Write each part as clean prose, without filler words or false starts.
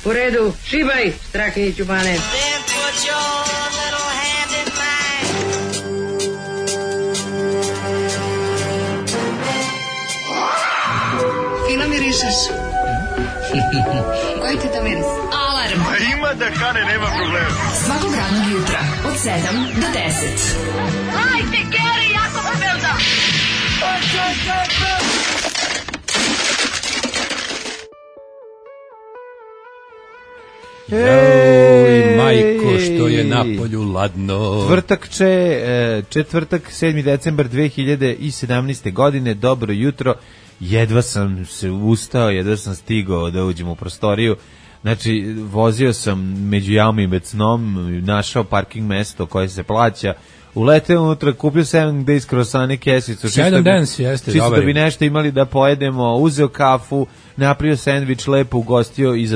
U redu, šibaj, Strahinjić u Bane. Fino mirišeš. Koji ti to miris? Alarm. Ima da kane, nema problema. Svakog radnog jutra od 7 do 10. Hajde, Geri, jako se velda. Ej, majko, što je napolju ladno. Četvrtak, 7. decembar 2017. godine, dobro jutro, jedva sam se ustao, jedva sam stigao da uđem u prostoriju, znači vozio sam među jamom i becnom, našao parking mesto koje se plaća, uleteo unutra, kupio 7 days krosane kesicu, čisto da bi nešto imali da pojedemo, uzeo kafu, napravio sendvič, lepo ugostio i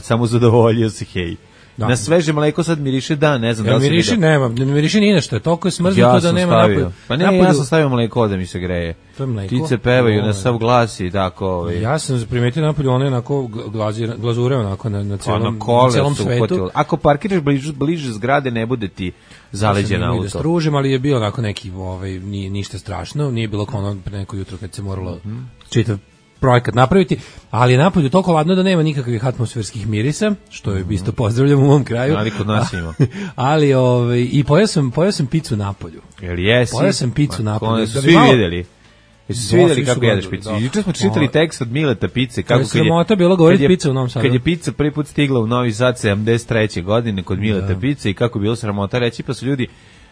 samo zadovoljio se, hej. Da. Na sveže mleko sad miriše, da, ne znam da li se miriše, nema, ne miriše ni nešto, toliko je smrznuto da nema napolju. Pa ne, ja sam stavio mleko da mi se greje. To je mleko. Ptice pevaju na sav glas i tako. Ja sam primetio napolju, ono je onako glazure onako na celom svetu. Ako parkiraš bliže zgrade, ne bude ti zaleđen auto. Da stružim, ali je bio onako neki, nije ništa strašno, nije bilo kao ono pre neko jutro kad se moralo čitav projekat napraviti, ali je napolju toliko ladno da nema nikakvih atmosferskih mirisa, što je isto pozdravljam u mom kraju. Ali kod nas ima. Ali i pojeo sam picu napolju. Jel jesi? Pojeo sam picu napolju. Svi videli. Jesu svi videli kako jedeš picu? Juče smo čitali tekst od Mileta Pice. Kako je sramota bilo govoriti pica u Novom Sadu. Kad je pica prvi put stigla u Novi Sad 73. godine kod Mileta Pice i kako je bilo sramota reći, pa su ljudi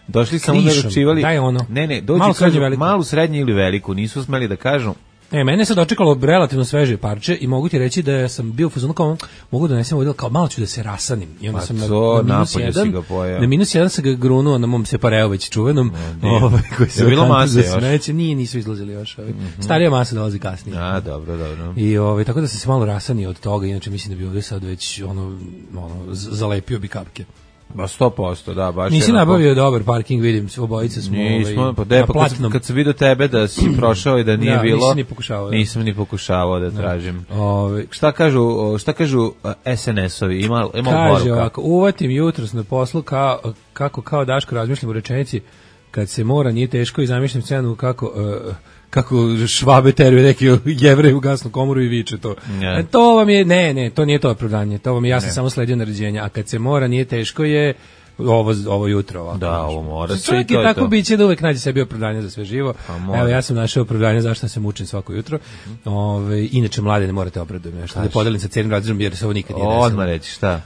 došli samo da ručivali. Daj ono. Ne, dođi malu, srednju ili veliku, nisu smeli da kažu. Mene se dočekalo relativno sveže parče i mogu ti reći da sam bio u fazonu kao mogu da nesem ovdje, kao malo ću da se rasanim. I onda sam na -1 sam ga grunuo na mom separeu već čuvenom. Koji se bilo mase još? Smeće, nisu izlazili još. Starija masa dolazi kasnije. A, dobro. I tako da sam se malo rasanio od toga, inače mislim da bi ovdje sad već zalepio bi kapke. Ba 100%, da, baš. Nisi nabavio dobar parking, vidim, obojice smo kad sam vidio tebe da si prošao i da nije bilo, nisam ni pokušavao da tražim. Šta kažu SNS-ovi, ima poruka? Kaže ovako, uvatim jutros na poslu kao Daško razmišljam u rečenici, kad se mora nije teško i zamišljam scenu kako Švabe teruje neki Jevrej u gasnu komoru i viče to. To vam je, ne, to nije to opravdanje, to vam je, ja sam samo sledio naređenja, a kad se mora nije teško je ovo jutro ovako. Da, ovo mora. Čovjek je tako biće da uvek nađe sebi opravdanje za sve živo. Evo, ja sam našao opravdanje zašto se mučim svako jutro. Inače, mlade ne morate obradujem nešto. Da podelim sa cijelim razredom jer se ovo nikad nije desilo. Odmah reći, šta?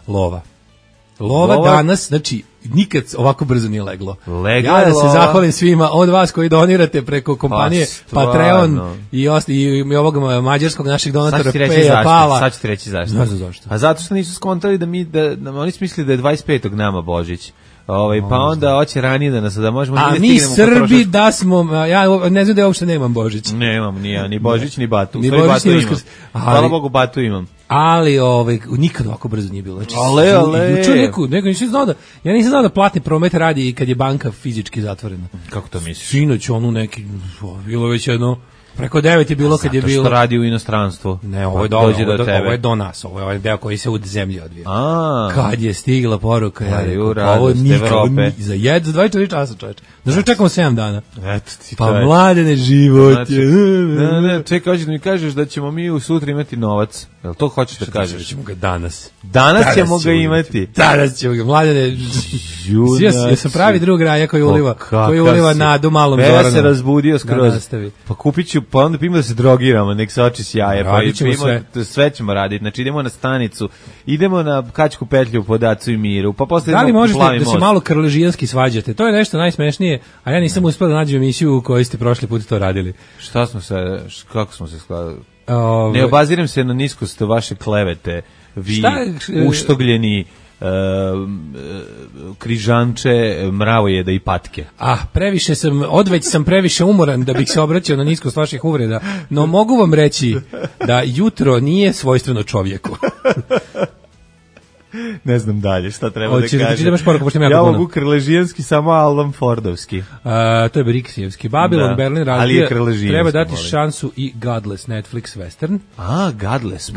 Lova danas, znači, nikad ovako brzo nije leglo. Ja da se zahvalim svima od vas koji donirate preko kompanije Patreon i ovog mađarskog našeg donatora Peja Pala. Sad ću ti reći zašto. Ne znam zašto. A zato što nisu skontali da oni su mislili da je 25. nama Božić. Pa onda hoće ranije da nas da možemo a mi Srbi da smo ja ne znam da ja uopšte nemam Božić. Nemam ni Božić ni Batu. Ni Božić ni Uskrs. Hvala Bogu Batu imam. Ali nikad ovako brzo nije bilo. Znači, juče neko ja nisam znao da platni promet radi i kad je banka fizički zatvorena. Kako to misliš? Sinoć neki bilo već jedno preko 9 je bilo kad je bilo. Zato što radi u inostranstvu. Ne, ovo je do nas, ovo je deo koji se u zemlji odvija. Kad je stigla poruka, ovo nikako za 24 časa, čoveče. Znači čekamo 7 dana. Eto ti pa mladene život je. Ne, čekaj, hoćeš da mi kažeš da ćemo mi u sutra imati novac. Jel to hoćeš da kažeš? Da ćemo ga danas. Danas ćemo ga imati. Danas ćemo ga, mladene. Ja sam pravi drug Raja koji uliva nadu malom Zoranu. Ja se razbudio skroz. Pa kupit ću, pa onda pimo da se drogiramo, nek se oči sjaje. Pa sve ćemo raditi. Znači idemo na stanicu, idemo na Kačku petlju po Dacu i Miru, pa posle da li možete da se malo krležijanski svađate? To je nešto najsmešnije, a ja nisam uspeo da nađem emisiju u kojoj ste prošli put to radili. Kako smo se skladali? Ne obaziram se na niskost vaše klevete, vi uštogljeni križanče, mravojeda i patke. Odveć sam previše umoran da bih se obraćao na niskost vaših uvreda, no mogu vam reći da jutro nije svojstveno čovjeku. Ne znam dalje šta treba Hoćeš da da ti kažem. imaš poruku, pošto ima jako Ja puno. mogu krležijanski, samo Alan Fordovski. To je Briksijevski. Babylon, Da. Berlin Ali razbija. je krležijevski, Treba dati molim. šansu i Godless Netflix western. Godless,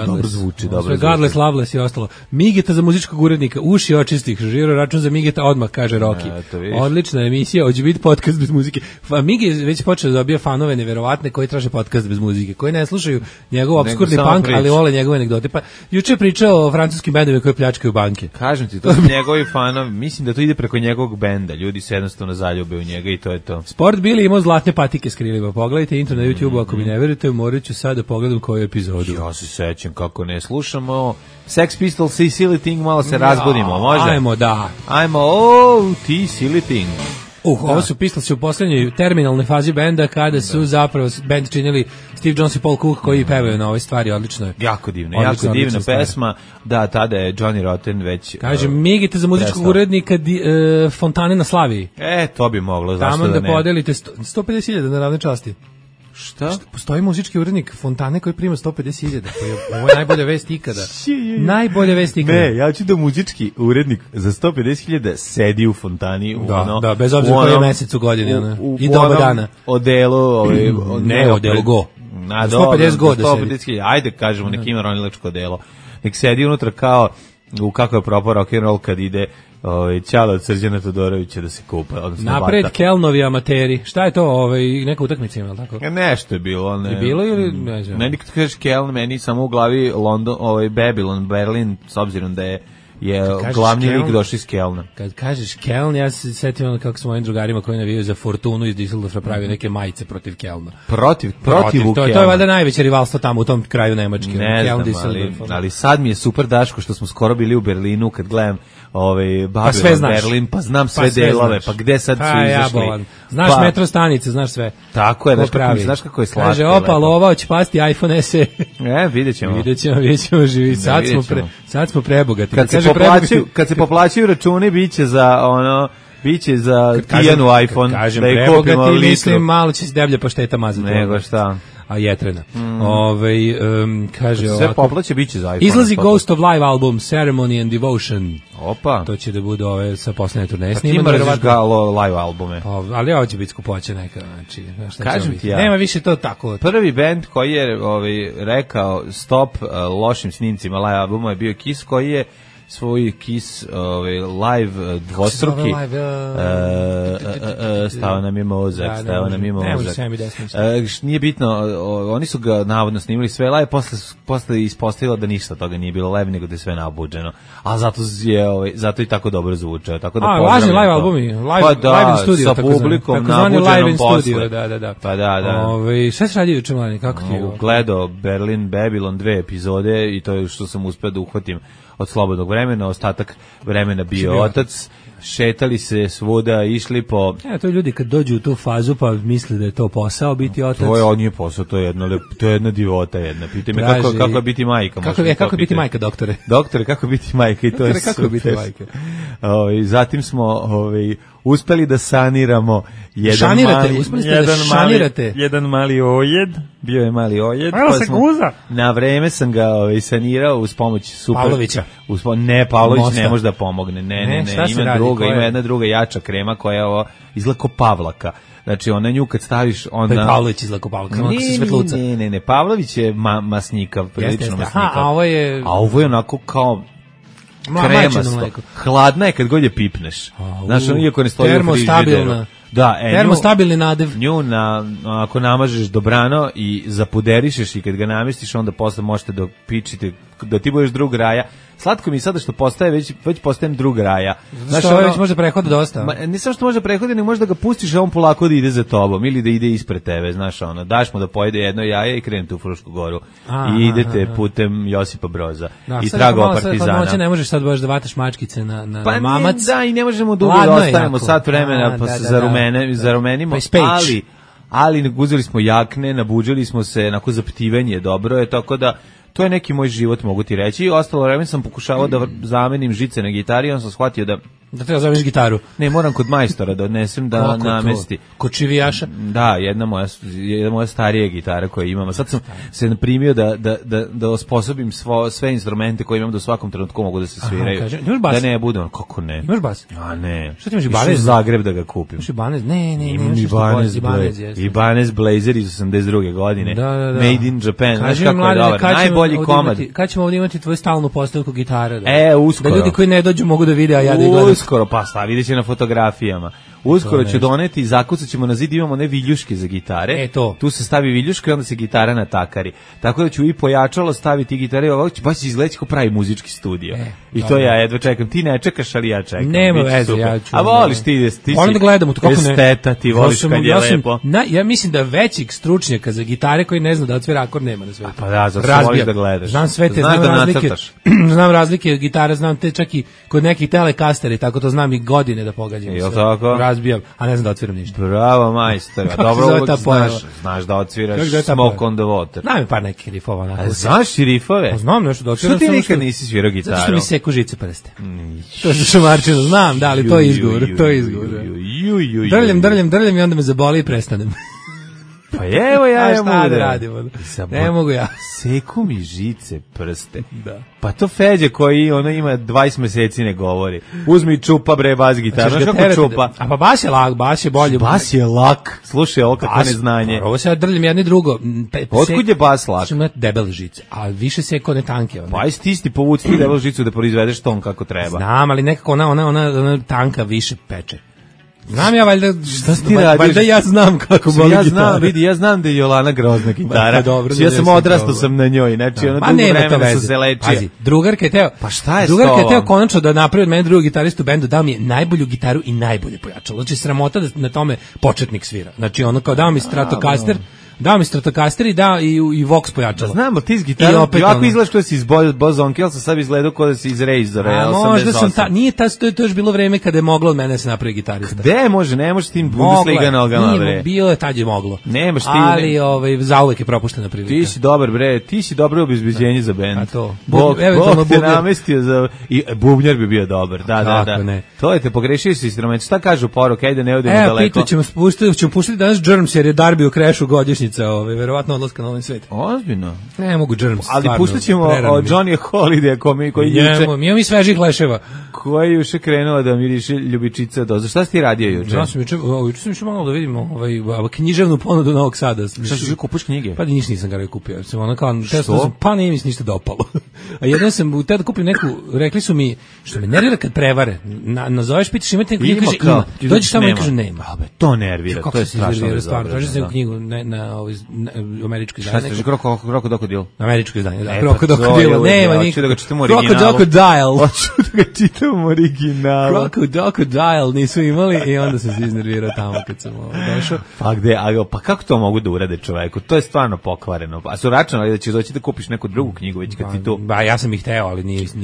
dobro zvuči, dobro zvuči. Godless, Loveless i ostalo. Migeta za muzičkog urednika, uši očistih, žiro račun za Migeta odmah, kaže Roki. to vidiš. Odlična emisija, hoće biti podcast bez muzike. Migi je već počeo da dobija fanove neverovatne koji traže podcast bez muzike, koji ne slušaju njegov obskurni samo punk, priča. ali vole njegove anegdote. Pa juče je pričao o francuskim bendovima koji pljačkaju banke. Kažem ti, to su njegovi fanovi. Mislim da to ide preko njegovog benda. Ljudi se jednostavno zaljube u njega i to je to. Sport Billy imao zlatne patike s krilima. Pogledajte intro na YouTube, ako mi ne verujete, morat ću sad da pogledam koju epizodu. Ja se sećam kako ne slušamo. Sex Pistols i Silly Thing, malo se razbudimo, može? Ajmo, da. Ajmo, ti Silly Thing. Ovo su Pistolsi u poslednjoj terminalnoj fazi benda kada su zapravo bend činili Steve Jones i Paul Cook koji pevaju na ovoj stvari, odlično je. Jako divna, Odlično, jako divna odlična stvar. pesma. Da, tada je Johnny Rotten već... Kaže, Migite za muzičkog prestao. urednika Fontane na Slaviji. To bi moglo, zašto Tamo da da ne? podelite 150.000 na ravne časti. Šta? Postoji muzički urednik Fontane koji prima 150.000. Ovo je najbolja vest ikada. Najbolja vest ikada. Ne, ja ću da muzički urednik za 150.000 sedi u Fontani. Da, bez obzira koji je mesec u godini. I doba dana. Odelu, Ne, odelu go. Na 150 go da sedi. 150.000, ajde kažemo, nek ima ronilačko odelo. Nek sedi unutra kao u kako je propao rock'n'roll kad ide Ćala od Srđana Todorovića da se kupa. Napred Kelnovi amateri. Šta je to? Neka utakmica ima, tako? Nešto je bilo. Ne, je bilo ili ne znam? Meni kad kažeš Keln, meni samo u glavi London, Babylon, Berlin, s obzirom da je glavni lik došli iz Kelna. Kad kažeš Keln, ja se setim kako s mojim drugarima koji navijaju za Fortunu iz Düsseldorfa pravio neke majice protiv Kelna. Protiv to je valjda najveće rivalstvo tamo u tom kraju Nemačke. Ne znam, ali sad mi je super, Daško, što smo skoro bili u Berlinu, kad gledam Babylon, Berlin, pa znam sve delove, pa gde sad su izašli. Znaš metro stanice, znaš sve. Tako je, znaš kako je slatko. Kaže, opa, lova, će pasti iPhone SE. Vidjet ćemo živi. Sad smo prebogati. Kad se poplaćaju računi, biće za Tijanu iPhone. Kažem prebogati, mislim, malo će se deblje pašteta mazati. Nego šta? A jetrena. Kaže sve poplaće, biće za iPhone. Izlazi Ghost of Live album Ceremony and Devotion. Opa. To će da bude sa poslednje turneje. Ti mrziš ga live albume. Ali ovo će biti skupoće neka. Znači, kažem ti ja. Nema više to tako. Prvi band koji je rekao stop lošim snimcima live albuma je bio Kiss, koji je svoj Kiss live dvostruki stao nam je mozak. Nije bitno, oni su ga navodno snimili sve live, posle ispostavilo da ništa toga nije bilo live, nego da je sve nabuđeno, a zato i tako dobro zvučao. Lažni live albumi, live in studio, sa publikom nabuđenom posle. Da. Pa da. Šta se radi juče, mlani, kako ti je? Gledao Berlin, Babylon 2 epizode i to je što sam uspeo da uhvatim od slobodnog vremena, ostatak vremena bio otac, šetali se svuda, išli po... To je ljudi kad dođu u tu fazu pa misle da je to posao biti otac. To nije posao, to je jedna divota jedna. Pitaj me kako je biti majka. Kako je biti majka, doktore? Doktore, kako je biti majka i to je super. Kako je biti majka? Zatim smo uspeli da saniramo jedan mali ojed, bio je mali ojed. Na vreme sam ga sanirao uz pomoć Pavlovića. Ne, Pavlović ne može da pomogne. Ne, ima jedna druga jača krema koja je izgleda kao Pavlaka. Znači, ona nju kad staviš... Pa je Pavlović izgleda kao Pavlaka, samo se svetluca. Ne, Pavlović je masnikav, prilično masnikav. A ovo je onako kao... kremasto. Hladna je kad god je pipneš. Znaš, iako ne stoji u frižideru. Termostabilni nadev. Nju ako namažeš dobrano i zapuderišeš i kad ga namestiš, onda posle možete da pičite, da ti budeš drug raja. Slatko mi je sada što postaje, već postajem drug raja. Znaš, ovo već može prehoda dosta. Ne samo što može prehoditi, nego može da ga pustiš, a on polako da ide za tobom ili da ide ispred tebe, znaš, daš mu da pojede jedno jaje i krenete u Frušku Goru. I idete putem Josipa Broza i tragova Partizana. Sad ne možeš sad baš da vataš mačkice na mamac. Da, i ne možemo dugo da ostavimo sat vremena pa se zarumenimo, ali uzeli smo jakne, nabuđili smo se, onako zaptivanje dobro je, tako da to je neki moj život, mogu ti reći. I ostalo vreme sam pokušavao da zamenim žice na gitari, on sam shvatio da Da treba zoveš gitaru. Ne, moram kod majstora da odnesem da Kako namesti. to? Kod čivijaša? Da, jedna moja starija gitara koju imam. A sad sam se primio da osposobim sve instrumente koje imam da u svakom trenutku mogu da se sviraju. Imaš bas? Da ne budem, kako ne? Imaš bas? A ne. Šta ti imaš, Išao Ibanez? u Zagreb da ga kupim. Imaš Ibanez? Ne, Imam Ibanez Blazer iz 82. godine. Da. Made in Japan. Znaš Kaži mi, kako je mladine, dobar. Najbolji komad. Kad ćemo ovdje imati tvoju stalnu postavku gitare? Uskoro. Da ljudi koji ne dođu mogu da vide, a ja da ih gledam. Uskoro, pa vidjet će na fotografijama. Uskoro ću doneti, zakucat ćemo na zid, imamo one viljuške za gitare. Tu se stavi viljuška i onda se gitara natakari. Tako da ću i pojačalo staviti gitare, ovako će baš izgledati kao pravi muzički studio. I to ja jedva čekam. Ti ne čekaš, ali ja čekam. Nema veze, ja ću. A voliš ti si da gledam, kako ne. Esteta, ti voliš kad je lepo. Ja mislim da većih stručnjaka za gitare koji ne zna da otvira akord nema na svetu. Pa da, zato voliš da gledaš. Znam sve te, znam razlike. Znam razlike gitare, znam te čak i kod nekih telekasteri, tako to znam i godine da pogađam. Jel tako? Razbijam, a ne znam da otviram ništa. Bravo, majstor. Dobro, uvijek znaš da otviraš Smoke on the Water. Znam mi par nekih rifova. A znaš i rifove? Znam nešto da otviram. Što ti nikad nisi svirao gitaru? Zato što mi seku žice prste. To je za šamarčinu, znam, da, ali to je izgovor. Drljam i onda me zaboli i prestanem. Pa evo ja šta mogu da radim. Ne mogu ja. Seku mi žice prste. Da. Pa to Feđe koji ima 20 meseci ne govori. Uzmi čupa bre bas gitaru. Znaš kako čupa? A pa bas je lak, bas je bolje. Bas je lak. Slušaj, ovo kako neznanje. Ovo se ja drljam jedno i drugo. Otkud je bas lak? Ima debele žice, a više seko ne tanke. Pa aj ti povuci ti debelu žicu da proizvedeš ton kako treba. Znam, ali nekako ona tanka više peče. Znam ja, valjda, šta ti radiš? Valjda ja znam kako boli gitara. Ja znam da je Jolana grozna gitara. Pa dobro, ja sam odrastao sam na njoj, znači ono dugo vremena sam se lečio. Pazi, drugarka je teo, pa šta je drugarka je teo konačno da napravi od mene drugog gitaristu u bendu, dao mi je najbolju gitaru i najbolje pojačalo. Znači sramota da na tome početnik svira. Znači ono kao dao mi Stratocaster, dao mi Stratocaster i dao i Vox pojačalo. Znam, ali ti iz gitara, ovako izgledaš kao da si iz Bozonke, ali sam sad izgledao kao da si iz Razora. Možda sam nije to još bilo vreme kada je moglo od mene se napravi gitarista. Gde može, ne može tim Bundesliga nogama, bre. Nije, bilo je, tad je moglo. Nemaš ti. Ali zauvek je propuštena prilika. Ti si dobar, bre, ti si dobro obezbeđenje za bend. A to. Bog te namestio za... I bubnjar bi bio dobar, da. To je te pogrešio si instrument. Šta kažu poruke, ajde ne odemo daleko. Evo, ćemo pustiti danas Germs, jer je Darby u Crashu godišnjica, verovatno odlaska na ovaj svet. Ozbiljno. Ne mogu Germs. Ali pustit ćemo od Johnny Holiday koji juče... Mi svežih leševa. Koji je juče krenuo da miriše ljubičica doza. Šta si ti radio juče? Ja sam juče sam išao malo da vidimo književnu ponudu Novog Sada. Šta si kupiš knjige? Pa nisam ga kupio. Pa nije mi se ništa dopalo. A jedno sam teo da kupim neku, rekli su mi, što me nervira kad prevare. Nazoveš, pitaš imate neku knjigu, kaže ima. Dođeš tamo i kaže nema. To nervira, to je strašno. Traži se knjigu na američko izdanje. Šta ste, Krokodil? Američko izdanje, da. Krokodil, nema nikog. Hoću da ga čitam u originalu. Hoću da ga čitam u originalu. Krokodil nisu imali i onda sam se iznervirao tamo kad sam došao. Pa kako to mogu da urade čoveku? To je stvarno pokvareno. A su računali da ćeš doći da kupiš neku drugu knjigu već kad ti to... Ba, ja sam ih hteo, ali nisam.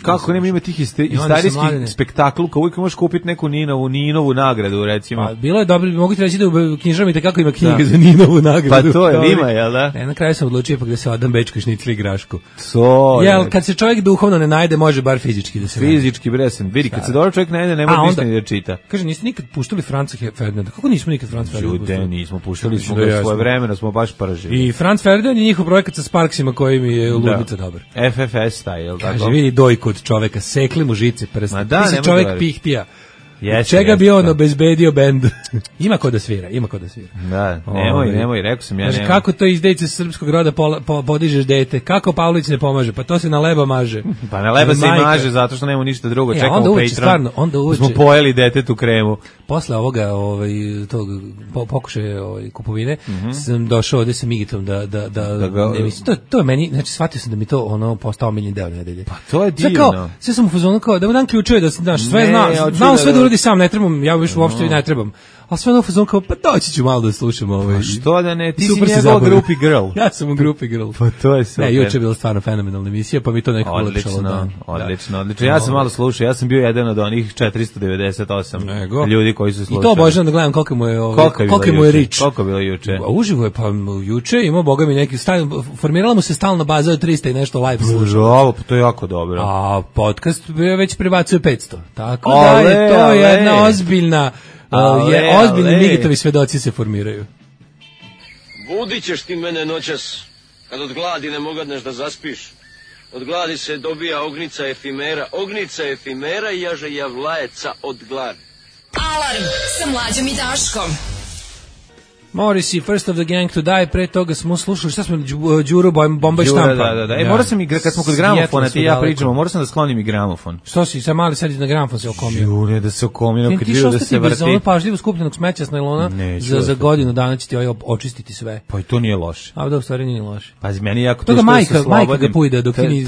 Kako nema ima tih istorijskih spektaklu, kao uvijek možeš kupiti neku Ninovu nagradu, recimo. Pa, bilo je dobro, mogu ti reći da u knjižama i tekako ima knjiga za Ninovu nagradu. Pa to je, ima, jel da? Na kraju sam odlučio pa gde se odam bečku šnicli igrašku. To je. Jel, kad se čovjek duhovno ne najde, može bar fizički da se najde. Fizički, bresen. Vidi, kad se dobro čovjek najde, ne može ništa ni da čita. Kaže, niste nikad puštali Franca Ferdinanda? Kako nismo nikad Franca Ferdinanda puštali? Ljude, nismo puštali, smo ga svoje vremena, smo baš pržili. I Franz Ferdinand je njihov projekat sa Sparksima koji mi je ludnica dobar. FFS taj, jel tako? Kaže, vidi dojku od čoveka, sekli mu žice prste. Ti si čovek pihtija. Čega bi on obezbedio bend? Ima ko da svira. Da, nemoj, rekao sam ja. Kaže, kako to izdejice srpskog roda podižeš dete? Kako Pavlić ne pomaže? Pa to se na leba maže. Pa na leba se maže zato što nema ništa drugo. Čekamo Patreon. Onda uveče. Smo pojeli detetu kremu. Posle ovoga, tog pokušaja kupovine, sam došao ovde sa Migitom ne mislim, to je meni, znači shvatio sam da mi to postao omiljeni deo nedelje. Pa to je divno. Sve sam u fazonu kao da mu dam ključeve da znaš sve znao sve da uradi sam, ne trebam, ja više uopšte ne trebam. A sve ono fazon kao, pa doći ću malo da slušam ovaj. Što da ne, ti si Super se njegov zabavio. grupi girl. Ja sam u grupi girl. Pa to je super. Ne, juče je bila stvarno fenomenalna emisija, pa mi to nekako ulepšalo dan. Odlično. Ja sam malo slušao, ja sam bio jedan od onih 498 ljudi koji su slušali. I to obožavam da gledam koliko mu je rič. Koliko je bilo juče? Uživo je, pa juče imao, boga mi neki, formirala mu se stalna baza od 300 i nešto live slušao. Bravo, pa to je jako dobro. A podcast već prebacuje 500. Tako da je to jedna ozbiljna, ozbiljni Migitovi svedoci se formiraju. Budit ćeš ti mene noćas, kad od gladi ne mogadneš da zaspiš. Od gladi se dobija ognica efimera i jaže javlajeca od gladi. Alarm sa Mlađom i Daškom. Morrissey, First of the Gang to Die, pre toga smo slušali, šta smo, Đuro Bomba i štampa. Da. Morao sam i, kad smo kod gramofona, ti ja pričamo, morao sam da sklonim i gramofon. Što si, sam mali sad na gramofon se okomio. Đure, da se okomio, kad vidio da se vrti. Ti što pažljivo skupljenog smeća s najlona, za godinu dana će ti očistiti sve. Pa i to nije loše. A da, u stvari nije loše. Pazi, meni jako teško da se slobodim. Majka ga pujde dok ti nije.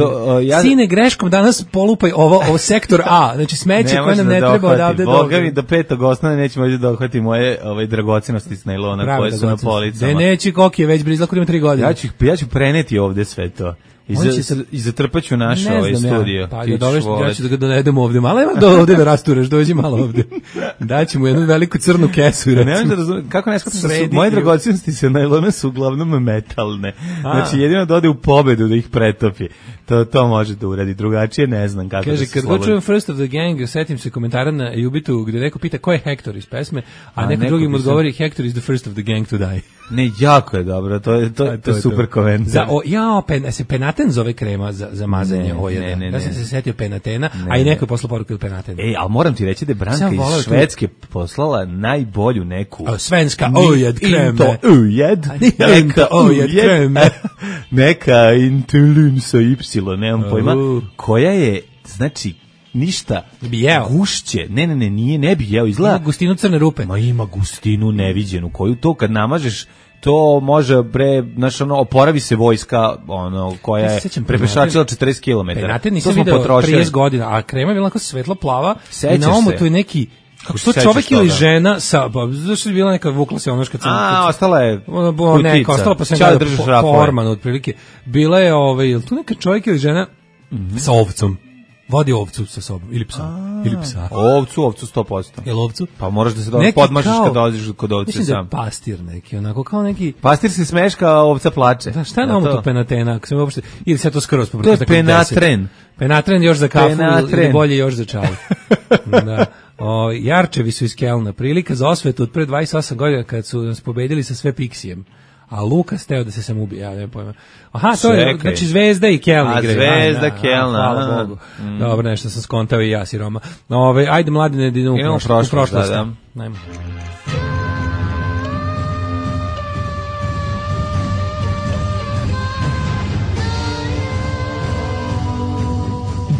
Sine, greškom danas polupaj ovo sektor A, znači smeće koje nam ne treba odavde do... Boga mi, do 5. osnovne nećemo moći da dohvati moje dragocenosti s najlona koje su na policama. Da neći koki je već blizako ima 3 godine. Ja ću preneti ovde sve to. I zatrpaću naš studio. Pa ja ću da ga dovedem ovde. Malo ima ovde da rasturaš, dođi malo ovde. Daći mu jednu veliku crnu kesu. Ne znam kako ne shvatam da su moje dragocenosti sa najlona su uglavnom metalne. Znači jedino da ode u pobedu da ih pretopi. To može da uradi, drugačije ne znam kako. Kaže, kad god čujem First of the Gang, setim se komentara na Jubitu gde neko pita ko je Hector iz pesme, a neko drugi mu odgovori Hector is the first of the gang to die. Ne, jako je dobro, to je super komentar. Se Penaten zove krema za mazanje ojeda. Ja sam se setio Penatena, a i neko je poslao poruku od Penatena. Ali moram ti reći da je Branka iz Švedske poslala najbolju neku... Svenska ojed kreme. Neka ojed kreme. Neka Intulun sa Y, nemam pojma, koja je, znači, ništa gušće. Ne bi jeo, izgleda. Ima gustinu crne rupe. Ma ima gustinu neviđenu, koju to kad namažeš, to može oporavi se vojska, koja je prepešačila 40 km. Penaten nisam video 30 godina, a krema je bila onako svetlo plava i na omotu je neki... Kako što čovjek ili žena sa, zašto je bila neka vukla se onoška crna. Ostala je kutica. Ostala pa sam gledao po ormanu otprilike. bila je je tu neka čovjek ili žena sa ovcom. Vodi ovcu sa sobom, ili psa. Ili psa. Ovcu 100%. Jel ovcu? Pa moraš da se podmašiš kad dođeš kod ovce sam. Mislim da je pastir neki, onako kao neki... Pastir se smeška, a ovca plače. Da, šta je na omotu Penatena? Ako sam uopšte... Ili se to skroz povrlo. To je Penatren. Penatren još za kafu ili bolje još za čaj. Da. Jarčevi su iz Kelna. Prilika za osvetu od pre 28 godina kad su nas pobedili sa sve Pixijem. A Lukas teo da se sam ubije, ja ne pojma. Aha, to je, znači Zvezda i Kelna igre. Zvezda, Kelna. Hvala Bogu. Dobro, nešto sam skontao i ja siroma. Ajde, mladine, da idemo u prošlost. Da. Najmo.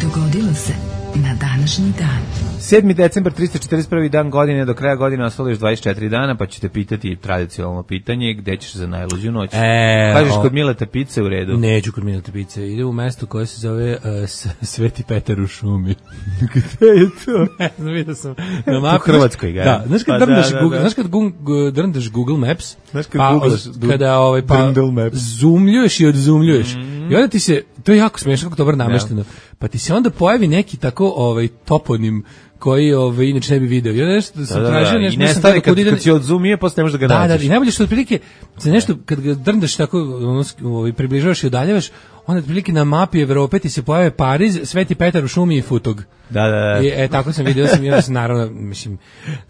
Dogodilo se na današnji dan. 7. decembar, 341. dan godine, do kraja godine ostalo još 24 dana, pa ćete pitati tradicionalno pitanje, gde ćeš za najluđu noć? Kažeš kod Mileta Pice u redu? Neću kod Mileta Pice, ide u mesto koje se zove Sveti Petar u šumi. Gde je to? Ne znam, vidio sam na mapu. U Hrvatskoj ga. Da, znaš kad drndaš Google Maps, kada zoomljuješ i odzumljuješ, i onda ti se, to je jako smiješno, kako dobro namešteno, pa ti se onda pojavi neki tako toponim koji inače ne bi video. Ja nešto sam tražio, nešto i nestane kad si odzumije, posle ne možeš da ga nađeš. Da, i najbolje što otprilike za nešto kad ga drndaš tako, približavaš i udaljavaš, onda otprilike na mapi Evrope ti se pojave Pariz, Sveti Petar u šumi i Futog. Da. Tako sam vidio, ja sam naravno, mislim,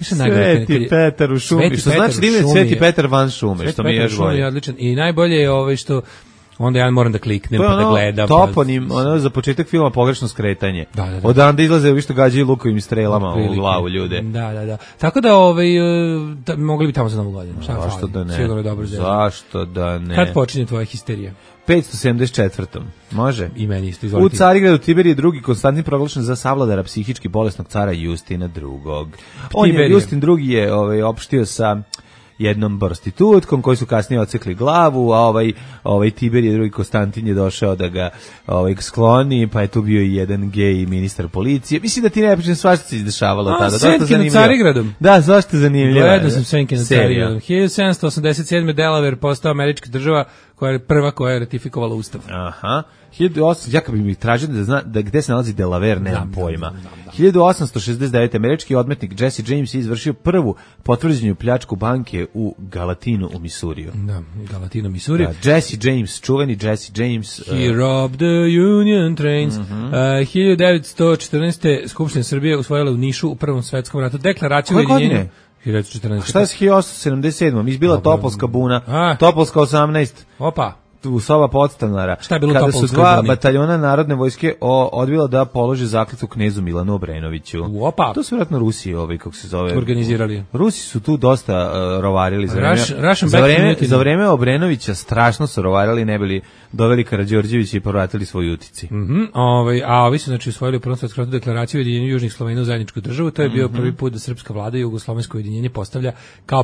Sveti Petar u šumi, što znači da je Sveti Petar van šume, što mi je još bolje. I najbolje je što onda ja moram da kliknem pa da gledam. Toponim, za početak filma pogrešno skretanje. Odande izlaze vi što gađaju lukovim strelama u glavu ljude. Da. Tako da mogli bi tamo za Novu godinu. Zašto da ne? Sigurno je dobro. Zašto da ne? Kad počinje tvoja histerija? 574. Može? I meni isto, izvolite. U Carigradu Tiberije II. Konstantin proglašen za savladara psihički bolesnog cara Justina II. Justin II. je opštio sa jednom prostitutkom koji su kasnije odsekli glavu, a ovaj Tiberije drugi Konstantin je došao da ga skloni, pa je tu bio i jedan gej ministar policije. Mislim da ti ne pričam, svašta se izdešavalo tada. Senke nad Carigradom. Da, svašta zanimljivo. Gledao sam Senke nad Carigradom. 1787. Delaware postao američka država koja je prva koja je ratifikovala ustav. Aha. 1800, ja kad bi mi tražio da gde se nalazi Delaware, nemam pojma. 1869. američki odmetnik Jesse James je izvršio prvu potvrđenu pljačku banke u Galatinu u Misuriju. Da, Galatinu, Misuriju. Jesse James, čuveni Jesse James. He robbed the Union trains. 1914. Skupština Srbije usvojila u Nišu u Prvom svetskom ratu deklaraciju o ujedinjenju. 1914. A šta je s 1877. Izbila Topolska buna, Topolska 18. Opa. U soba podstanara. Šta je bilo kada su dva buni? bataljona narodne vojske odbila da polože zakletvu knezu Milanu Obrenoviću. Opa. To su vjerojatno Rusi, kako se zove. Organizirali. Rusi su tu dosta rovarili za vreme Obrenovića, strašno su rovarili, ne bili doveli Karađorđevića i povratili svoj utici. A ovi su znači usvojili u Prvom svetskom ratu deklaraciju o ujedinjenju južnih Slovena u zajedničku državu. To je bio prvi put da srpska vlada jugoslovensko ujedinjenje postavlja kao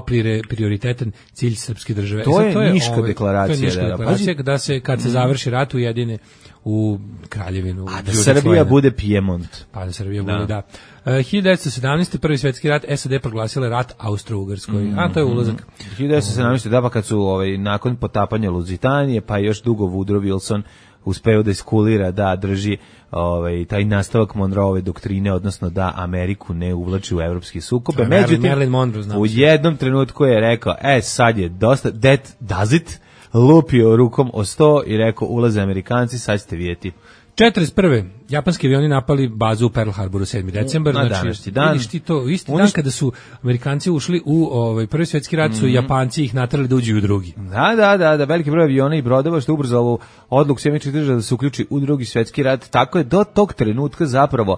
prioritetan cilj srpske države. To je Niška deklaracija. Da se kad se završi rat ujedine u Kraljevinu. A da Srbija bude Piemont. Pa da Srbija bude, da. 1917. Prvi svjetski rat, SAD proglasile rat Austro-Ugarskoj. A to je ulazak. 1917. da, pa kad su nakon potapanja Luzitanije, pa još dugo Woodrow Wilson uspeo da iskulira, da drži taj nastavak Monroeove doktrine, odnosno da Ameriku ne uvlači u evropske sukobe. Međutim, u jednom trenutku je rekao, sad je dosta, that does it, lupio rukom o sto i rekao, ulaze Amerikanci, sad ćete vidjeti. 41. Japanski avioni napali bazu u Pearl Harboru 7. decembar. Znači, vidiš ti to, isti dan kada su Amerikanci ušli u prvi svjetski rat, su Japanci ih naterali da uđu u drugi. Da, veliki broj aviona i brodova što ubrzalo odluku Sjemičkih država da se uključi u drugi svjetski rat. Tako je do tog trenutka zapravo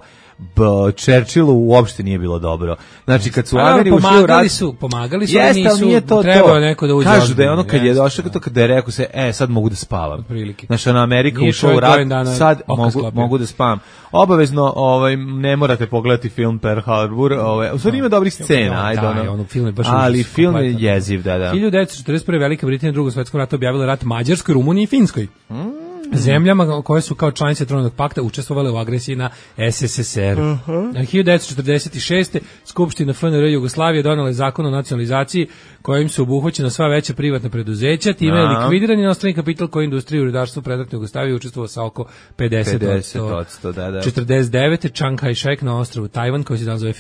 Churchillu uopšte nije bilo dobro. Znači kad su Ameri ušli u rat, pomagali su, nisu trebao neko da uđe. Kažu da je ono kad je došao to kada je rekao se sad mogu da spavam. Znači na Amerika ušla u rat, sad mogu da spavam. Obavezno ne morate pogledati film Pearl Harbor, u stvari ima dobrih scena, ali film je jeziv, da. 1941. Velika Britanija u Drugom svjetskom ratu objavila rat Mađarskoj, Rumuniji i Finskoj. Zemljama koje su kao članice Trojnog pakta učestvovale u agresiji na SSSR. 1946. Skupština FNR Jugoslavije donela je zakon o nacionalizaciji kojim su obuhvaćena sva veća privatna preduzeća, time je likvidiran inostrani kapital koji industriju i rudarstvo predratne Jugoslavije učestvovao sa oko 50%. Da. 49. Chiang Kai-shek na ostrvu Tajvan, koji se danas zove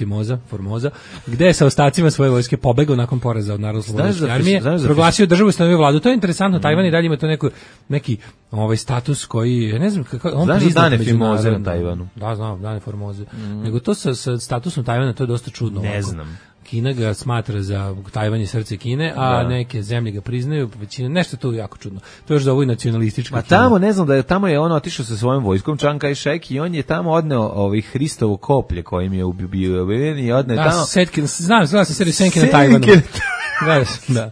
Formoza, gde je sa ostacima svoje vojske pobegao nakon poraza od Narodno-slobodilačke armije, proglasio državu i ustanovio vladu. To je interesantno, Tajvan i dalje ima to neki status koji, ne znam kako on priznat. Znaš dane Formoze na Tajvanu? Da, znam, dane Formoze. Nego to sa statusom Tajvana, to je dosta čudno. Ne znam. Kina ga smatra za Tajvan je srce Kine, a neke zemlje ga priznaju, većina, nešto to jako čudno. To je još za ovoj nacionalistička Kina. Tamo, ne znam, tamo je on otišao sa svojom vojskom, Chiang Kai-shek, i on je tamo odneo Hristovo koplje kojim je ubio i odneo tamo. Znam se seriju Senke na Tajvanu. Da.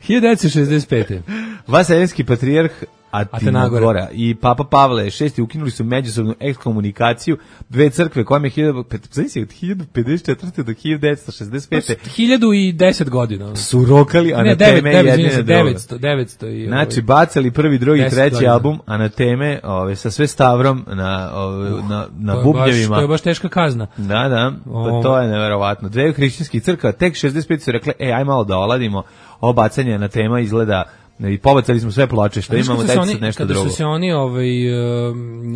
1965. Vaseljenski patrijarh Atenagora i Papa Pavle VI ukinuli su međusobnu ekskomunikaciju dve crkve kojima je 1954. do 1965. 1010 godina. Su rokali anateme jedne na drugo. 900 i znači bacali prvi, drugi, treći album anateme sa sve stavrom na bubnjevima. To je baš teška kazna. Da, to je neverovatno. Dve hrišćanskih crkva, tek 65 su rekle, aj malo da oladimo, ovo bacanje anatema izgleda. I pobacali smo sve ploče što imamo, dajte sad nešto drugo. Kada su se oni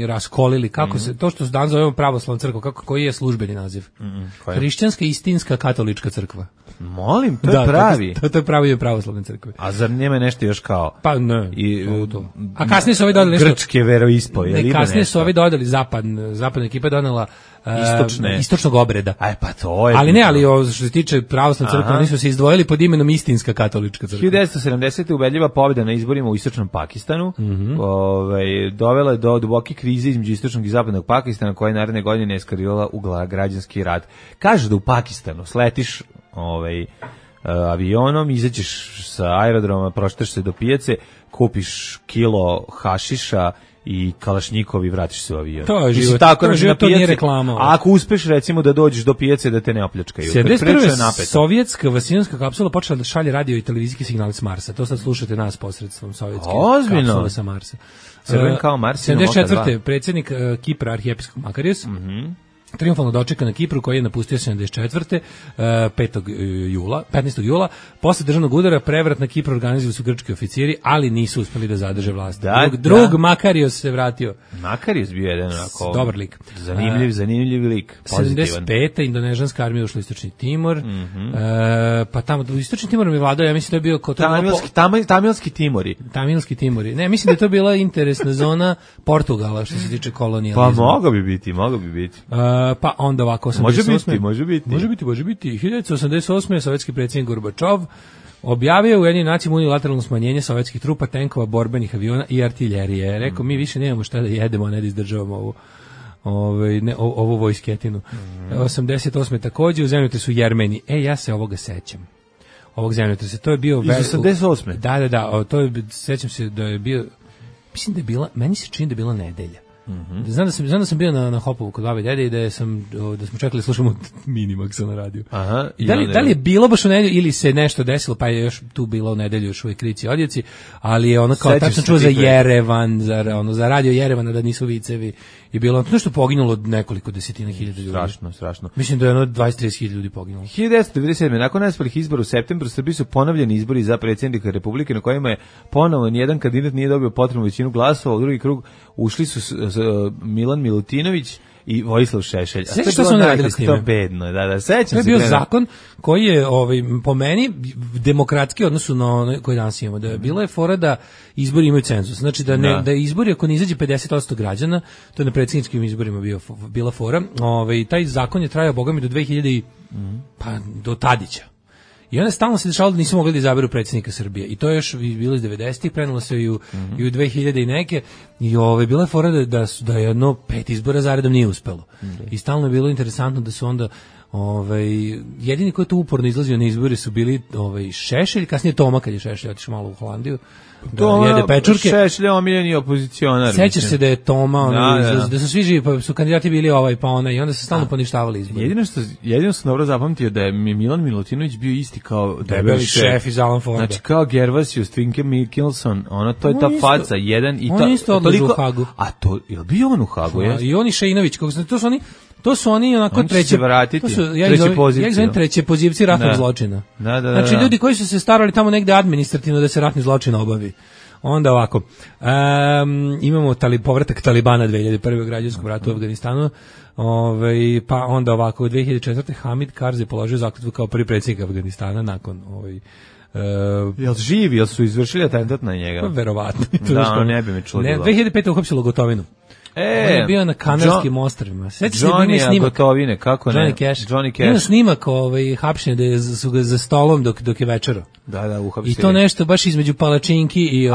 raskolili, kako se, to što se danas zovemo pravoslavna crkva, koji je službeni naziv? Hrišćanska istinska katolička crkva. Molim, to je pravi. To je pravi pravoslavne crkve. A zar nema nešto još kao? Pa ne. A kasnije su ovi dodali nešto. Grčke veroispovedi. Kasnije su ovi dodali zapadna ekipa donela istočnog obreda. Pa to je. Ali što se tiče pravoslavne crkve, oni su se izdvojili pod imenom istinska katolička crkva. 1970. ubedljiva pobjeda na izborima u istočnom Pakistanu, dovela je do duboke krize između istočnog i zapadnog Pakistana, koja je naredne godine eskalirala u građanski rat. Kažu da u Pakistanu sletiš avionom, izađeš sa aerodroma, proštaš se do pijace, kupiš kilo hašiša i kalašnjikovi, vratiš se u avion. To je Mislim, život, tako, to je znači, život, na to nije pijaci, reklama. a ako uspeš recimo da dođeš do pijace da te ne opljačkaju. 71. sovjetska vasijonska kapsula počela da šalje radio i televizijski signal s Marsa. To sad slušate nas posredstvom sovjetske kapsule sa Marsa. Crven kao Mars. 74. predsjednik Kipra, arhijepiskop Makarios, triumfalno dočeka na Kipru, koji je napustio 74. 15. jula. Posle državnog udara prevrat na Kipru organizovali su grčki oficiri, ali nisu uspeli da zadrže vlast. Drug Makarios se vratio. Makarios bio jedan onako dobar lik. Zanimljiv lik. Pozitivan. 75. indonežanska armija ušla u Istočni Timor. Pa tamo u Istočni Timor mi vladao, ja mislim da je bio Tamilski Timori. Tamilski Timori. Ne, mislim da je to bila interesna zona Portugala što se tiče kolonijalizma. Pa mogao bi biti. Pa onda ovako 88. Može biti. 1988. sovjetski predsjednik Gorbačov objavio u Ujedinjenim nacijama unilateralno smanjenje sovjetskih trupa, tenkova, borbenih aviona i artiljerije. Rekao, mi više nemamo šta da jedemo, a ne da izdržavamo ovu vojsketinu. 88. takođe u zemljotresu Jermeni. Ja se ovoga sećam. Ovog zemljotresa. To je bio... Iz 88. Da. Sećam se da je bio... Mislim da je bila... Meni se čini da je bila nedelja. Znam da sam bio na Hopovu kod babe i dede i da smo čekali slušamo Minimaxa na radiju. Aha, da li je bilo baš u nedelju ili se nešto desilo, pa je još tu bilo u nedelju još uvijek krici odjeci, ali je ono kao tačno čuo za Jerevan, za radio Jerevana da nisu vicevi i bilo nešto poginulo nekoliko desetina hiljada ljudi. Strašno. Mislim da je 20-30 hiljada ljudi poginulo. 1997. nakon neuspelih izbora u septembru, Srbiji su ponovljeni izbori za predsjednika Republike na kojima je ponovo nijedan kandidat nije dobio potrebnu većinu glasova. U drugi krug ušli su Milan Milutinović i Vojislav Šešelj. Sećaš što su oni radili s time? To bedno, da, sećam se. To je bio zakon koji je po meni demokratski odnosu na koji danas imamo. Da je bila je fora da izbori imaju cenzus. Znači da izbori ako ne izađe 50% građana, to je na predsjedničkim izborima bila fora. Taj zakon je trajao bogami do 2000 pa do Tadića. I onda stalno se dešavalo da nisu mogli da izaberu predsjednika Srbije. I to je još bilo iz 90-ih, prenelo se i u 2000 i neke. I bila je fora da je 5 izbora zaredom nije uspelo. I stalno je bilo interesantno da su onda jedini koji je tu uporno izlazio na izbore su bili Šešelj, kasnije Toma kad je Šešelj otišao malo u Holandiju. Jede pečurke. Šešelj omiljeni opozicionar. Sećaš se da je Toma, da su svi živi, pa su kandidati bili pa ona i onda se stalno poništavali izbori. Jedino sam dobro zapamtio da je Milan Milutinović bio isti kao debeli šef iz Alan Forda. Znači kao Gervasius, Twinke Mikkelson, to je ta faca, jedan i on isto odlazi u Hagu. A to, je li bio on u Hagu? I on i Šeinović, to su oni onako treće ja ih zovem treće pozivci ratnog zločina. Znači ljudi koji su se starali tamo negde administrativno da se ratni zločin obavi. Onda ovako, imamo povratak Talibana 2001. u građanskom ratu u Afganistanu, pa onda ovako, u 2004. Hamid Karzai položio zakletvu kao prvi predsjednik Afganistana nakon jel živi, jel su izvršili atentat na njega? Pa verovatno. Da, ne bi me čudilo. 2005. uhapsilo Gotovinu. On je bio na Kanarskim ostrvima. Johnny Gotovine, kako ne? Johnny Cash. Ima snimak hapšenja da su ga za stolom dok je večerao. Da, uhapsili. I to nešto baš između palačinki i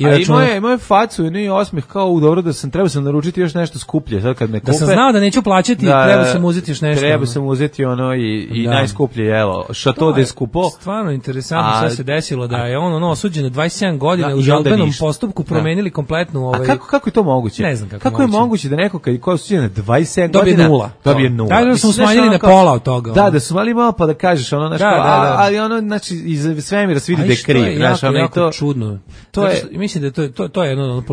računa. A imao je facu i osmeh kao dobro da trebao sam naručiti još nešto skuplje. Sad kad me kupe. Da sam znao da neću plaćati, trebao sam uzeti još nešto. Trebao sam uzeti i najskuplje jelo. Chateau de Scupo. Stvarno interesantno sve se desilo da je on osuđen na 27 godina u žalbenom postupku promenili kompletnu A kako je to moguće? Ne znam kako je moguće da neko kad je osuđen na 27 godina dobije nula. Da smo smanjili na pola od toga. Da su mali malo pa da kažeš ali znači iz svemira se vidi da je kriv. Znaš, jako čudno. Mislim da to je jedno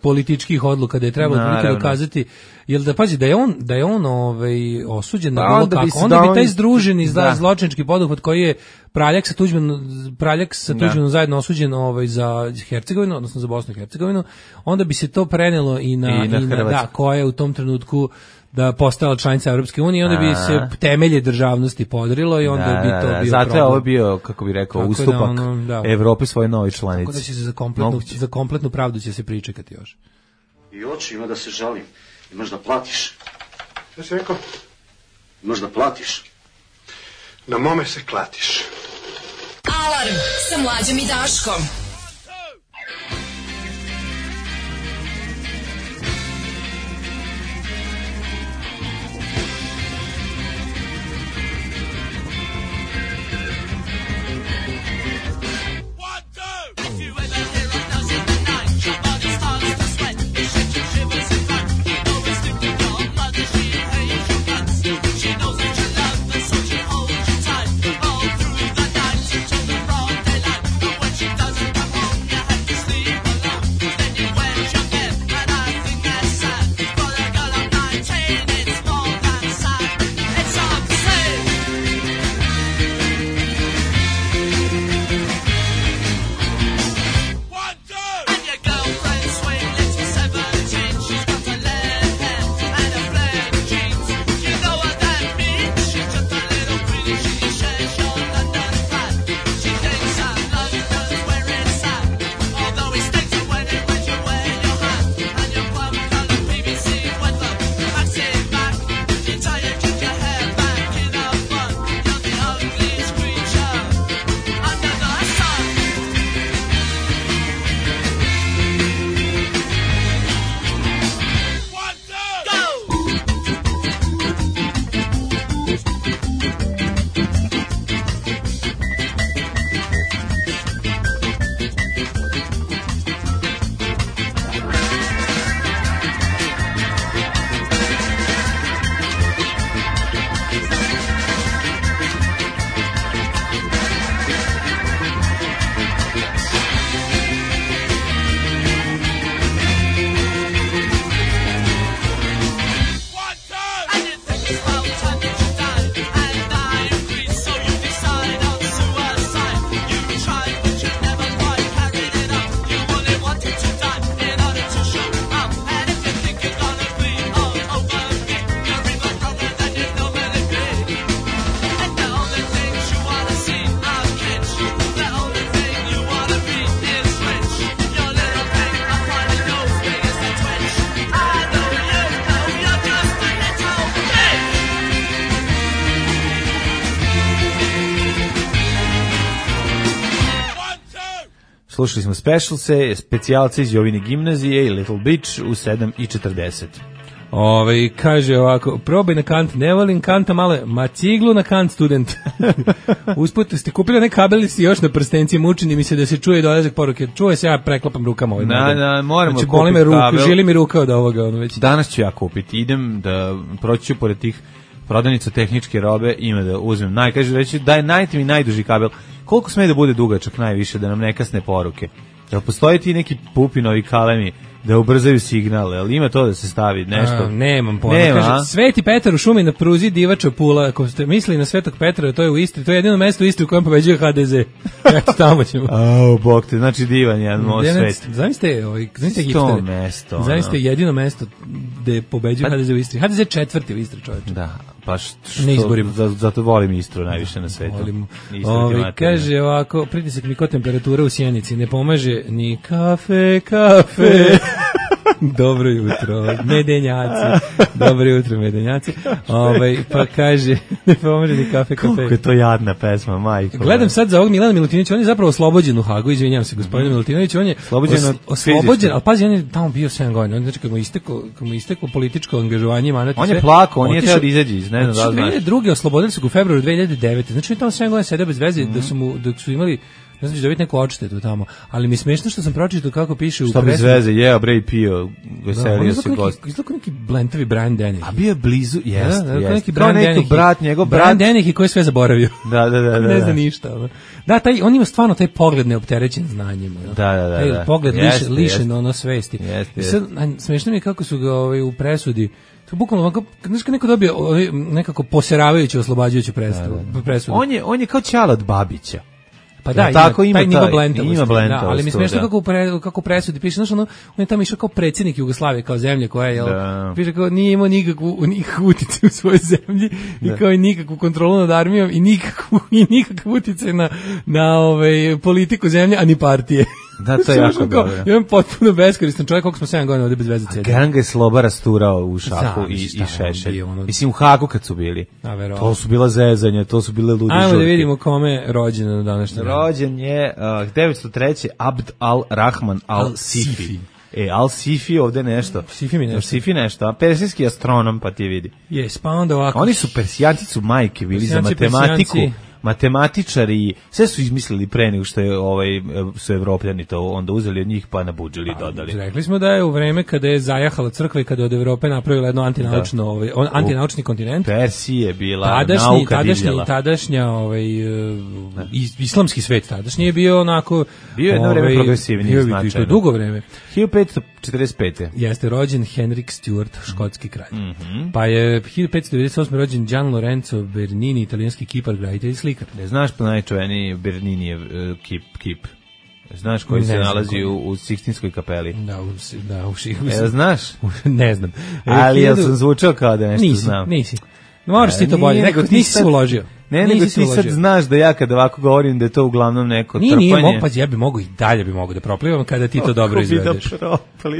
političkih odluka da je trebalo dokazati. Jel da pazi da je on osuđen na bilo kako, onda bi taj združeni zločinački poduhvat koji je Praljak sa Tuđmanom zajedno osuđen za Hercegovinu, odnosno za Bosnu i Hercegovinu, onda bi se to prenelo i na koja je u tom trenutku da postala članica Evropske unije, onda bi se temelje državnosti podrilo i onda bi to bio problem. Zato je ovo bio, kako bi rekao, ustupak Evrope svoje nove članice. Tako da će se za kompletnu pravdu će se pričekati još. I oči ima da se žalim. Imaš da platiš. Šta si rekao? Imaš da platiš. Na mome se klatiš. Alarm sa Mlađom i Daškom. If you ever hear a dozen nights, your body starts to sweat. It shakes your slušali smo Specialse, specijalce iz Jovine gimnazije i Little Beach u 7:40. Kaže ovako, probaj na Kant, ne volim Kanta male, ma ciglu na Kant student. Usput ste kupili onaj kabel si još na prstenci, mučini mi se da se čuje dolazak poruke. Čuje se, ja preklapam rukama ovaj. Moramo znači, kupiti kabel. Žili mi ruka od ovoga. Već. Danas ću ja kupiti, idem da proći ću pored tih prodavnica tehničke robe, ima da uzmem. Kaže reći, daj najte mi najduži kabel. Koliko sme da bude dugačak najviše, da nam ne kasne poruke? Jel postoji ti neki pupinovi kalemi da ubrzaju signal, ali ima to da se stavi nešto? Nemam pojma. Kaže, Sveti Petar u šumi na pruzi Divača Pula. Ako ste mislili na Svetog Petra, to je u Istri. To je jedino mesto u Istri u kojem pobeđuje HDZ. Eto, tamo ćemo. Bog te, znači divan jedan most svet. Zamislite hipstere. Mesto. Zamislite jedino mesto gde pobeđuje HDZ u Istri. HDZ četvrti u Istri, čovječe. Da, pa zato volim Istru najviše na svetu. Kaže ovako, pritisak ni kod temperatura u Sjenici ne pomaže ni kafe. Dobro jutro, medenjaci. Dobro jutro, medenjaci. Pa kaže, ne pomože ni kafe. Kako je to jadna pesma, majko. Gledam sad za ovog Milana Milutinovića, on je zapravo oslobođen u Hagu, izvinjavam se, gospodine Milutinović, on je oslobođen, ali pazi, on je tamo bio 7 godina, on znači kad mu isteklo političko angažovanje, on je plako, on je teo da izađe iz, ne znam da znaš. 2002. oslobodili su ga u februaru 2009. Znači on je tamo 7 godina sedeo bez veze, dok su imali ne znam, dobiti neku odštetu tamo, ali mi smešno što sam pročitao kako piše u presudi. Što bez veze, jeo, bre i pio, veselio se gost. Izgleda neki blentovi Brian Dennehy. A bio je blizu, jeste. Neki Brian Dennehy. Njegov Brian Dennehy koji je sve zaboravio. Da. Ne zna ništa. Da, on ima stvarno taj pogled neopterećen znanjem. Da. Taj pogled lišen ono svesti. Sad, smešno mi je kako su ga u presudi to bukvalno ovako, znaš kad neko dobije nekako poseravajuću, oslobađajuću presudu. On je kao ćala od Babića. Pa da, tako ima nivo blentavosti, ali mi smiješno da. kako presudi piše, znaš, on je tamo išao kao predsjednik Jugoslavije, kao zemlje koja je, piše kao nije imao nikakvu utjecaj u svojoj zemlji i kao i nikakvu kontrolu nad armijom i nikakav utjecaj na politiku zemlje, a ni partije. Da, to je jako dobro. Imam potpuno beskoristan čovjek, koliko smo 7 godina ovdje bez veze cedi. Gran ga je Sloba rasturao u šaku i Šešelj. Mislim, u Hagu kad su bili. To su bila zezanja, to su bile ludi žurke. Ajmo da vidimo kome je rođen na današnji dan. Rođen je 903. Abd al-Rahman al-Sifi. Al-Sifi ovde nešto. Sifi nešto. A persijski astronom, pa ti vidi. Pa onda ovako. Oni su persijanci, su majke bili za matematiku. Matematičari, sve su izmislili pre nego što je su Evropljani to onda uzeli od njih pa nabudžili i dodali. Rekli smo da je u vreme kada je zajahala crkva i kada je od Evrope napravila jedno antinaučni kontinent. Persija je bila nauka divljala. Tadašnja islamski svet tadašnji je bio onako bio jedno vreme progresivniji značajno. To je dugo vreme. 1545. Jeste rođen Henrik Stuart, škotski kralj. Pa je 1598. rođen Gian Lorenzo Bernini, italijanski kipar, graditelj i slikar. Ne znaš pa najčuveniji Berninijev kip? Znaš koji se nalazi u Sikstinskoj kapeli? Da, u znaš? Ne znam. Ali ja sam zvučao kao da nešto znam. Nisi. Moraš ti to bolje, nisi se uložio. Ne, nego ti sad znaš da ja kada ovako govorim da je to uglavnom neko trpanje. Nije, ja bi mogu i dalje da proplivam kada ti to dobro izvedeš.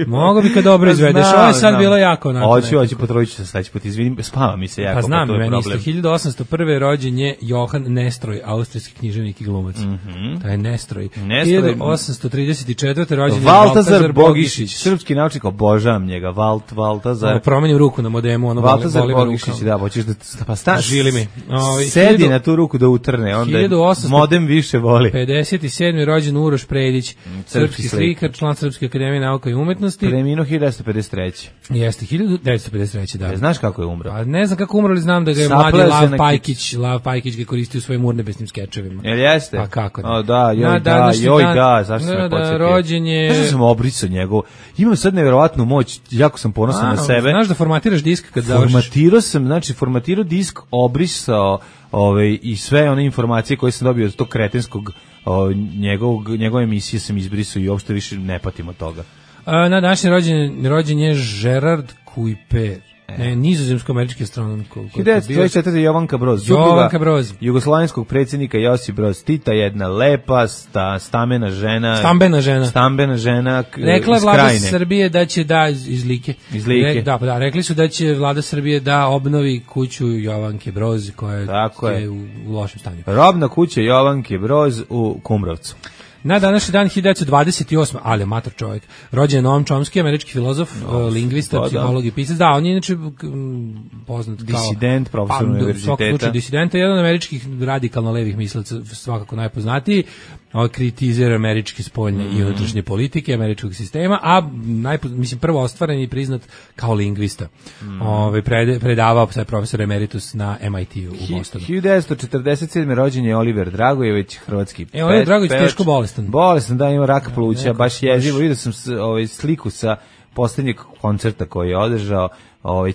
Mogu bi kad dobro izvedeš, ovo je sad bilo jako onako. Hoću, potrojiću se sledeći put, izvinim, spava mi se jako. Pa znam, meni isto, 1801. rođen je Johan Nestroj, austrijski književnik i glumac. Taj Nestroj. 1834. rođen je Valtazar Bogišić. Srpski naučnik, obožavam njega, Valtazar. Promenim ruku na modemu, Valtazar Bogišić, da, hoćeš da pa žili mi. Na tu ruku da utrne, onda modem više voli. 57. rođen Uroš Predić, srpski slikar, član Srpske akademije nauka i umetnosti. Preminuo 1953. Jeste, 1953. da. Znaš kako je umro? A ne znam kako umro, ali znam da ga je mladi Lav Pajkić ga koristio u svojim urnebesnim skečevima. Jel jeste? Pa kako ne? Zašto me podsjetio? Rođen je... Znaš da sam obrisao njegov? Imam sad nevjerovatnu moć, jako sam ponosan na sebe. Znaš da formatiraš disk kad završiš? Formatirao disk, obrisao i sve one informacije koje sam dobio od tog kretenskog njegove emisije sam izbrisao i uopšte više ne patim od toga. Na današnji rođen je Gerard Kuiper, nizozemsko-američki astronom. 1924. Jovanka Broz, jugoslovenskog predsjednika Josip Broz Tita, jedna lepa stambena žena rekla je vlada Srbije da će iz Like. Da, rekli su da će vlada Srbije da obnovi kuću Jovanke Broz koja je u lošem stanju. Robna kuća Jovanke Broz u Kumrovcu. Na današnji dan 1928. Ali mator čovjek. Rođen je Noam Chomsky, američki filozof, lingvista, psiholog i pisac. Da, on je inače poznat kao disident, profesor univerziteta. Disidenta, jedan od američkih radikalno levih mislaca, svakako najpoznatiji. Kritizira američke spoljne i unutrašnje politike, američkog sistema, a mislim prvo ostvaren i priznat kao lingvista. Predavao je profesor emeritus na MIT-u u Bostonu. 1947. rođen je Oliver Dragojević, hrvatski pevač. Oliver Dragojević teško bolestan. Bolestan, da, ima rak pluća, baš jezivo. Vidio sam sliku sa poslednjeg koncerta koji je održao,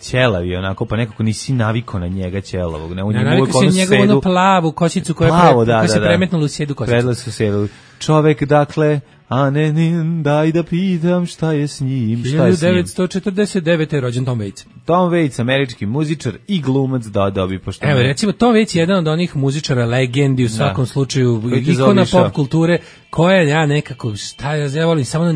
ćelavi onako, pa nekako nisi navikao na njega ćelavog. Navikao si njegovu onu plavu kosicu koja se premetnula u sjedu kosicu. Predla su sjedu. Čovek, dakle, a ne, daj da pitam šta je s njim, šta je s njim. 1949. je rođen Tom Waits. Tom Waits, američki muzičar i glumac, da bi pošto... Evo, recimo, Tom Waits je jedan od onih muzičara, legendi u svakom slučaju, ikona pop kulture, koja ja nekako, ja volim samo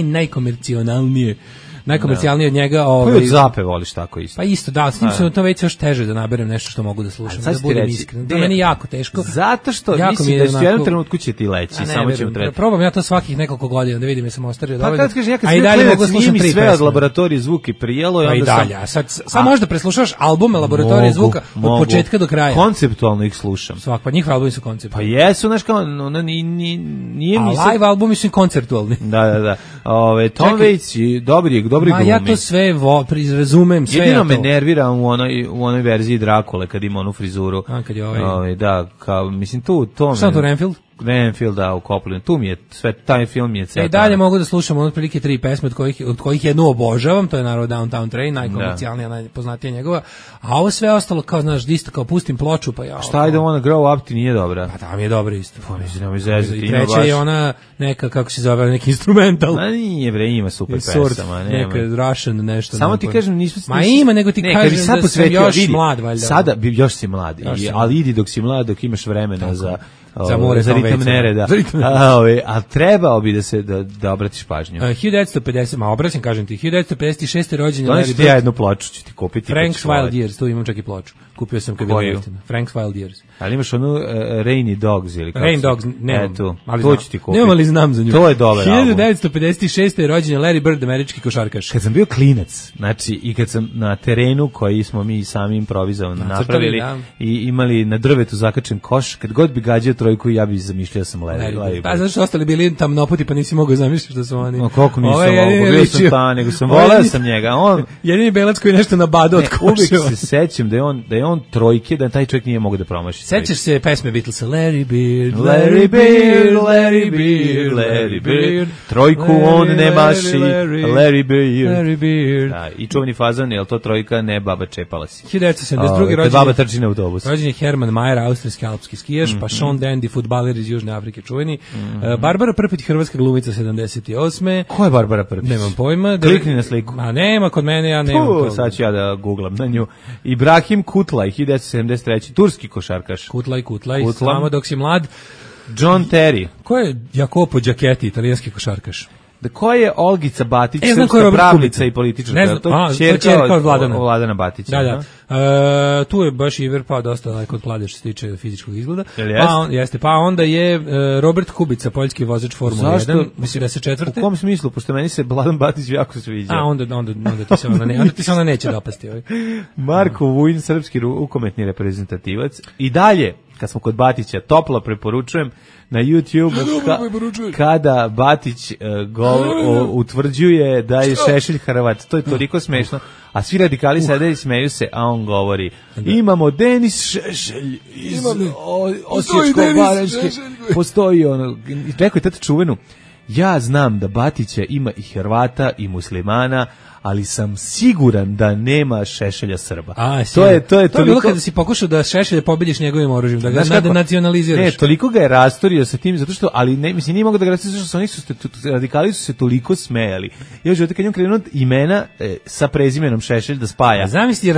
najkomercionalnije. Najkomercijalniji od njega. Pa od Zape voliš tako isto. Pa isto, da, s njim se to već još teže da naberem nešto što mogu da slušam, da budem iskren. To je meni jako teško. Zato što mislim da u jednom trenutku će ti leći, samo ćemo trebati. Probam ja to svakih nekoliko godina da vidim jesam ostario dovoljno. Pa kad kažeš, ja kad sam mi sve od Laboratorije zvuka i prijelo. Pa i dalje, a sad možda preslušaš albume Laboratorije zvuka od početka do kraja. Konceptualno ih slušam. Svak, pa njihove albumi su konceptualni. Pa jesu, znaš kao, nije mi se... A live albumi su konceptualni. Da. Tom Waits, dobri glumi. Ja to sve razumem, sve jedino me nervira u onoj verziji Drakule kad ima onu frizuru. A kad je da, kao mislim to Šta to Renfield? Renfield, da, u Copland. Tu mi je sve, taj film je ceo. Dalje mogu da slušam otprilike 3 pesme od kojih jednu obožavam, to je naravno Downtown Train, najkomercijalnija, najpoznatija njegova, a ovo sve ostalo kao, znaš, isto kao pustim ploču, pa ja... Šta ide ona Grow Up ti nije dobra? Pa tam je dobra isto. Pa mislim, nemoj zezati, ima baš... I treća je ona neka, kako se zove, neki instrumental. Ma nije bre, ima super pesama. Neka Russian nešto. Samo ti kažem, nismo... Ma ima, nego ti kažem da sam još mlad, valjda. Sada, još si mlad, ali idi dok si mlad, dok imaš vremena za ritam nereda. A trebao bi da obratiš pažnju. 1950, ma obraćam, kažem ti, 1956. rođen je Larry Bird. Ja jednu ploču ću ti kupiti. Frank's Wild Years, tu imam čak i ploču. Kupio sam kad je bilo jeftino. Frank's Wild Years. Ali imaš onu Rainy Dogs ili kako? Rain Dogs, nemam. To ću ti kupiti. Nemam, ali znam za nju. To je dobar album. 1956. rođen je Larry Bird, američki košarkaš. Kad sam bio klinac, znači i kad sam na terenu koji smo mi sami improvizovano napravili i imali na drvetu zakačen koš, kad god bi gađao trojku, ja bi zamišljao sam Larry Bird. Pa zašto ostali bili tamnopoti, pa nisi mogao zamišljati što su oni. No koliko nisam mogao, bio sam ta, nego sam voleo sam njega. Jedini belac koji nešto nabadao od koševa. Uvijek se sećam da je on trojke, da taj čovjek nije mogao da promaši. Sećaš se pesme Beatlesa, Larry Bird, Larry Bird, Larry Bird, Larry Bird, trojku on ne maši, Larry Bird. Da, i čuveni fazon, je li to trojka, ne baba čepala si. 1972. rođen baba trči na autobus. Rođen je Herman Mayer, austrijski alpski skijaš, pa Sean Dandy, fudbaler iz Južne Afrike, čuveni. Barbara Prpić, hrvatska glumica, 78. Ko je Barbara Prpić? Nemam pojma. Klikni na sliku. A nema, kod mene ja nemam. Sad ću ja da googlam na nju. Ibrahim Kutlaj, 1973. Turski košarkaš. Kutlaj, samo dok si mlad. John Terry. Ko je Jacopo Giacchetti, italijanski košarkaš? Ko je Olgica Batić, srpska pravnica i političarka? To je ćerka od Vladana Batića. Da. Tu je baš Iver pao dosta daleko od Klade što se tiče fizičkog izgleda. Pa onda je Robert Kubica, poljski vozač Formula 1, mislim da se četvrte. U kom smislu? Pošto meni se Vladan Batić jako sviđa. Onda ti se ona neće dopasti. Marko Vujin, srpski rukometni reprezentativac. I dalje, kad smo kod Batića, toplo preporučujem na YouTube kada Batić utvrđuje da je Šešelj Hrvat. To je toliko smešno. A svi radikali sede i smeju se, a on govori imamo Denis Šešelj iz Osječko-baranjske. Postoji ono. Rekao je tada čuvenu, ja znam da Batića ima i Hrvata i muslimana, ali sam siguran da nema Šešelja Srba. To je bilo kada si pokušao da Šešelja pobediš njegovim oružjem, da ga nacionaliziraš. Ne, toliko ga je rastorio sa tim, zato što, ali ne, mislim, nije mogo da ga rastorio, zato što radikali su se toliko smejali. Ja želite kad njom krenuo imena sa prezimenom Šešelj da spaja,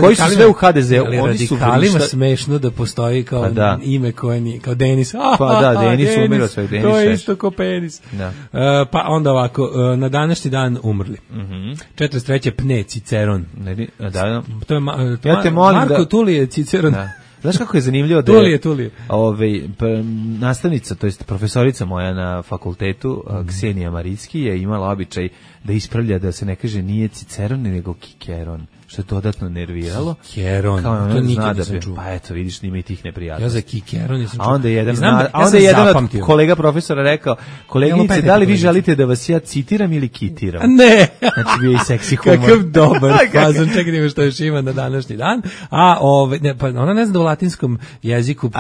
koji su sve u HDZ-u, oni su radikalima smešno da postoji kao ime koje nije, kao Denis. Pa da, Denis umirao svoj Denis. To je isto kao penis. Pa onda ovako, na današnji dan umrli. 43. Pne Ciceron. Da. To je Ja te molim Marko Tulije Ciceron. Znaš kako je zanimljivo da Tulije. Nastavnica, to jest profesorica moja na fakultetu, Ksenija Maricki, je imala običaj da ispravlja da se ne kaže nije Ciceron, nego Kikeron, što je dodatno nerviralo. Kikeron, to nikad nisam čuo. Pa eto, vidiš, nima i tih neprijatnosti. Ja za Kikeron nisam čuo. A onda je jedan od kolega profesora rekao, koleginice, da li vi želite da vas ja citiram ili kitiram? Ne! Znači, bio i seksi humor. Kakav dobar fazon, čekaj ima što još ima na današnji dan. A pa ona ne zna da u latinskom jeziku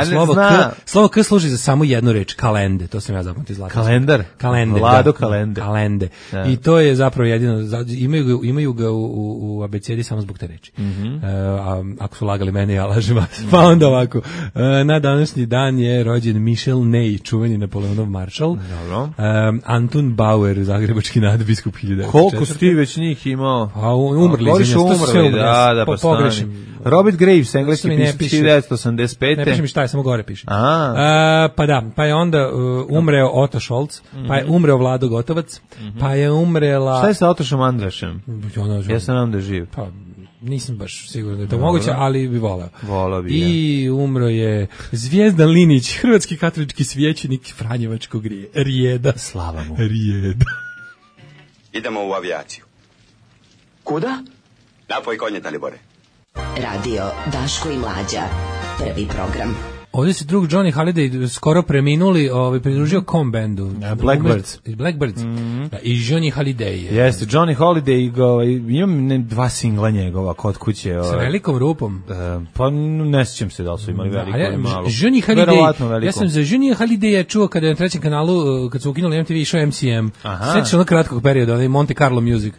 slovo K služi za samo jednu reč, kalende, to sam ja zapamtio iz latinskog. Kalendar? Kalende, Vlado da. Kalende. Kalende. Da. I to je zapravo jedino, imaju ga u abecedi samo zbog te reči. Ako su lagali mene, ja lažem vas. Pa onda ovako, na današnji dan je rođen Michel Ney, čuveni Napoleonov maršal. Anton Bauer, zagrebački nadbiskup 1904. Koliko si ti već njih imao? A umrli, da, pa pogrešim. Robert Graves, engleski pisac 1985. Ne piše mi šta je, samo gore piše. Pa je onda umreo Otto Scholz, pa je umreo Vlado Gotovac, pa je umrela... Šta je sa Otošom Andrašem? Ja sam nam da živ. Pa, nisam baš siguran da je to moguće, ali bi voleo. Voleo bi, I umro je Zvijezdan Linić, hrvatski katolički svećenik Franjevačkog Rijeda. Slava mu. Rijeda. Idemo u avijaciju. Kuda? Napoj konje, Dalibore. Radio Daško i Mlađa. Prvi program. Ovdje se drug Johnny Hallyday skoro preminuli, pridružio kom bendu? Blackbirds. I Johnny Hallyday. Jeste, Johnny Hallyday, imam dva singla njegova kod kuće. Sa velikom rupom? Pa ne sjećam se da li su imali veliko ili malo. Johnny Hallyday, ja sam za Johnny Hallyday čuo kada je na trećem kanalu, kad su ukinuli MTV, išao MCM. Sjećaš onog kratkog perioda, onaj Monte Carlo Music.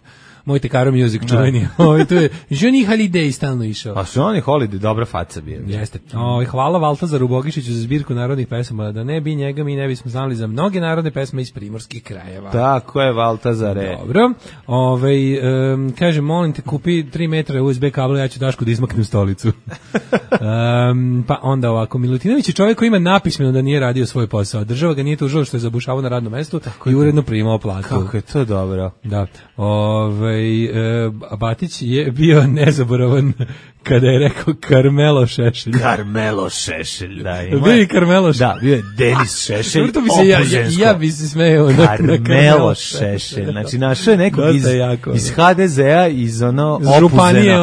Monte Carlo Music čuveni. Tu je Johnny Hallyday stalno išao. A Johnny Hallyday dobra faca bio. Jeste. Hvala Valtazaru Bogišiću za zbirku narodnih pesama. Da ne bi njega mi ne bismo znali za mnoge narodne pesme iz primorskih krajeva. Tako je, Valtazare. Dobro. Kaže, molim te, kupi 3 metra USB kabla, ja ću Dašku da izmaknem stolicu. Pa onda ovako, Milutinović je čovjek koji ima napismeno da nije radio svoj posao. Država ga nije tužila što je zabušavao na radnom mestu i uredno primao platu. Kako je to dobro. Da. Batić je bio nezaboravan kada je rekao Karmelo Šešelj. Karmelo Šešelj, da. Bio je Karmelo Šešelj. Da, bio je Denis Šešelj. Ja bi se smejao na Karmelo Šešelj. Znači, našao je nekog iz HDZ-a, iz Županije,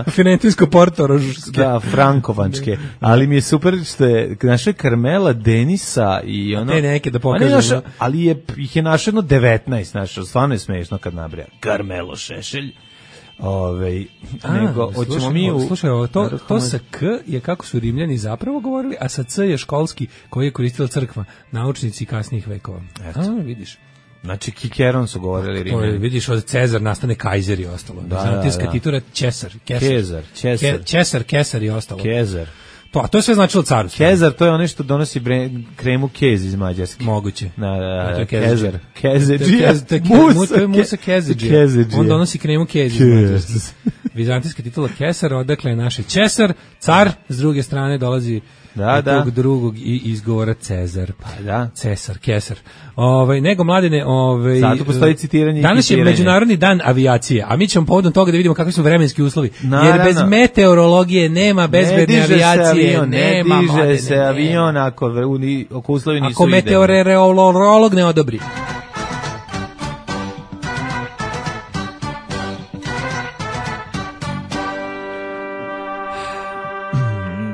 Firentinsko-Portorožske. Da, Frankovančke. Ali mi je super što je našao Karmela, Denisa i te neke da pokažem. Ali ih je našao 19, našao. Stvarno je smešno kad nabrija. Karmelo Šešelj. Nego hoćemo mi slušaj, to sa K je kako su Rimljani zapravo govorili, a sa C je školski koji je koristila crkva, naučnici kasnijih vekova. Vidiš. Znači Kikeron su govorili Rimljani. To je, vidiš, od Cezar nastane Kajzer i ostalo. Bizantijska titura Kesar i ostalo. Kezar. To je sve značilo carstvo. Kezar, to je ono što donosi kremu kez iz Mađarske. Moguće. Kezar. Musa Kezidžija. On donosi kremu kez iz Mađarske. Vizantijska titula Kesar, odakle je naše Česar, car, s druge strane dolazi tog drugog i izgovora Cezar. Pa da. Cesar, Kesar. Nego mladine, zato postoji citiranje. Danas je Međunarodni dan avijacije, a mi ćemo povodom toga da vidimo kakvi su vremenski uslovi. Jer bez meteorologije nema bezbedne avijacije, ne diže se avion ako uslovi nisu ako meteorolog ne odobri.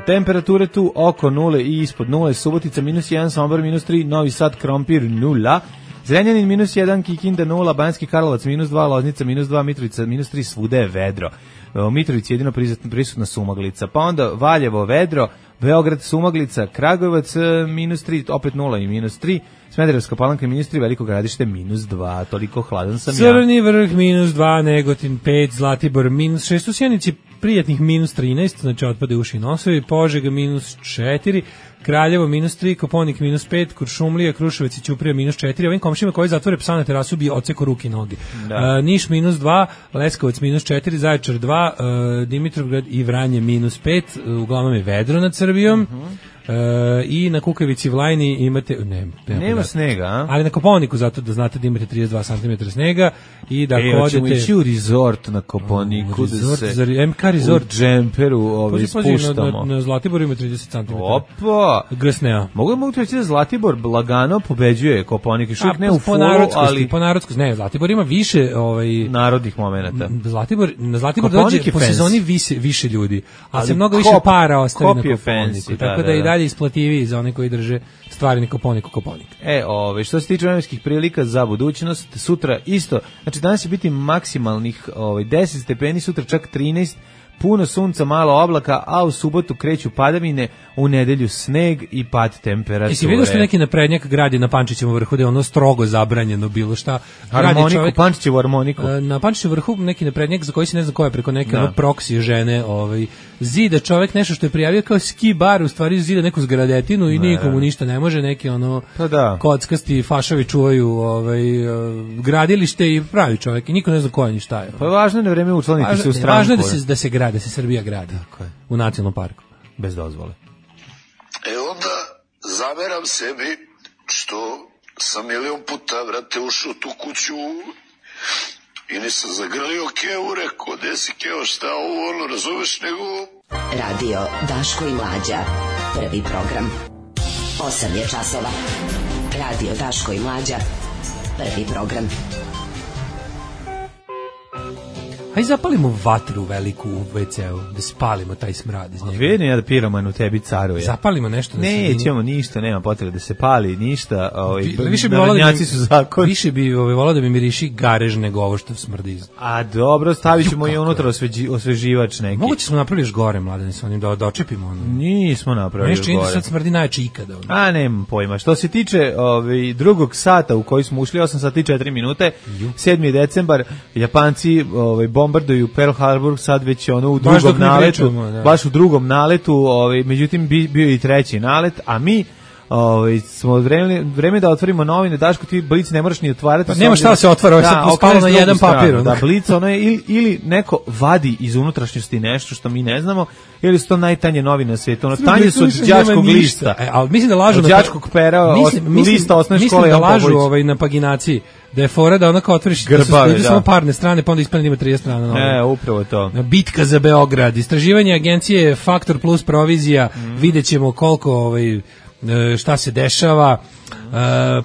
Temperature tu oko 0 i ispod 0, Subotica -1, Sombor -3, Novi Sad, Krompir 0, Zrenjanin -1, Kikinda 0, Banjski Karlovac -2, Loznica -2, Mitrovica -3, svuda je vedro. U Mitrovici jedino prisutna sumaglica, pa onda Valjevo vedro, Beograd sumaglica, Kragujevac -3, opet 0 i -3, Smederevska Palanka -3, Veliko Gradište -2, toliko hladan sam Crni Vrh -2, Negotin 5, Zlatibor -6, u Sjenici prijatnih -13, znači otpade uši i nosovi, Požega -4, Kraljevo -3, Koponik -5, Kuršumlija, Kruševac i Ćuprija -4, ovim komšima koji zatvore psa na terasu bi oceko ruke i noge. Niš -2, Leskovac -4, Zaječar 2, Dimitrovgrad i Vranje -5, uglavnom je vedro nad Srbijom. I na Kukavici Vlajni imate nema snega, a? Ali na Koponiku zato da znate da imate 32 cm snega i da ako odete ići u resort na Koponiku resort. U džemperu spuštamo. Na Zlatiboru ima 30 cm. Opa! Grsnea. Mogu reći da Zlatibor lagano pobeđuje Kopaonik. Još uvijek ne u fulu, ali... Po narodskosti, ne, Zlatibor ima više... narodnih momenata. Na Zlatibor dođe po sezoni više ljudi, ali se mnogo više para ostavi na Koponiku. Tako da i dalje isplativiji za one koji drže stvari na Koponik. Što se tiče vremenskih prilika za budućnost, sutra isto, znači danas će biti maksimalnih 10 stepeni, sutra čak 13, puno sunca, malo oblaka, a u subotu kreću padavine, u nedelju sneg i pad temperature. Jesi vidio što neki naprednjak gradi na Pančićevom vrhu, da je ono strogo zabranjeno bilo šta? Pančićevu harmoniku. Na Pančićevom vrhu neki naprednjak za koji se ne zna ko je, preko neke proksi žene, zida čovjek nešto što je prijavio kao ski bar, u stvari zida neku zgradetinu i nikomu ništa ne može, neki kockasti fašovi čuvaju gradilište i pravi čovjek i niko ne zna ko je ni šta je. Pa važno je na vreme učlaniti se u stranku. Važno je da se gradi, da se Srbija gradi u nacionalnom parku. Bez dozvole. Onda zameram sebi što sam milion puta, vrate, ušao u tu kuću i nisam zagrlio Kevu, rekao, gde si Kevo, šta ovo, razumeš, nego... Radio Daško i Mlađa, prvi program. 8 je časova. Radio Daško i Mlađa, prvi program. Hajde zapalimo vatru veliku u WC-u, da spalimo taj smrad iz njega. Vidim ja da piroman u tebi caruje. Zapalimo nešto. Nećemo ništa, nema potrebe da se pali, ništa. Više bi volao da mi miriši garež nego ovo što smrdi. A dobro, stavit ćemo i unutra osveživač neki. Moguće smo napravili još gore, Mladene, sa onim da dočepimo ono. Nismo napravili gore. Nešto sad smrdi najjače ikada. A, nemam pojma. Što se tiče drugog sata u koji smo ušli, 8 sati i 4 minute, 7. decembar, Japanci bombarduju Pearl Harbor, sad već u drugom naletu, baš u drugom naletu, međutim bio i treći nalet, a mi smo vreme da otvorimo novine. Daško, ti Blic ne moraš ni otvarati. Pa nema šta da se otvara, ovo je spalo na jedan papir. Da, Blic, ono je ili neko vadi iz unutrašnjosti nešto što mi ne znamo, ili su to najtanje novine na svijetu. Ono, tanje su od đačkog lista. Ali mislim da lažu od đačkog pera, lista osnovne škole. Mislim da lažu na paginaciji. Da je fora da onako otvoriš samo parne strane, pa onda ispadne ima 30 strana. Upravo to. Bitka za Beograd, istraživanje agencije Faktor plus provizija, vidjet ćemo koliko šta se dešava,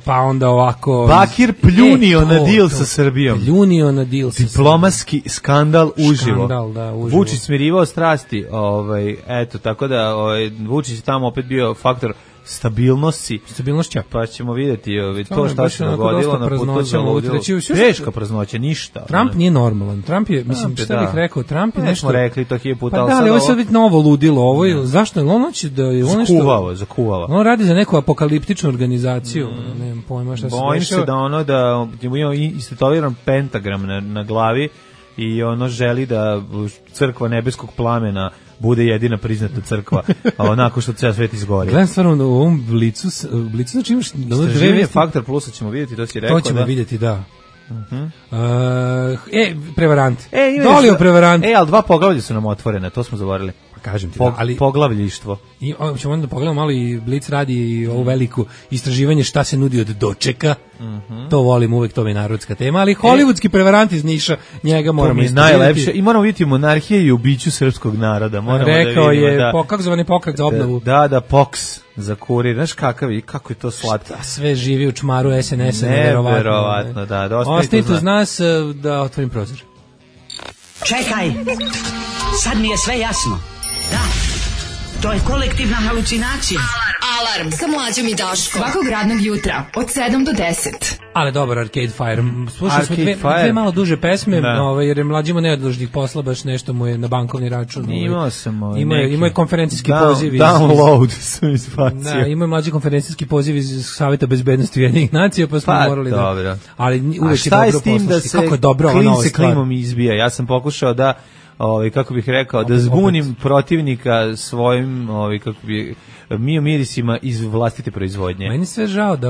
pa onda ovako... Bakir pljunio na deal sa Srbijom. Pljunio na deal sa Srbijom. Diplomatski skandal uživo. Skandal, da, uživo. Vučić smirivao strasti, eto, tako da Vučić je tamo opet bio faktor stabilnošća, pa ćemo vidjeti to šta se dogodilo na putu za ludilo. Teška praznoća, ništa. Trump nije normalan. Trump je, mislim, šta bih rekao, Trump je nešto... smo rekli to 1000 puta, ali ovo je sad biti novo ludilo, ovo je, zašto? On će da je on nešto... Zakuvava. On radi za neku apokaliptičnu organizaciju, nemam pojma šta se dešava. Bojim se da ima istetoviran pentagram na glavi i ono želi da crkva nebeskog plamena bude jedina priznata crkva, a onako što ceo svet izgori. Gledam stvarno u ovom blicu znači imaš... Istraživanje Faktor Plusa ćemo vidjeti, to si rekao. To ćemo vidjeti, da. Prevarant. Dolio prevarant. Ali 2 poglavlja su nam otvorene, to smo zaboravili. Kažem ti, poglavljištvo. I ćemo onda pogledamo malo i Blic radi ovo veliko istraživanje šta se nudi od dočeka. To volim uvek, to mi je narodska tema, ali hollywoodski prevarant iz Niša, njega moramo istraživati. Najlepše. I moramo vidjeti monarhije i ubiću srpskog naroda. Rekao je, kako zvani pokret za obnovu. Da, POKS za kurir. Znaš kako je to slatko. Sve živi u čmaru SNS-a. Neverovatno, da. Ostanite uz nas da otvorim prozor. Čekaj, sad mi je sve jasno. Da, to je kolektivna halucinacija. Alarm sa Mlađom i Daškom. Svakog radnog jutra od 7 do 10. Ali dobar Arcade Fire. Slušali smo dve malo duže pesme, jer je Mlađimo neodložnih posla, baš nešto mu je na bankovni račun. Imao sam Ima je konferencijski poziv. Download sam izbacio. Da, ima je mlađi konferencijski poziv iz Saveta bezbednosti Ujedinjenih nacija, pa smo morali da... Ali uvek je dobro poslušati. Kako je dobro ova nova stvar. Klimom izbija. Ja sam pokušao da kako bih rekao, da zbunim protivnika svojim, mirisima iz vlastite proizvodnje. Meni sve žao da,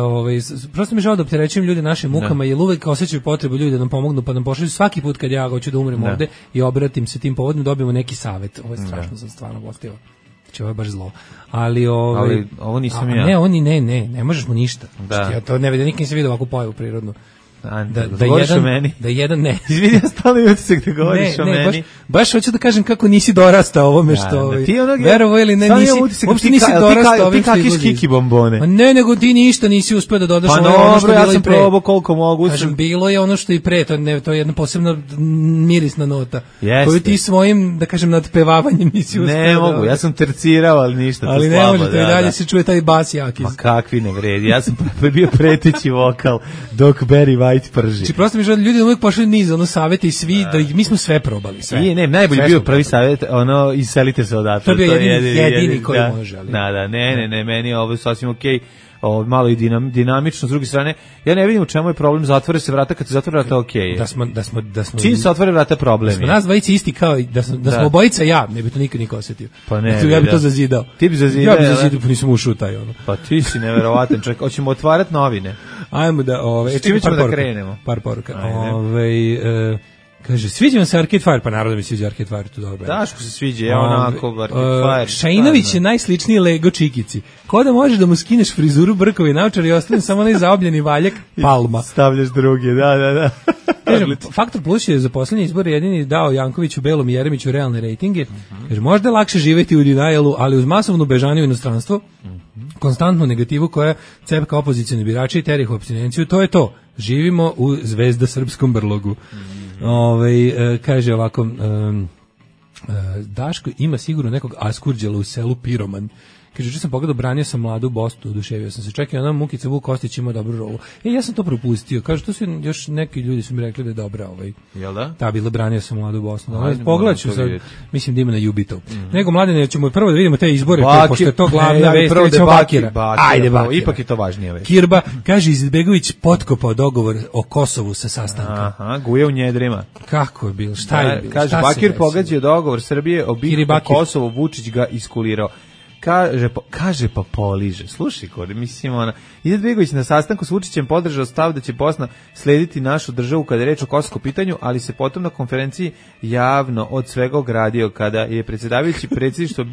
prosto mi žao da opterećujem ljude našim mukama, jer uvek osjećaju potrebu ljudi da nam pomognu, pa nam pošalju svaki put kad ja hoću da umrem ovde i obratim se tim povodom, dobijemo neki savet. Ovo je strašno, sam stvarno gostivo. Znači, ovo je baš zlo. Ali ovo nisam ja. Ne možeš mu ništa. Ja to ne vidim, nikad nisam vidio ovakvu pojavu prirodnu. govoriš o meni? Da jedan ne. Izvini, ja stalno imam utisak da govoriš o meni. Baš hoću da kažem kako nisi dorastao ovome što... Verovo ili ne, uopšte nisi dorastao ovim što izlazi. Ti kakiš kiki bombone. Ne, nego ti ništa nisi uspeo da dodaš ono što je bilo i pre. Pa dobro, ja sam probao koliko mogu. Kažem, bilo je ono što i pre, to je jedna posebna mirisna nota. Koju ti svojim, da kažem, nadpevavanjem nisi uspeo. Ne mogu, ja sam tercirao, ali ništa. Ali ne možete, i dalje se čuje taj bas jaki. Ma kakvi ne vredi, ja sam bio preteći vokal dok Barry White prži. Znači prosto mi žele, ljudi uvijek pošli niz, savete i svi, da mi smo sve probali, sve. Ne, najbolji bio prvi savjet, iselite se odatle. To je bio jedini koji može. Da, ne, meni je ovo sasvim okej. Malo i dinamično, s druge strane, ja ne vidim u čemu je problem, zatvore se vrata, kad se zatvore vrata, okej. Da smo čim se otvore vrata, problem je. Da smo nas dvojice isti kao, da smo obojica ja, ne bi to nikad niko osjetio. Pa ne, ja bi to zazidao. Ti bi zazidao. Ja bi zazidao, pa nisam ušao taj ono. Pa ti si neverovatan čovjek, hoćemo otvarati novine. Ajmo da, čime ćemo da krenemo? Par poruka. Kaže, sviđa vam se Arcade Fire, pa naravno mi sviđa Arcade Fire, to dobro. Daško se sviđa, evo onako Arcade Fire. Šajinović je najsličniji Lego Čikici. Ko da možeš da mu skineš frizuru, brkovi, naočar i ostane samo onaj zaobljeni valjak, palma. Stavljaš drugi, da. Kažem, Faktor Plus je za poslednje izbore jedini dao Jankoviću, Belom i Jeremiću realne rejtinge. Jer možda je lakše živjeti u denialu, ali uz masovnu bežaniju u inostranstvo, konstantnu negativu koja cepka opozicijne birače i teri ih u apstinenciju, to je to. Živimo u zvezda srpskom brlogu. Kaže ovako, Daško ima sigurno nekog askurđela u selu Piroman. Kaže, juče sam pogledao, branio sam Mladu Bostu, oduševio sam se. Čekaj, ona Mukica Vuk Kostić ima dobru rolu. Ja sam to propustio. Kaže, to su još neki ljudi su mi rekli da je dobra Jel da? Ta bila, branio sam Mladu Bostu. Pogledat ću sad, mislim da ima na Jubitov. Nego, Mladene, ćemo prvo da vidimo te izbore, pošto je to glavna vest, ćemo Bakira. Ajde, Bakira. Ipak je to važnije vest. Kirba, kaže, Izetbegović potkopao dogovor o Kosovu sa sastanka. Aha, guje u njedrima. Kako je bilo? Šta je bilo? Kaže, Bakir pogađao dogovor Srbije o bitku Kosovo, Vučić ga iskulirao. Kaže pa poliže. Slušaj, kod, mislim, Izetbegović na sastanku s Vučićem podržao stav da će Bosna slediti našu državu kada je reč o kosovskom pitanju, ali se potom na konferenciji javno od svega ogradio kada je predsjedavajući predsjedništvo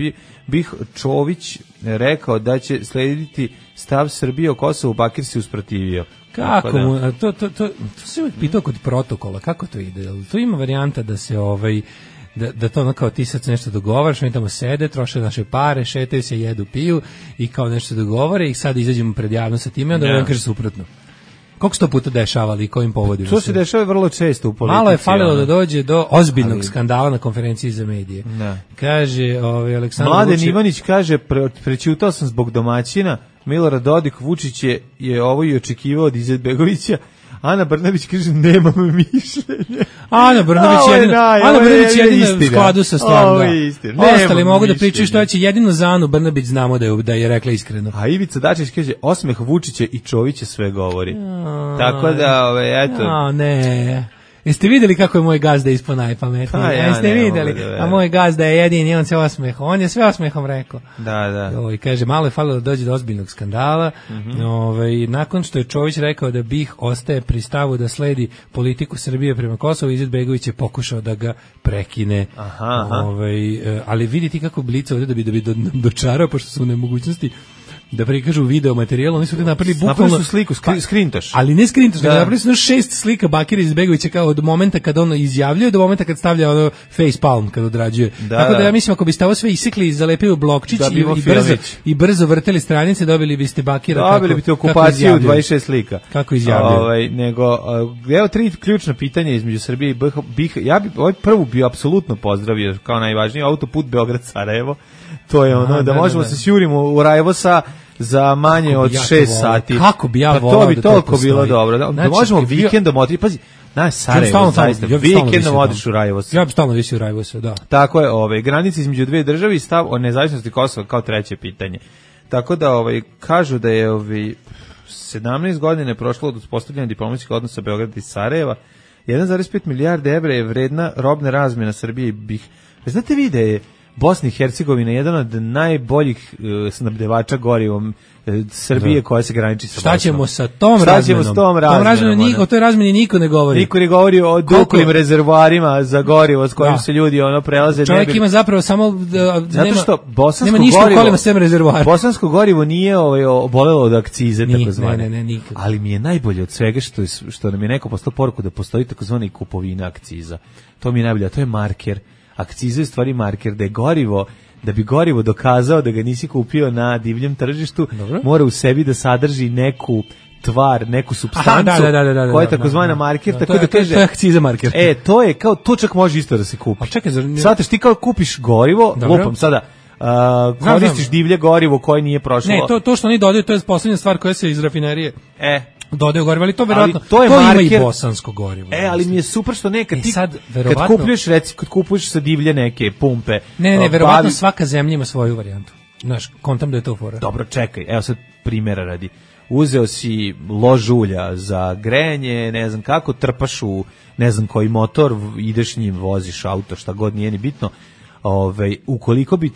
Bih Čović rekao da će slediti stav Srbije o Kosovu, Bakir se usprotivio. Kako mu, to se uvijek pitao kod protokola, kako to ide? To ima varijanta da se da to ono kao ti sad nešto dogovaraš, oni tamo sede, troše naše pare, šetaju se, jedu, piju i kao nešto dogovore i sad izađemo pred javnost sa time i onda on kaže suprotno. Koliko se to puta dešavali i kojim povodima? To se dešava vrlo često u politici. Malo je falilo da dođe do ozbiljnog skandala na konferenciji za medije. Da. Kaže Aleksandar Mladen Ivanić kaže, prećutao sam zbog domaćina, Milorad Dodik, Vučić je ovo i očekivao od Izetbegovića. Ana Brnabić kaže, nemam mišljenje. Ana Brnabić jedina u skladu sa stvarno. Ostali mogu da pričaju što će, jedino za Anu Brnabić znamo da je rekla iskreno. A Ivica Dačić kaže, osmeh Vučića i Čovića sve govori. Tako da, eto. Ne. Jeste vidjeli kako je moj gazda ispod najpametniji? Jeste vidjeli? A moj gazda je jedini, on se osmehom. On je sve osmehom rekao. Da. I kaže, malo je falilo da dođe do ozbiljnog skandala. Nakon što je Čović rekao da Bih ostaje pri stavu da sledi politiku Srbije prema Kosovu, Izetbegović je pokušao da ga prekine. Ali vidite kako Blica ovdje da bi dočarao, pošto su u nemogućnosti da prikažu video materijal, oni su ga napravili bukvalno... Napravili su sliku, skrintaš. Ali ne skrintaš, nego napravili su 6 slika Bakira Izetbegovića kao od momenta kad on izjavljuje do momenta kad stavlja ono face palm kad odrađuje. Tako da ja mislim ako biste ovo sve isekli i zalepili u blokčić i brzo vrteli stranice, dobili biste Bakira dobili biste okupaciju 26 slika. Kako izjavljuje. Evo 3 ključna pitanja između Srbije i BiH. Ja bi prvu bio apsolutno pozdravio kao najvažniji autoput Beograd-Sarajevo. To je ono da možemo se sjurimo u Rajevosa za manje od 6 sati. Kako bi ja volao da to bi toliko bilo dobro. Da možemo vikendom otići. Pazi, na Sarajevo zaista. Vikendom odiš u Rajevos. Ja bi stalno visio u Rajevosu, da. Tako je, granice između dve države i stav o nezavisnosti Kosova kao treće pitanje. Tako da kažu da je 17 godina je prošlo od uspostavljanja diplomatskih odnosa Beograda i Sarajeva. 1,5 milijarde evra je vredna robne razmjena Srbije i BiH. Znate vi da je Bosna i Hercegovina je jedan od najboljih snabdevača gorivom Srbije koja se graniči sa Bosnom. Šta ćemo sa tom razmenom? O toj razmeni niko ne govori. Niko ne govori o duplim rezervoarima za gorivo s kojim se ljudi prelaze. Čovjek ima zapravo samo zato što nema ništa u kolima sem rezervoara. Bosansko gorivo nije obolelo od akcize takozvane. Ne, nikad. Ali mi je najbolje od svega što nam je neko poslao poruku da postoji takozvani kupovina akciza. To mi je najbolje, a to je marker. Akciza je stvari marker da je gorivo, da bi gorivo dokazao da ga nisi kupio na divljem tržištu, mora u sebi da sadrži neku tvar, neku supstancu koja je takozvana marker, tako da kaže... To je akciza marker. To je kao, to čak može isto da se kupi. A čekaj, Svataš, ti kao kupiš gorivo, lupam sada, koristiš divlje gorivo koje nije prošlo... Ne, to što oni dodaju, to je poslednja stvar koja se iz rafinerije... dodaju gorivo, ali to verovatno to ima i bosansko gorivo. Ali mi je super što nekad ti kad kupuješ, kad kupuješ sa divlje neke pumpe. Ne, verovatno svaka zemlja ima svoju varijantu. Znaš, kontam da je to fora. Dobro, čekaj, evo sad primjera radi. Uzeo si lož ulja za grejanje, ne znam kako, trpaš u ne znam koji motor, ideš njim, voziš auto, šta god, nije ni bitno. Ukoliko bi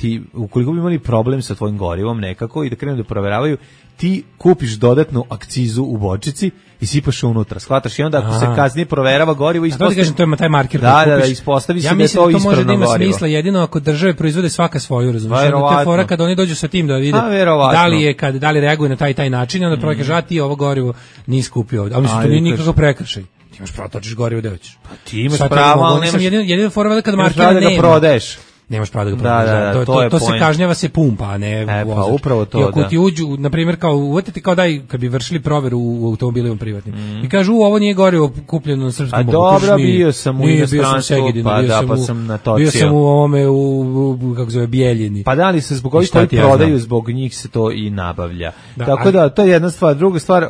imali problem sa tvojim gorivom nekako i da krenu da proveravaju, ti kupiš dodatnu akcizu u bočici i sipaš unutra, shvataš, i onda ako se kasnije proverava gorivo, ispostavi... To je taj marker da ispostavi se da je to ispravno gorivo. Ja mislim da to može da ima smisla jedino ako države proizvode svaka svoju, razumiješ? To je fora kad oni dođu sa tim da vide da li reaguje na taj način, onda prvo kaže, ti ovo gorivo nisi kupio ovdje. Ali mislim, to nije nikakav prekršaj. Ti imaš pravo točiš gorivo da hoćeš. Pa ti imaš pravo, ali nemaš... Jedino fora kad markera nema. Prodaješ. Nemaš pravo da ga prodaš. To se kažnjava se pumpa, a ne vozač. Pa upravo to, i ako ti uđu, na primjer, kao uvatiti kao kad bi vršili proveru u automobilima privatnim. I kažu, ovo nije gorivo kupljeno na srpskom boku. A dobro, bio sam u inostranstvu, pa sam natočio. Bio sam u ovome, kako zove, Bijeljini. Pa da li se zbog ovih koji prodaju, zbog njih se to i nabavlja. Tako da, to je jedna stvar. Druga stvar,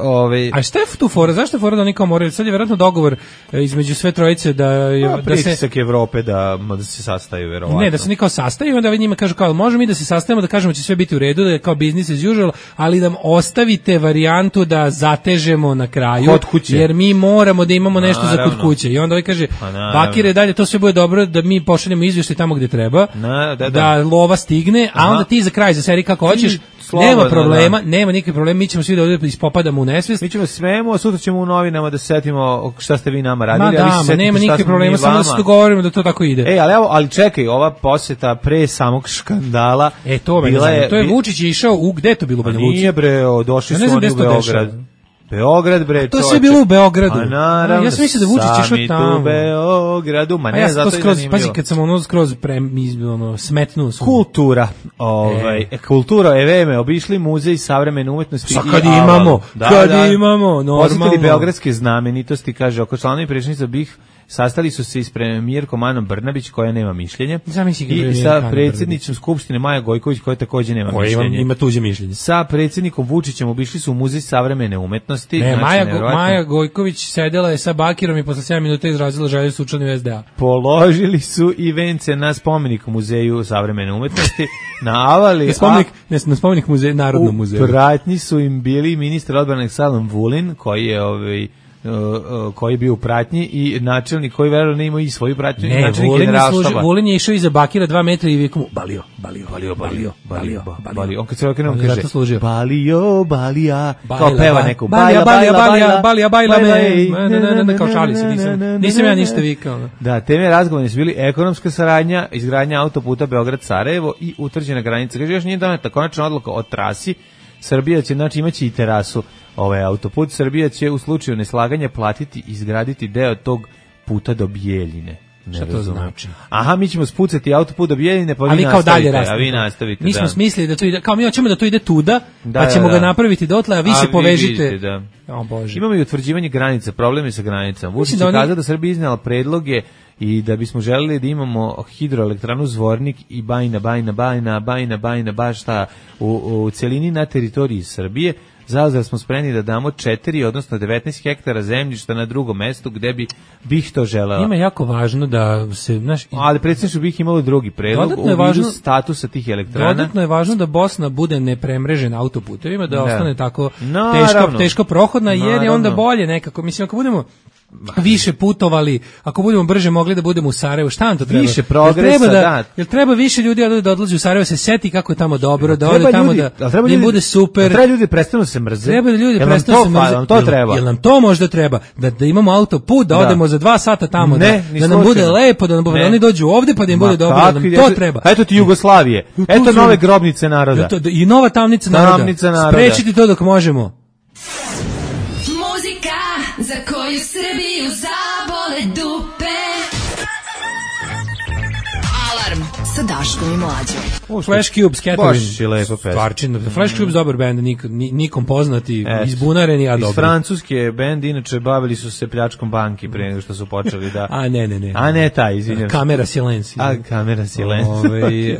A šta je tu fora? Zašto je fora da oni kao moraju? Sad je vjerojatno dogovor između sve trojice da se... Pritisak Evrope da se sastaju, verovatno. Ne, da se niko sastaju, onda njima kažu kao, možemo mi da se sastavimo, da kažemo će sve biti u redu, da je kao business as usual, ali da ostavite varijantu da zatežemo na kraju, jer mi moramo da imamo nešto za kod kuće. I onda ovaj kaže, Bakire, dalje, to sve bude dobro, da mi pošaljemo izvještaj tamo gdje treba, da lova stigne, a onda ti za kraj, za seri kako hoćeš, nema problema, nema nikakve problema, mi ćemo svi da ovdje ispopadamo u nesvijest. Mi ćemo svemu, a sutra ćemo u novinama da setimo šta ste vi nama radili. Nema nikakve problema, samo da se dogovorimo da to tako ide. Ali čekaj, ova posjeta pre samog škandala. To je Vučić je išao gde je to bilo Banja Luci? Nije došli su oni u Beograd. Beograd, bre, to je sve bilo u Beogradu. Naravno, ja sam mislio da Vučić išao tamo. U Beogradu, zato je zanimljivo. Pazi, kad sam skroz smetnuo. Kultura, kultura je vreme, obišli muzej savremene umetnosti. Kad imamo, normalno. Posjetili beogradske znamenitosti, kaže, oko članovi predsjedništva BiH sastali su se s premijerkom Anom Brnabić, koja nema mišljenje, i sa predsjednicom Skupštine Maja Gojković, koja također nema mišljenje. Ima tuđe mišljenje. Sa predsjednikom Vučićem obišli su u muzej savremene umetnosti. Maja Gojković sedela je sa Bakirom i posle 7 minuta izrazila želju su učlani u SDA. Položili su i vence na spomenik u muzeju savremene umetnosti. Na spomenik muzeja, Narodnom muzeju. U pratnji su im bili ministar odbrane Aleksandar Vulin, koji je koji je bio u pratnji, i načelnik koji verovatno ima i svoju pratnju, i načelnik generalštaba. Vulin je išao iza Bakira 2 metra i vijekom balio. On kad se okrenuo kaže balija, kao peva neku balija me, kao šali se, nisam ja ništa vikao. Da, teme razgovora su bili ekonomska saradnja, izgradnja autoputa Beograd-Sarajevo i utvrđena granica. Kaže, još nije doneta konačna odluka o trasi. Srbija će, znači, imaće i terasu. Autoput. Srbija će u slučaju neslaganja platiti i izgraditi deo tog puta do Bijeljine. Šta to znači? Aha, mi ćemo spucati autoput do Bijeljine, pa vi nastavite. Mi smo smislili da to ide, kao mi hoćemo da to ide tuda, pa ćemo ga napraviti dotle, a vi se povežite. O Bože. Imamo i utvrđivanje granica, problemi sa granicama. Vučić je kazao da Srbija iznala predloge i da bismo želeli da imamo hidroelektranu Zvornik i Bajna, baš šta u celini na teritoriji Srbije. Zauzeli smo spremni da damo 4, odnosno 19 hektara zemljišta na drugom mestu gde bi BiH to želela. Ima jako važno da se... Ali predsjedništvo BiH imalo drugi predlog u vidu statusa tih elektrana. Dodatno je važno da Bosna bude nepremrežena autoputevima, da ostane tako teško prohodna, jer je onda bolje nekako. Mislim, ako budemo više putovali, ako budemo brže mogli da budemo u Sarajevu, šta nam to treba? Više progresa, jel treba više ljudi da odlazi u Sarajevo, se seti kako je tamo dobro, da ode tamo da im bude super. Treba ljudi prestanu se mrze. Treba da ljudi prestanu se mrze. To treba. Jel nam to možda treba? Da imamo autoput, da odemo za 2 sata tamo, da nam bude lepo, da oni dođu ovde pa da im bude dobro, da nam to treba. Eto ti Jugoslavije. Eto nove grobnice naroda. I nova tamnica naroda. Sprečiti to dok možemo. Muzika za koju Srbiju zabole dupe. Alarm sa Daškom i Mlađom. Flash Cube, Scatterin. Baš je lepo pesma. Flash Cube dobar bend, nikom poznati, izbunareni, a dobri. Iz francuske bend, inače bavili su se pljačkom banki pre nego što su počeli da... A ne taj, izvinjam. Kamera Silenci. Kamera Silenci.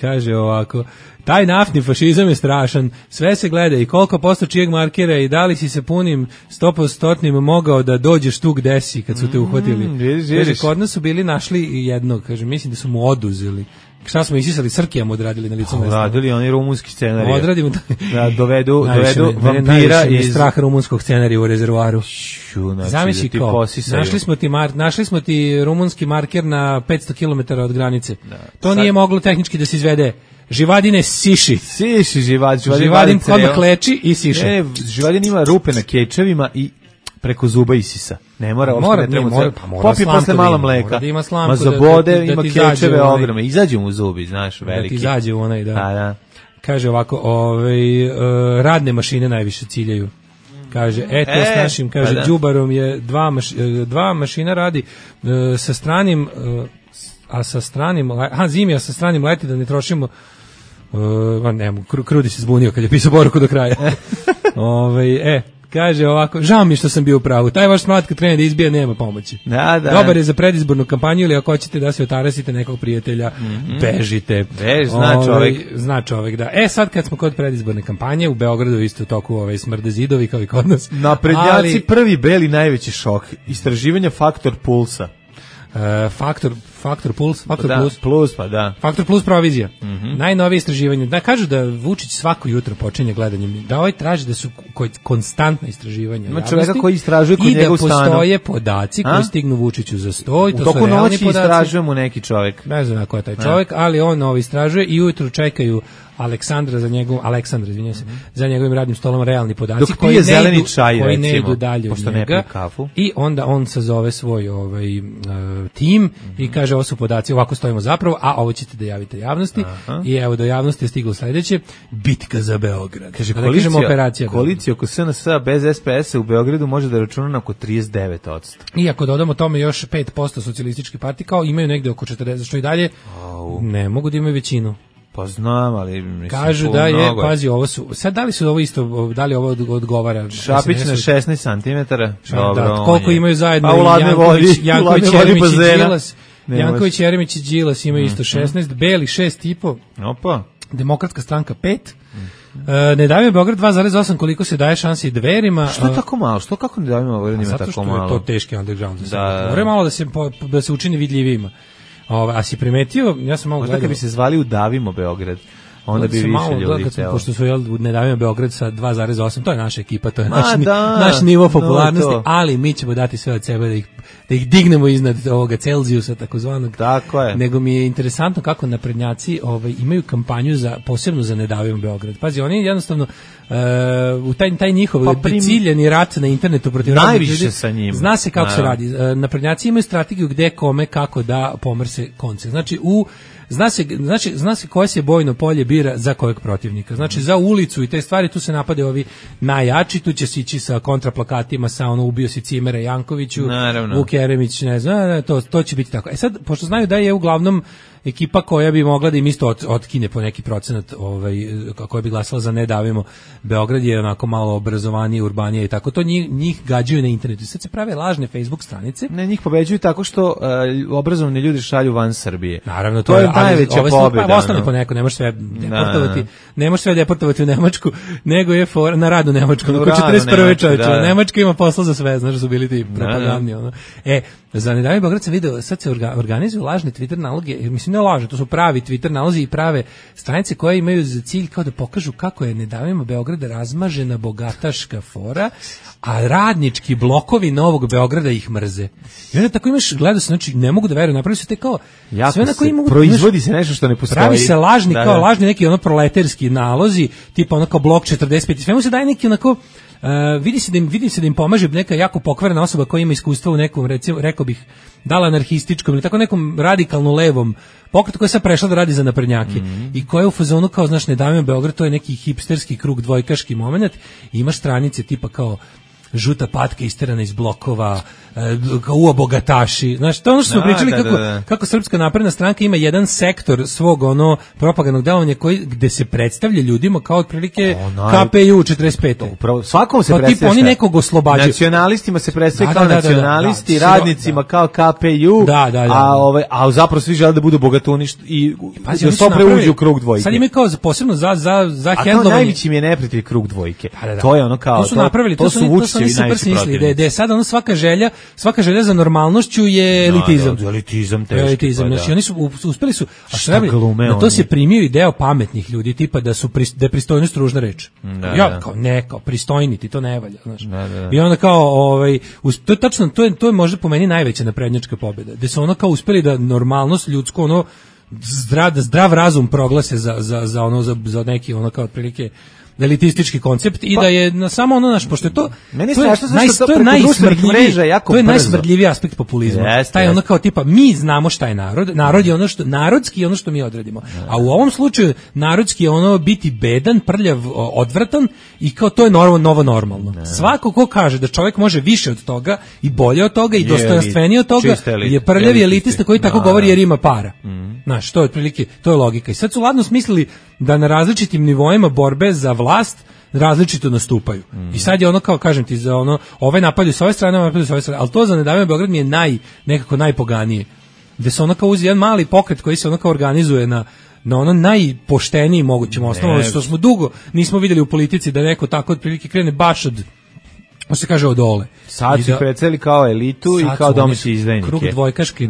Kaže ovako, taj naftni fašizam je strašan, sve se gleda i koliko posto čijeg markera i da li si se punim 100% mogao da dođeš tu gde si kad su te uhvatili. Kaže, kod nas su bili našli jednog, kaže, mislim da su mu oduzeli. Šta smo isisali, Srkijam odradili na licu mesta. Odradili oni rumunski scenarij. Odradimo da dovedu vampira iz strah rumunskog scenarija u rezervoaru. Zamisli da kao, našli smo ti rumunski marker na 500 km od granice. To nije moglo tehnički da se izvede. Živadine siši. Živadin odmah leči i siše. Živadin ima rupe na kečevima i preko zuba isisa. Ne mora. Popi posle malo mleka. Da ima slamku. Ma za bode ima kečeve ogromne. Izađu mu zubi, znaš, veliki. Da ti izađe u onaj, da. Kaže ovako, radne mašine najviše ciljaju. Kaže, s našim, kaže, đubarom je dva mašina radi sa stranim, zimi, a sa stranim leti da ne trošimo. Krudi se zbunio kad je pisao poruku do kraja. Kaže ovako, žao mi što sam bio u pravu. Taj vaš smrat kad krene da izbija nema pomoći. Dobar je za predizbornu kampanju ili ako hoćete da se otarasite nekog prijatelja, bežite. Zna čovek, da. Sad kad smo kod predizborne kampanje, u Beogradu isto u toku smrde zidovi kao i kod nas. Naprednjaci prvi beli najveći šok. Istraživanja Faktor Pulsa. Faktor Plus, Faktor Plus provizija. Najnovije istraživanje. Da kažu da Vučić svako jutro počinje gledanjem, da traži da su konstantna istraživanja. Ima čoveka koji istražuje kod njega u stanu. I da postoje podaci koji stignu Vučiću za sto. U toku noći istražuje mu neki čovek. Ne znam ko je taj čovek, ali on istražuje i ujutru čekaju Aleksandra za njegovim radnim stolom realni podaci dok koji zeleni čaj, koji ne idu dalje od njega kafu. I onda on sazove svoj tim i kaže ovo su podaci, ovako stojimo zapravo, a ovo ćete da javite javnosti. I evo do javnosti je stiglo sledeće: bitka za Beograd. Kaže, koalicija oko SNS-a bez SPS-a u Beogradu može da računa na oko 39%. I ako dodamo tome još 5% socijalistički partij, kao imaju negde oko 40, što i dalje ne mogu da imaju većinu. Pa znam, ali mislim, kažu da je, pazi, ovo su, sad da li su ovo isto, da li ovo odgovara? Šapić na 16 cm. Dobro, koliko imaju zajedno Janković, Jeremić i Đilas imaju isto 16, Beli 6,5. Opa. Demokratska stranka 5. Ne davimo Beograd 2,8, koliko se daje šansi Dverima. Što tako malo? Što kako ne davimo Beograd ima tako malo? Zato što je to teški underground. Mora malo da se učini vidljivijima. A si primetio, ja sam malo gledao. Možda kad bi se zvali Udavimo Beograd, onda bi više ljudi htjeli. Pošto su Ne davimo Beograd sa 2,8, to je naša ekipa, to je naš nivo popularnosti, ali mi ćemo dati sve od sebe da ih dignemo iznad ovoga Celzijusa takozvanog. Tako je. Nego mi je interesantno kako naprednjaci imaju kampanju posebno za Ne davimo Beograd. Pazi, oni jednostavno u taj njihov ciljeni rat na internetu protiv najviše ljudi, sa njim. Zna se kako se radi. Naprednjaci imaju strategiju gde, kome, kako da pomrse konce. Znači zna se koje se bojno polje bira za kojeg protivnika. Znači za ulicu i te stvari tu se napade ovi najjači, tu će se ići sa kontraplakatima, sa ubio si Cimera Jankoviću, Vuk Jeremić, ne znam, to će biti tako. Sad, pošto znaju da je uglavnom ekipa koja bi mogla da im isto otkine po neki procenat, koja bi glasala za Ne davimo Beograd, je onako malo obrazovanije, urbanije i tako, to njih gađaju na internetu. Sad se prave lažne Facebook stranice. Ne, njih pobeđuju tako što obrazovani ljudi šalju van Srbije. Naravno, to je najveća pobeda. Ostane po neko, ne možeš sve deportovati u Nemačku, nego je na rad u Nemačku. Oko 41. čovječe, Nemačka ima posla za sve, znaš, su bili ti propagandni. Za Ne davimo Beograd se video, sad se organizuju lažne Twitter naloge, mislim ne laže, to su pravi Twitter nalozi i prave stranice koje imaju za cilj kao da pokažu kako je Ne davimo Beograda razmažena bogataška fora, a radnički blokovi Novog Beograda ih mrze. I onda tako imaš, gledao se, znači ne mogu da veruju, napravili su te kao jako sve na koji mogu, proizvodi se nešto što ne postoji. Pravi se lažni, kao lažni neki ono proletarski nalozi, tipa ono kao blok 45, sve mu se daje neki onako vidi se da im pomaže neka jako pokvarena osoba koja ima iskustva u nekom, recimo, rekao bih, dala anarhističkom ili tako nekom radikalno levom pokretu koja je sad prešla da radi za naprednjake i koja je u fazonu kao, znaš, Ne davimo Beograd, to je neki hipsterski krug dvojkaški moment i imaš stranice tipa kao žuta patka isterana iz blokova, kao bogataši. Znaš, to ono što smo pričali kako Srpska napredna stranka ima jedan sektor svog ono propagandnog delovanja gde se predstavlja ljudima kao otprilike KPU 45. Upravo, svakom se predstavlja. Tipa oni nekog oslobađaju. Nacionalistima se predstavlja kao nacionalisti, radnicima kao KPU, a zapravo svi žele da budu bogatuni i da što pre uđu u krug dvojke. Sad imaju kao posebno za hendlovanje. A kao najveći mi je neprijatelj krug dvojke. To je ono kao, to su napravili, to su Vučićevi najveći protivnici. Da je sad ono svaka želja za normalnošću je elitizam. Elitizam teški. Elitizam, znači oni su uspeli su, a šta na to se primio i deo pametnih ljudi, tipa da je pristojnost ružna reč. Ja kao pristojni ti to ne valja, znaš. I onda kao to je tačno, to je možda po meni najveća naprednjačka pobjeda. Da su ono kao uspeli da normalnost ljudsko ono zdrav razum proglase za neki ono kao otprilike elitistički koncept i da je na samo ono naš, pošto je to to je najsmrdljiviji aspekt populizma. Taj ono kao tipa mi znamo šta je narod je ono što narodski je ono što mi odredimo. A u ovom slučaju narodski je ono biti bedan, prljav, odvratan i kao to je novo normalno. Svako ko kaže da čovjek može više od toga i bolje od toga i dostojanstvenije od toga je prljavi elitista koji tako govori jer ima para. Znaš, to je otprilike, to je logika. I sad su ladno smislili da na različitim nivoima borbe za vlast različito nastupaju. I sad je ono kao, kažem ti, za ono, ove napadaju s ove strane, ove napadaju s ove strane, ali to za Ne davimo Beograd mi je nekako najpoganije. Gde se ono kao uzi jedan mali pokret koji se ono kao organizuje na ono najpošteniji mogućem osnovu, što smo dugo nismo vidjeli u politici da neko tako otprilike krene baš se kaže od dole. Sad su preceli kao elitu i kao domaći izdajnike. Krug dvojkaški,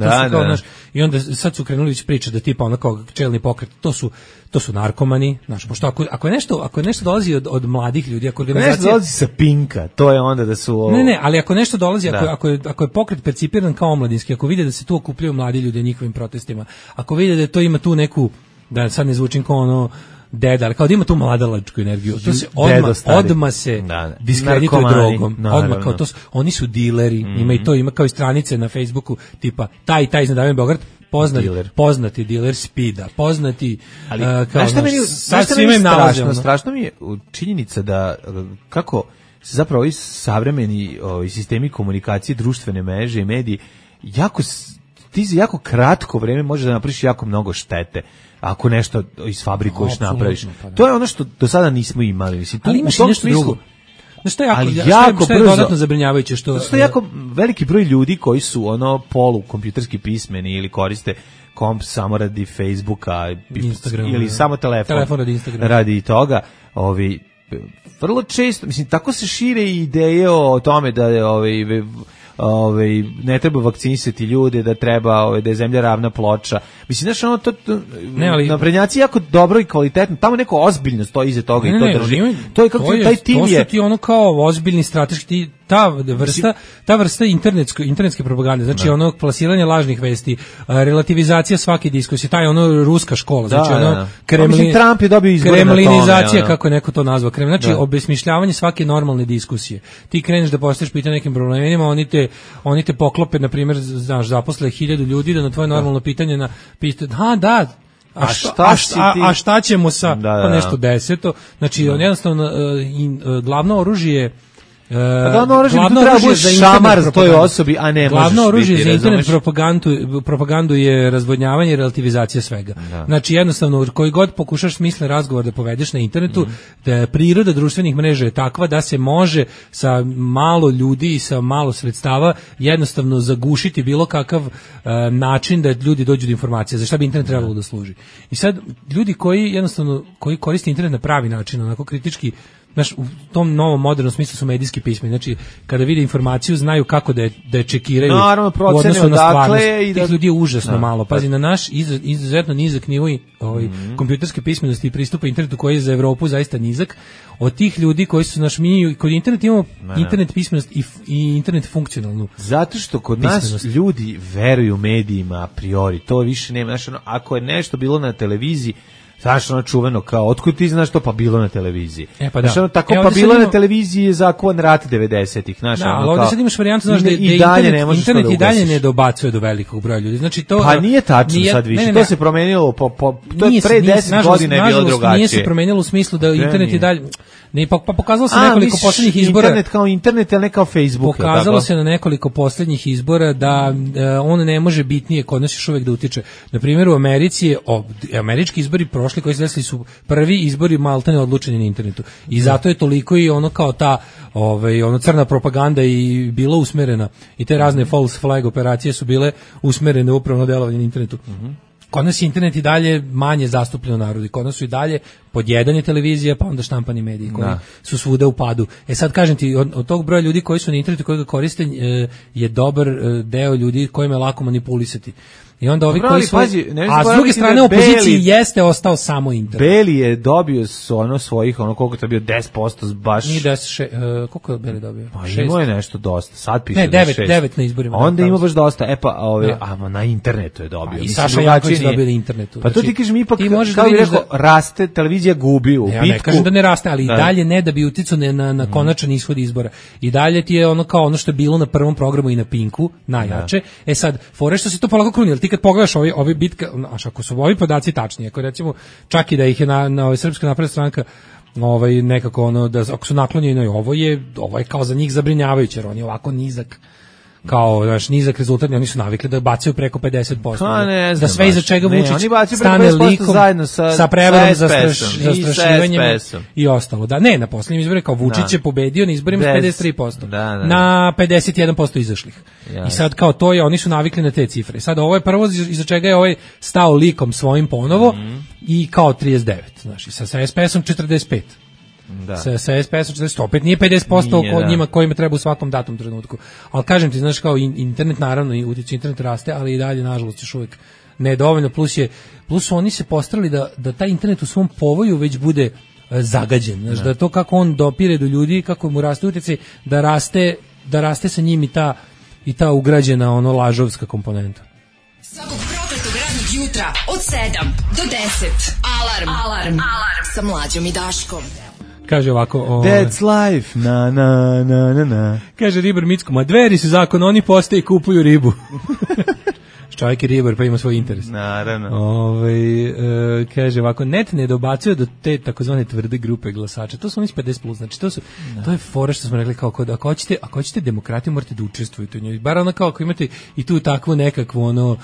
i onda sad su krenuli već priče da tipa ono kao čelni pokret, to su narkomani, znaš, pošto ako je nešto dolazi od mladih ljudi, ako organizacija nešto dolazi sa Pinka, to je onda da su Ne, ali ako nešto dolazi, ako je pokret percipiran kao omladinski, ako vide da se tu okupljaju mladi ljudi njihovim protestima, ako vide da to ima tu neku, da sad ne zvučim kao ono ali kao da ima tu mladalačku energiju, to se odmah se diskredituje drogom, odmah kao to, oni su dileri, ima kao i stranice na Facebooku, tipa taj iz Ne davimo Beograd, poznati diler speeda, poznati kao strašno mi je činjenica da kako zapravo ovi savremeni sistemi komunikacije, društvene mreže i mediji ti za jako kratko vreme možeš da napraviš jako mnogo štete ako nešto isfabrikuješ, napraviš. To je ono što do sada nismo imali. Mislim, ali imaš nešto drugo. Što je dodatno zabrinjavajuće što je jako veliki broj ljudi koji su ono kompjuterski pismeni ili koriste komp samo radi Facebooka, Instagrama, ili samo telefon radi Instagrama. Radi toga, vrlo često, mislim, tako se šire ideje o tome da ne treba vakcinisati ljude, da treba da je zemlja ravna ploča. Mislim, znaš, ono to naprednjaci jako dobro i kvalitetno, tamo neko ozbiljno stoji iza toga i to drži. To je kako taj tim je. To su ti ono kao ozbiljni strateški, ta vrsta internetske propagande, znači ono plasiranje lažnih vesti, relativizacija svake diskusije, taj ono ruska škola, znači ono Trump je dobio izbore na tome. Kremlinizacija, kako je neko to nazvao, znači obesmišljavanje svake normalne diskusije. Ti kreneš da postaviš pitanje nekim problemima, oni te poklope, na primjer, znaš, zaposle 1000 ljudi da na tvoje normalno pitanje a šta ćemo sa nešto deseto, znači jednostavno glavno oružje glavno oružje za šamar toj osobi, a ne glavno oružje za internet propagandu je razvodnjavanje i relativizacija svega. Znači jednostavno koji god pokušaš smislen razgovor da povedeš na internetu, da priroda društvenih mreža je takva da se može sa malo ljudi i sa malo sredstava jednostavno zagušiti bilo kakav način da ljudi dođu do informacija. Za šta bi internet trebalo da služi? I sad ljudi koji koriste internet na pravi način, onako kritički znaš, u tom novom modernom smislu su medijski pismeni. Znači, kada vide informaciju, znaju kako da je čekiraju u odnosu na stvarnost. Tih ljudi je užasno malo. Pazi, na naš izuzetno nizak nivo kompjuterske pismenosti i pristupa internetu koji je za Evropu zaista nizak. Od tih ljudi koji su mi kod interneta imamo internet pismenost i internet funkcionalnu. Zato što kod nas ljudi veruju medijima a priori. To više nema. Znaš, ako je nešto bilo na televiziji, znaš, ono čuveno kao, otkud ti znaš to, pa bilo na televiziji. Pa da. Znaš, tako, pa bilo na televiziji je zakovan rat 90-ih. Znaš, da, ali ovdje sad imaš varijantu, znaš, da internet i dalje ne dobacuje do velikog broja ljudi. Znači, to, pa nije tačno sad više, to se promenilo, to je pre 10 godina je bilo drugačije. Nije se promenilo u smislu da internet i dalje... Ne, pa pokazalo se nekoliko poslednjih izbora. Internet kao internet, ali ne kao Facebook. Pokazalo se na nekoliko poslednjih izbora da on ne može bitnije kod nas još uvek da utiče. Na primjer, u Americi američki izbori prošli koji se desili su prvi izbori maltene odlučeni na internetu. I zato je toliko i ono kao ta crna propaganda i bila usmerena. I te razne false flag operacije su bile usmerene upravo na delovanje na internetu. Kod nas je internet i dalje manje zastupljen u narodu. Kod nas su i dalje pod jedan je televizija, pa onda štampani mediji koji su svuda u padu. Sad kažem ti, od tog broja ljudi koji su na internetu koji ga koriste je dobar deo ljudi kojima je lako manipulisati. I onda ovi koji su... a s druge strane, opoziciji jeste ostao samo internet. Beli je dobio svojih, koliko to je bio, 10% baš... Nije 10, koliko je Beli dobio? Pa imao je nešto dosta, sad piše ne, 9 na izborima. Onda ima baš dosta, na internetu je dobio. I Saša Janković dobio na internetu. Pa to ti kažem, ipak, kao bih rekao, raste, televizija gubi u bitku. Ja ne kažem da ne raste, ali i dalje ne da bi uticao na konačan ishod izbora. I dalje ti je ono kao ono što je bilo na prvom programu i na Pinku, najjače. Sad, fore što se to polako kruni, ti kad pogledaš ovi bitka, ako su ovi podaci tačni, ako recimo čak i da ih je na Srpska napredna stranka nekako da ako su naklonjeni, ovo je kao za njih zabrinjavajuće, jer on je ovako nizak nizak rezultat, oni su navikli da bacaju preko 50%. Da sve iza čega Vučić stane likom sa prevarom za zastrašivanjem i ostalo. Da, ne, na posljednjim izborima kao Vučić je pobedio na izborima s 53%. Na 51% izašlih. I sad kao to je, oni su navikli na te cifre. Sad ovo je prvo iza čega je stao likom svojim ponovo i kao 39. Znači, sa SPS-om 45. Sa SPS-om 40, opet nije 50% njima kojima treba u svakom datom trenutku. Ali kažem ti, znaš, kao internet, naravno, i utjecaj internet raste, ali i dalje, nažalost, još uvijek nedovoljno. Plus oni se postarali da taj internet u svom povoju već bude zagađen. Znaš, da to kako on dopire do ljudi, kako mu raste utjecaj, da raste sa njim i ta ugrađena lažovska komponenta. Svakog prokletog radnog jutra od 7 do 10. Alarm. Sa Mlađom i Daškom. Kaže ovako... That's life, na. Kaže Ribar Micko, ma Dveri su zakon, oni postaje i kupuju ribu. Čovjek je ribar, pa ima svoj interes. Naravno. Kaže ovako, net ne dobacuje do te takozvane tvrde grupe glasača. To su oni 50+, znači to je fora što smo rekli, kao ako hoćete demokratiju, morate da učestvujete u njoj. Bar ono kao ako imate i tu takvu nekakvu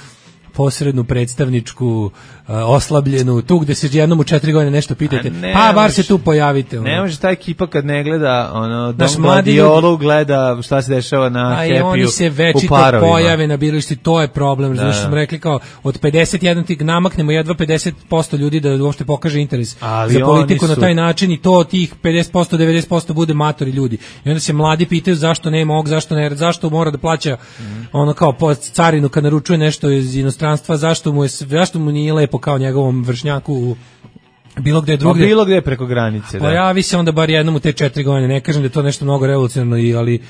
posrednu predstavničku oslabljenu, tu gde se jednom u 4 godine nešto pitate, pa bar se tu pojavite. Ne može ta ekipa kad ne gleda Dom Gladiolu, gleda šta se dešava na Happy-u. A oni se večito pojave na birališti, to je problem. Znači smo rekli kao od 51 ti namaknemo jedva 50% ljudi da uopšte pokaže interes za politiku na taj način i to tih 50%, 90% bude matori ljudi. I onda se mladi pitaju zašto nema ovog, zašto mora da plaća kao carinu kad naručuje nešto iz inostranstva, zašto mu nije lepo kao njegovom vršnjaku bilo gde drugdje. Bilo gde preko granice. Pojavi se onda bar jednom u te 4 godine. Ne kažem da je to nešto mnogo revolucionarno, ali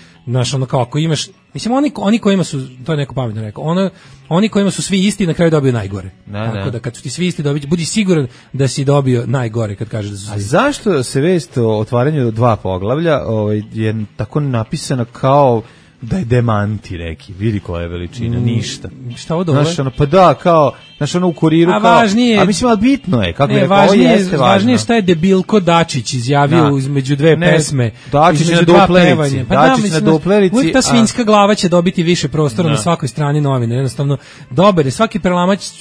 kao ako imaš, mislim oni kojima su, to je neko pametno rekao, oni kojima su svi isti na kraju dobiju najgore. Tako da kad su ti svi isti budi siguran da si dobio najgore kad kažeš da su svi. A zašto se vest o otvaranju 2 poglavlja je tako napisana kao da je demanti neki, vidi koja je veličina, ništa. Šta ovo dole? Pa da, kao, u kuriru, važnije, mislim, ali bitno je, kako je rekao, ovo jeste važno. Važnije šta je debilko Dačić izjavio između 2 pesme. Dačić na duplerici. Dačić na duplerici. Uvijek ta svinjska glava će dobiti više prostora na svakoj strani novine. Jednostavno, dobar je, svaki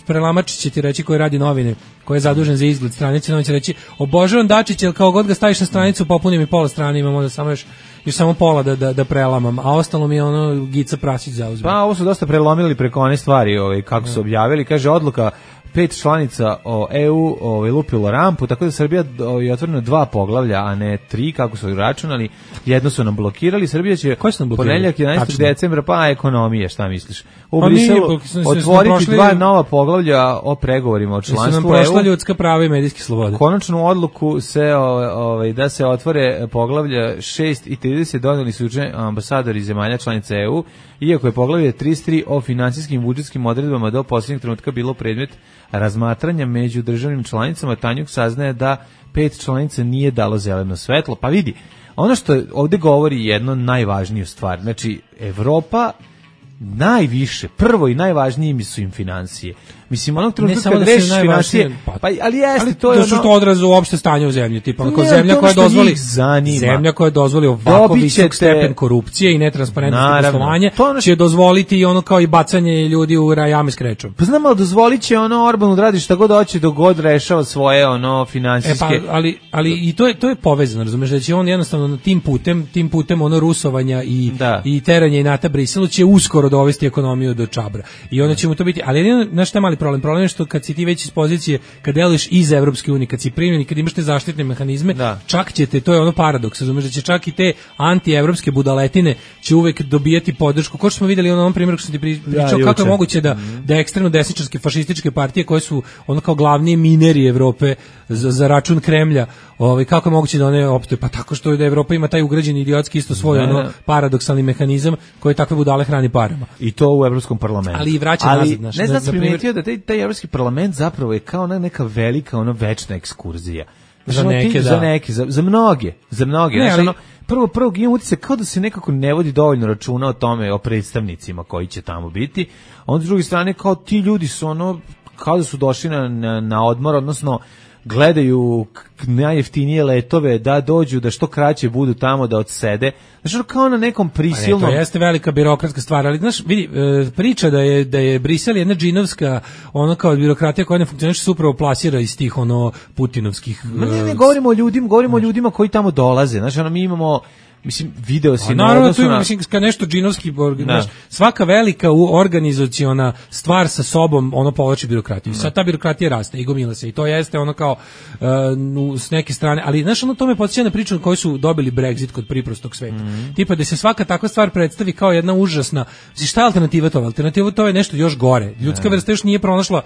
prelamač će ti reći koji radi novine, koji je zadužen za izgled stranice, on će reći, obožavam Dačić, jer kao god ga staviš na stranicu, popuni mi pola strane, imam onda samo pola da prelamam, a ostalo mi je Gica Prasić zauzme. Pa ovo su dosta prelomili preko one stvari kako su objavili, kaže odluka 5 članica EU lupilo rampu, tako da Srbija je otvoreno 2 poglavlja, a ne 3, kako su računali. Jedno su nam blokirali. Srbija će ponedeljak 11. decembra, pa ekonomije, šta misliš? U Briselu otvoriti 2 nova poglavlja o pregovorima o članstvu EU. Su nam prošla ljudska prava i medijske slobode. Konačnu odluku da se otvore poglavlja 6 i 30 doneli su juče ambasadori zemalja članica EU, iako je poglavlje 33 o finansijskim i budžetskim odredbama do posljednjeg trenutka bilo predmet razmatranja među državnim članicama. Tanjuk saznaje da 5 članica nije dalo zeleno svetlo. Pa vidi, ono što ovdje govori jedno najvažniju stvar, znači Evropa najviše, prvo i najvažnije mi su im financije. Mislim, onog trenutka kad rešiš financije, ali jeste, to je ono... što odrazu uopšte stanje u zemlji, tipa ono, zemlja koja dozvoli ovako visok stepen korupcije i netransparentnosti poslovanja, će dozvoliti i ono kao i bacanje ljudi u jame s krečom. Pa znam, ali dozvolit će ono Orbanu da radi šta god hoće dok god rešava svoje ono finansijske... Ali i to je povezano, razumeš, da će on jednostavno tim putem ono rusovanja i teranja i nata Briselu će uskoro dovesti ekonomiju do čabra. I onda će mu to biti, ali znaš šta je mali problem? Problem je što kad si ti već iz pozicije, kad deluješ iz Evropske unije, kad si primljen i kad imaš te zaštitne mehanizme, čak ćete, to je ono paradoks, razumeš, da će čak i te anti-evropske budaletine će uvek dobijati podršku. Ko što smo vidjeli u onom primjeru što sam ti pričao, kako je moguće da ekstremno desničarske fašističke partije koje su ono kao glavni mineri Evrope za račun Kremlja, kako je moguće da one opstoje? Pa tako što da Evropa ima taj ugrađeni idiotski isto svoj ono paradoksalni mehanizam koji takve budale hrani parama. I to u Evropskom parlamentu. Ali i vraća nazad. Ne znam, sam primijetio da taj Evropski parlament zapravo je kao neka velika, večna ekskurzija. Za neke, za mnoge. Ne, ali... Prvo imam utisak kao da se nekako ne vodi dovoljno računa o tome, o predstavnicima koji će tamo biti. Onda s druge strane, kao ti ljudi su kao da su došli na odmor, odnosno gledaju najjeftinije letove da dođu, da što kraće budu tamo, da odsede. Znači, kao na nekom prisilnom... To jeste velika birokratska stvar, ali znaš, vidi, priča da je Brisel jedna džinovska, ono kao birokratija koja ne funkcioniše, se upravo plasira iz tih putinovskih... Ne, govorimo o ljudima koji tamo dolaze. Znači, mi imamo... Mislim, video si naravno, tu mislim, kad nešto džinovski, svaka velika organizaciona stvar sa sobom, ono povlači birokratiju. Sad ta birokratija raste i gomila se i to jeste ono kao s neke strane, ali znaš, ono to me podsjeća na priču koji su dobili Brexit kod priprostog sveta. Tipa da se svaka takva stvar predstavi kao jedna užasna, šta je alternativa to? Alternativa to je nešto još gore. Ljudska vrsta još nije pronašla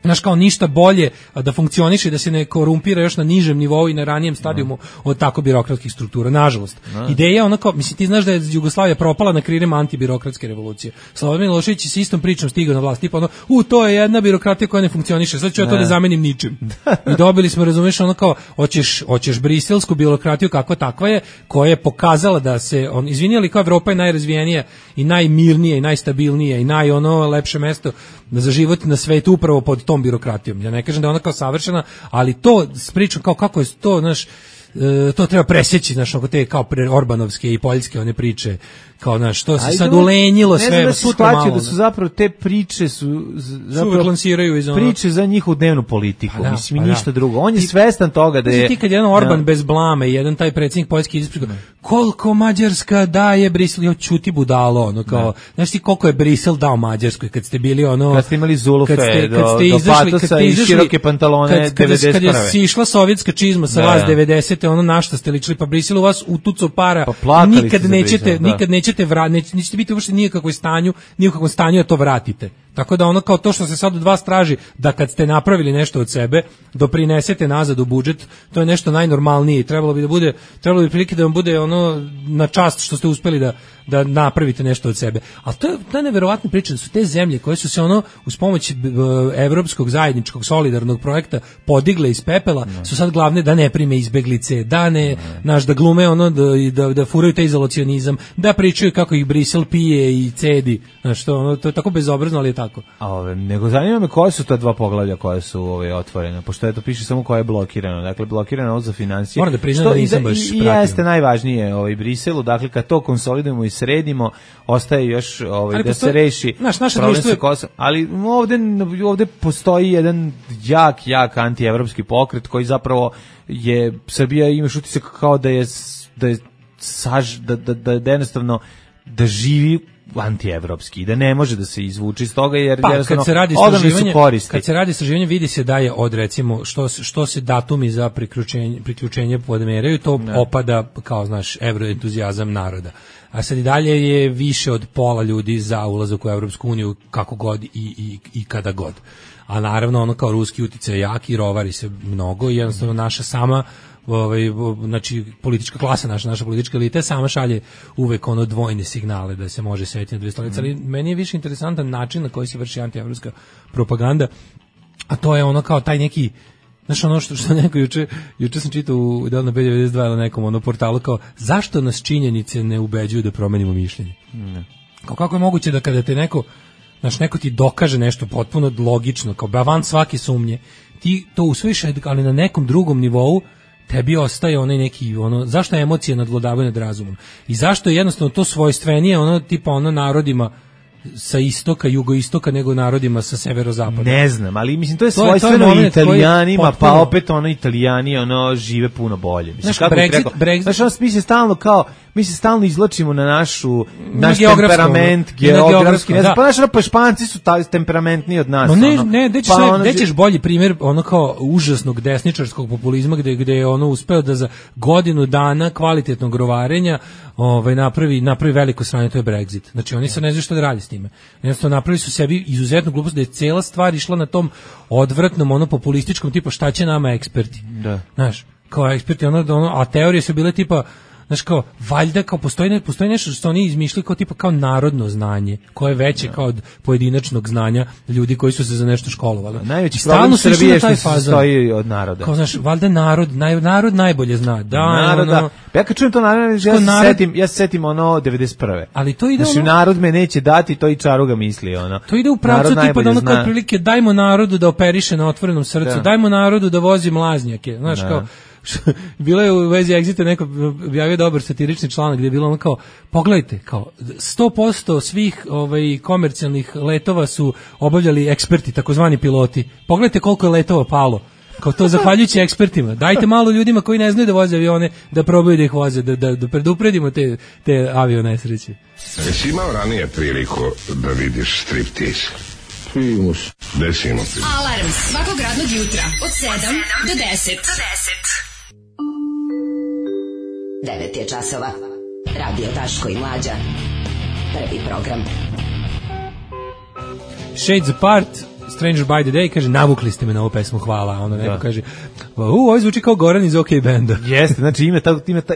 znaš, kao ništa bolje da funkcioniše i da se ne korumpira još na nižem nivou i na ranijem stadijumu od tako birokratskih struktura, nažalost. Ideja onako, mislim, ti znaš da je Jugoslavija propala na krilima antibirokratske revolucije. Slobodan Milošević s istom pričom stigao na vlast, tipa to je jedna birokratija koja ne funkcioniše, sad ću ja to da zamenim ničim. I dobili smo, razumiješ, ono kao, hoćeš briselsku birokratiju kakva takva je, koja je pokazala da se, izvini, ali kao Evropa je najrazvijenija i najmirnija i najstabilnija i lepše mesto za život na svetu upravo pod tom birokratijom. Ja ne kažem da je ona kao savršena, ali to s pričom kao kako je to, znaš, to treba presjeći, znaš, oko te kao orbanovske i poljske one priče, kao, znaš, to se sad ulenjilo sve. Ne znam da su zapravo te priče zapravo lansiraju iz priče za njihovu dnevnu politiku, mislim, ništa drugo. On je svestan toga da je... Ti kad jedan Orban bez blame i jedan taj predsjednik Poljske ispričao, koliko Mađarska daje Brisel, jo, čuti budalo, ono, kao, znaš ti koliko je Brisel dao Mađarskoj, kad ste bili ono... Kad ste imali zulufe do patosa i široke pantalone 91. Kad je išla sovjetska čizma sa vas 90. ono na šta ste ličili, pa Brisel u vas utucao para, nikad nećete biti uopšte ni u kakvom stanju da to vratite. Tako da ono kao to što se sad od vas traži, da kad ste napravili nešto od sebe, doprinesete nazad u budžet, to je nešto najnormalnije. Trebalo bi prilike da vam bude ono na čast što ste uspeli da napravite nešto od sebe. Ali to je neverovatna priča da su te zemlje koje su se ono uz pomoć evropskog zajedničkog solidarnog projekta podigle iz pepela, su sad glavne da ne prime izbeglice, da glume ono da furaju taj izolacionizam, da pričaju kako ih Brisel pije i cedi. Znaš, to je tako bezobrazno, ali je tako. Nego zanima me koje su ta 2 poglavlja koje su otvorene, pošto je to piše samo koje je blokirano. Dakle, blokirano ovo za financije. Moram da priznam da nisam baš pratio. I jeste najvažnije Briselu, dakle, kad to konsolidujemo i sredimo, ostaje još da se reši problem sa Kosovom. Ali ovde postoji jedan jak antievropski pokret koji zapravo je, Srbija imaš utisak kao da je jednostavno da živi antievropski, da ne može da se izvuči iz toga, jer kad se radi istraživanje vidi se da je od recimo što se datumi za priključenje podmeraju, to opada kao znaš evroentuzijazam naroda. A sad i dalje je više od pola ljudi za ulazak u Evropsku uniju kako god i kada god. A naravno ono kao ruski uticaj jak i rovari se mnogo i jednostavno naša sama znači politička klasa, naša politička elita sama šalje uvek ono dvojne signale da se može setiti na dve stolice, ali meni je više interesantan način na koji se vrši antievropska propaganda, a to je ono kao taj neki, znaš ono što neko juče sam čitao u Delno B92 ili nekom ono portalu kao zašto nas činjenice ne ubeđuju da promenimo mišljenje. Kao kako je moguće da kada te neko ti dokaže nešto potpuno logično, kao van svake sumnje, ti to usvojiš, ali na nekom drugom nivou tebi ostaje onaj neki, zašto emocije nadvladavaju nad razumom? I zašto je jednostavno to svojstvenije, tipa narodima sa istoka, jugoistoka, nego narodima sa severozapada? Ne znam, ali mislim, to je svojstveno Italijanima, pa opet Italijani žive puno bolje. Mislim, kako Brexit, znaš, mi se stalno izlačimo na naš temperament, geografski, ne znam, pa Španci su temperamentniji od nas. Gde ćeš bolji primjer kao užasnog desničarskog populizma gde je uspeo da za godinu dana kvalitetnog rovarenja napravi veliko sranje, to je Brexit. Znači oni se ne znaju što da radi s time. Jednostavno napravili su sebi izuzetnu glupost da je cijela stvar išla na tom odvratnom populističkom tipa šta će nama eksperti. Da. Znaš, kao eksperti a teorije su bile tipa znaš kao, valjda kao postoji nešto što oni izmišljali kao tipa kao narodno znanje, koje je veće kao od pojedinačnog znanja ljudi koji su se za nešto školovali. Najveći problem Srbije je što se sastoji od naroda. Kao znaš, valjda narod najbolje zna. Da. Ja kad čujem to ja se setim 91. Ali to ide znači, narod me neće dati, to i Čaruga misli. To ide u pravcu tipa da kao otprilike dajmo narodu da operiše na otvorenom srcu, dajmo narodu da vozi mlaznjake, znaš kao. Bilo je u vezi Exita neko objavio dobar satirični članak gdje je bilo kao, pogledajte, kao 100% svih komercijalnih letova su obavljali eksperti, takozvani piloti. Pogledajte koliko je letova palo. Kao to zahvaljujući ekspertima. Dajte malo ljudima koji ne znaju da voze avione da probaju da ih voze, da predupredimo te avionesreće. Jesi imao ranije priliku da vidiš striptease? Primus. Desimo ti. Alarm svakog radnog jutra od 7 do 10. 9 je časova. Radio Daško i Mlađa. Prvi program. Shades Apart, Stranger by the Day, kaže, navukli ste me na ovu pesmu, hvala. Ono neko kaže, ovo zvuči kao Goran iz OK Banda. Jeste, znači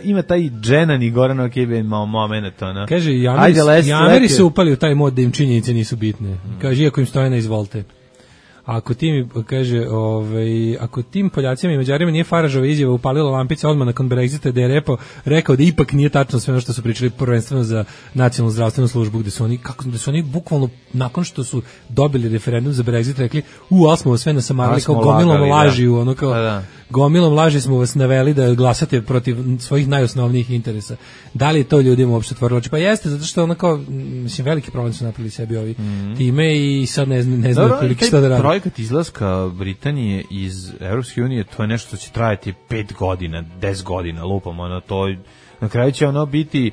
ima taj Dženan i Goran OK Band moment. Kaže, jameri se upali u taj mod da im činjenice nisu bitne. Kaže, iako im stoje na izvolte. Ako tim, kaže, ako tim Poljacima i Mađarima nije Faražova izjava upalila lampice odmah nakon Brexita, da je rekao da ipak nije tačno sve ono što su pričali prvenstveno za nacionalnu zdravstvenu službu, gde su oni bukvalno nakon što su dobili referendum za Brexit rekli, ali smo vas sve nasamarali kao gomilom laži, gomilom laži smo vas naveli da glasate protiv svojih najosnovnijih interesa. Da li je to ljudima uopšte otvorilo oči? Pa jeste, zato što mislim, veliki problem su napravili sebi ovi time i sad ne znaju prilike šta da radi. Projekat izlaska Britanije iz Evropske unije, to je nešto što će trajati 5 godina, 10 godina, lupam, to na kraju će biti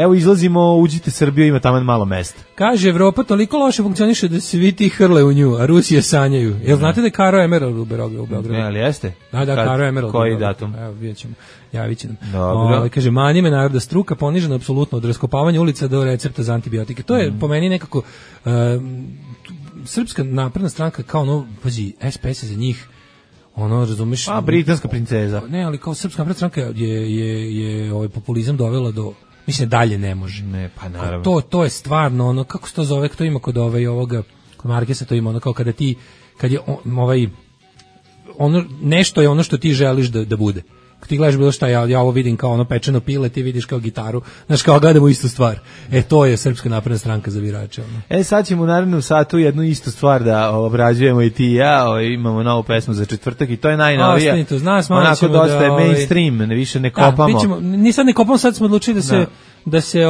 evo izlazimo, uđite Srbiju, ima tamo malo mesta. Kaže, Evropa toliko loše funkcioniše da se svi ti hrle u nju, a Rusije sanjaju. Jel znate da je Karo Emerald u Beogradu? Ne, ali jeste? Da, Karo Emerald. Koji datum? Evo, vidjet ćemo. Javit će nam. Kaže, mani me naroda struka, ponižena apsolutno od raskopavanja ulica do recepta za antibiotike. To je po meni nekako Srpska napredna stranka kao pazi, SPS je za njih razumeš? Britanska princeza. Ne, ali kao Srpska napredna stranka je ovaj populizam dovela do, mislim, dalje ne može. Ne, pa naravno. To je stvarno kako se to zove, to ima kod ovoga, kod Markesa to ima kao kad je nešto je ono što ti želiš da bude. Kad ti gledaš bilo šta, ja ovo vidim kao pečeno pile, ti vidiš kao gitaru, znaš, kao gledamo istu stvar. To je Srpska napredna stranka za birače. Sad ćemo u narednom satu jednu istu stvar da obrađujemo i ti i ja, imamo novu pesmu za četvrtak i to je najnovija. Ostanite uz nas, onako dosta je mainstream, više ne kopamo. Ni sad ne kopamo, sad smo odlučili da se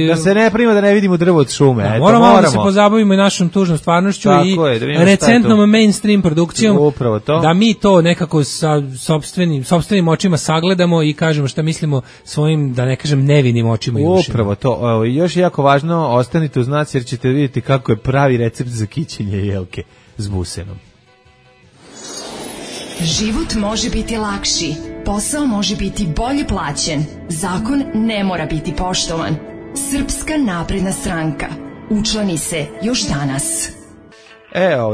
da se ne prima da ne vidimo drvo od šume. Da, eto, moramo da se pozabavimo i našom tužnom stvarnošću i recentnom mainstream produkcijom. Upravo to. Da mi to nekako sa sopstvenim očima sagledamo i kažemo šta mislimo svojim, da ne kažem, nevinim očima i ušima. Upravo to. Još jako važno, ostanite uz nas jer ćete vidjeti kako je pravi recept za kićenje jelke s busenom. Život može biti lakši, posao može biti bolje plaćen, zakon ne mora biti poštovan. Srpska napredna stranka. Učlani se još danas.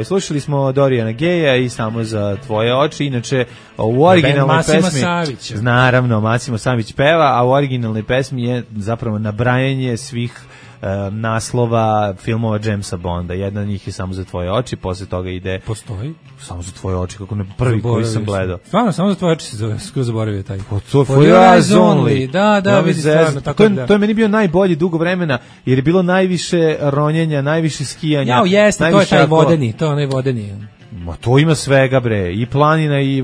Slušali smo Dorijana Geja i Samo za tvoje oči. Inače, u originalnoj pesmi... Savića. Naravno, Masimo Savić peva, a u originalnoj pesmi je zapravo nabrajanje svih naslova filmova Jamesa Bonda. Jedna od njih je Samo za tvoje oči, posle toga ide... Postoji? Samo za tvoje oči, kako ne prvi koji sam gledao. Stvarno, Samo za tvoje oči se zove, skoro zaboravio taj. For your eyes only. Da, vidi stvarno. To je meni bio najbolji dugo vremena, jer je bilo najviše ronjenja, najviše skijanja. Jao, jeste, to je taj vodeni, to je onaj vodeni. Ma to ima svega, bre, i planina i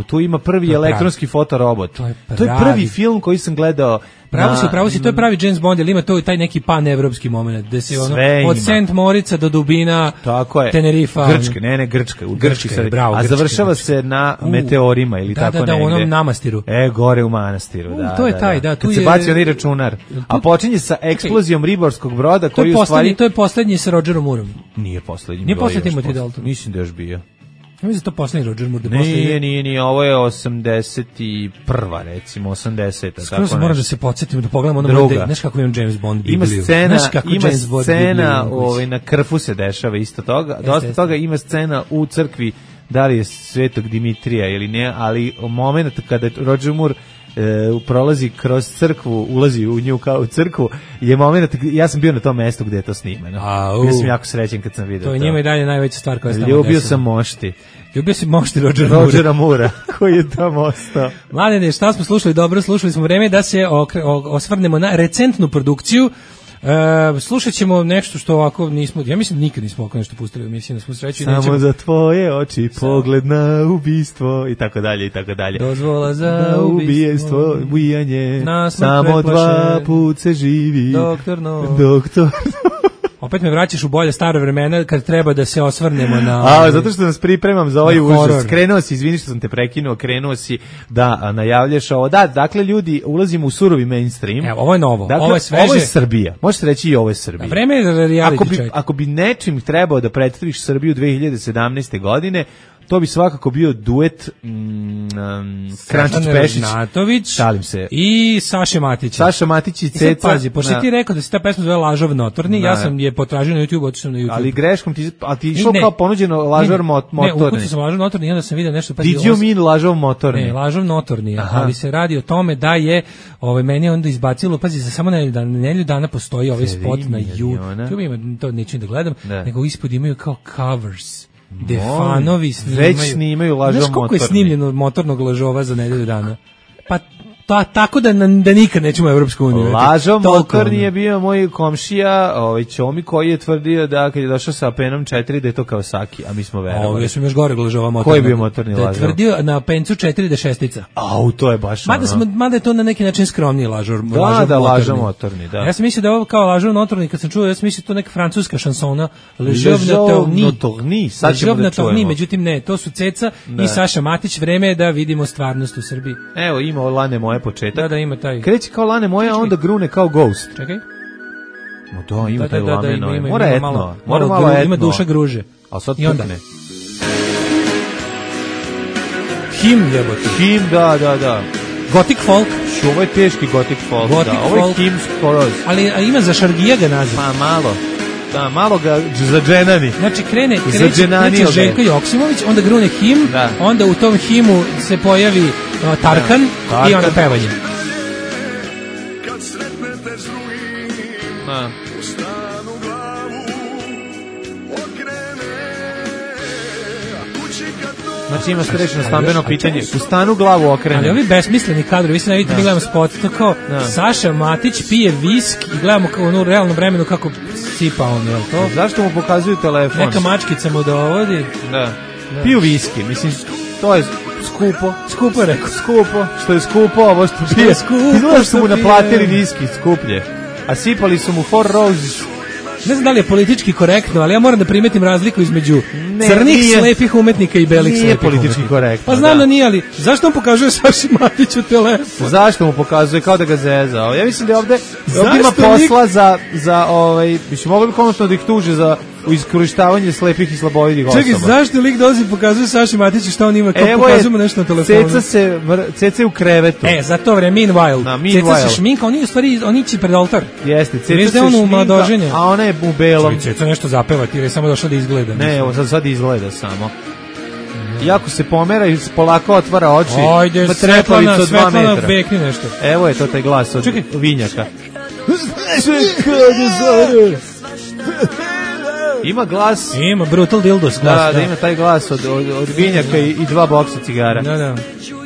tu ima prvi elektronski fotorobot. To je prvi film koji sam gledao. Pravo si, to je pravi James Bond, ali ima to taj neki pan-evropski moment, gde se ono, od St. Morica do Dubina, Tenerifa. Grčka, u Grčki se, a završava se na meteorima ili tako negde. Da, u onom namastiru. Gore u manastiru, da. To je taj, da. Kad se baci onaj računar. A počinje sa eksplozijom ribarskog broda koji u stvari... To je poslednji sa Rogerom Moorom. Nije poslednji. Nije poslednji Timothy Dalton. Mislim da još bio. Ja mislim da to poslednji Roger Moore. Nije, ovo je 81. recimo, 80. Skoro se moram da se podsjetim, da pogledam ono mode, znaš kako imam James Bond Bibliju. Ima scena na Krfu se dešava isto toga, dosta toga ima scena u crkvi, da li je Svetog Dimitrija ili ne, ali moment kada Roger Moore prolazi kroz crkvu, ulazi u nju kao u crkvu, je moment, ja sam bio na tom mestu gde je to snimano. Bio sam jako srećen kad sam vidio to. To je njima i dalje najveća stvar koja se tamo Ljubio sam mošti. Ljubio si mošti Rogera Moora, koji je tamo ostao. Mladene, šta smo slušali? Dobro, slušali smo. Vreme da se osvrnemo na recentnu produkciju. Slušat ćemo nešto što ovako nismo, ja mislim nikad nismo ovako nešto pustili u emisiji, da smo sreći. Samo za tvoje oči, pogled na ubistvo i tako dalje i tako dalje. Dozvola za ubijestvo, ubijanje, samo 2 put se živi. Doktor. Opet me vraćaš u bolje staro vremena kad treba da se osvrnemo na... zato što nas pripremam za ovaj užas. Krenuo si, izvini što sam te prekinuo, krenuo si da najavljaš ovo. Da, dakle, ljudi, ulazimo u surovi mainstream. Evo, ovo je novo, dakle, ovo je sveže. Ovo je Srbija. Možete reći i ovo je Srbija. Vreme je reality check. Ako bi nečim trebao da predstaviš Srbiju 2017. godine, to bi svakako bio duet Krančić Pešić Šalim se. I Saša Matić. Saša Matić i Ceca. Pazi, pošto ti rekao da se ta pesma zove Lažov notorni, ja sam je potražio na YouTube, otišao na YouTube. Ali greškom ti išao kao ponuđeno Lažov motorni. Ne, ukucao sam Lažov notorni i onda sam vidio nešto. Did you mean Lažov motorni? Ne, Lažov notorni, ali se radi o tome da je meni onda izbacilo, pazi, za samo nedelju dana postoji ovaj spot na YouTube, ima, to neću da gledam, nego ispod imaju kao covers. Defanovi snimaju. Već snimaju Lažov motorni. Znaš koliko je snimljeno motornog lažova za nedelju dana? Pa tako da nikad nećemo u Evropsku uniju. Lažov motorni je bio moj komšija, Ćomi, koji je tvrdio da kad je došao sa Apenom 4 da je to Kawasaki, a mi smo verovali. Ja sam još gore lažova motornog. Koji je bio motorni Lažov? Da je tvrdio na Apencu 4 da šestica. To je baš mada je to na neki način skromniji Lažov motorni. Da. Ja sam mislio da je ovo kao Lažov motorni, kad sam čuo, ja sam mislio to neka francuska šansona. Lažov notorni. Sad ćemo da čujemo. Međutim ne, to su Ceca i Saša Matić. Vreme je da vidimo stvarnost u Srbiji. Evo, ima Lane moje početak. Da, ima taj. Kreće kao Lane moja, onda grune kao Ghost. Čekaj. Da, ima taj lameno. Mora etno. Mora malo etno. Ima duša gruže. A sad pukne. Him, jebote. Him, da. Gothic folk. Ovo je teški gothic folk. Ovo je Him skoroz. Ali ima za Šargija ga naziv. Pa malo. Da, malo ga za dženani. Znači kreće Željko Joksimović, onda grune Him, onda u tom Himu se pojavi Tarkan i onda pevanje. Kad sretnete s drugim, u stanu glavu okrene, a kući kad to... Znači ima srećno stambeno pitanje, u stanu glavu okrene. Ali ovi besmisleni kadrovi, vi se ne vidite, mi gledamo spot, to kao Saša Matić pije visk i gledamo kao u realnom vremenu kako sipa on, jel to? Zašto mu pokazuju telefon? Neka mačkica mu dovodi. Da. Piju viski, mislim, to je skupo. Skupo je rekao. Skupo, što je skupo, ovo što pije. Izgleda što mu naplatili viski skuplje. A sipali su mu Four Roses. Ne znam da li je politički korektno, ali ja moram da primetim razliku između crnih slepih umetnika i belih slepih umetnika. Nije politički korektno. Pa znam da nije, ali zašto on pokazuje Saši Matiću telefon? Zašto mu pokazuje, kao da ga zezao? Ja mislim da ovde ima posla za mislim, mogli bi konačno da ih tuže za iskorištavanje slepih i slabovidih osoba. Čekaj, zašto lik dolazi i pokazuje Saši Matiću šta on ima, kao pokazujemo nešto na telefonu? Ceca je u krevetu. Za to vreme, meanwhile. Ceca se šminka, oni ići pred oltar. Jeste, Ceca se šminka, a ona je u belom. Ceca nešto zapeva, ti je samo došla da izgleda. Ne, evo, sad izgleda samo. Iako se pomera i polako otvara oči. Ajde, Svetlana, bekni nešto. Evo je to taj glas od vinjaka. Ima glas. Ima Brutal Dildos glas. Da, ima taj glas od vinjaka i 2 boksa cigara. Da.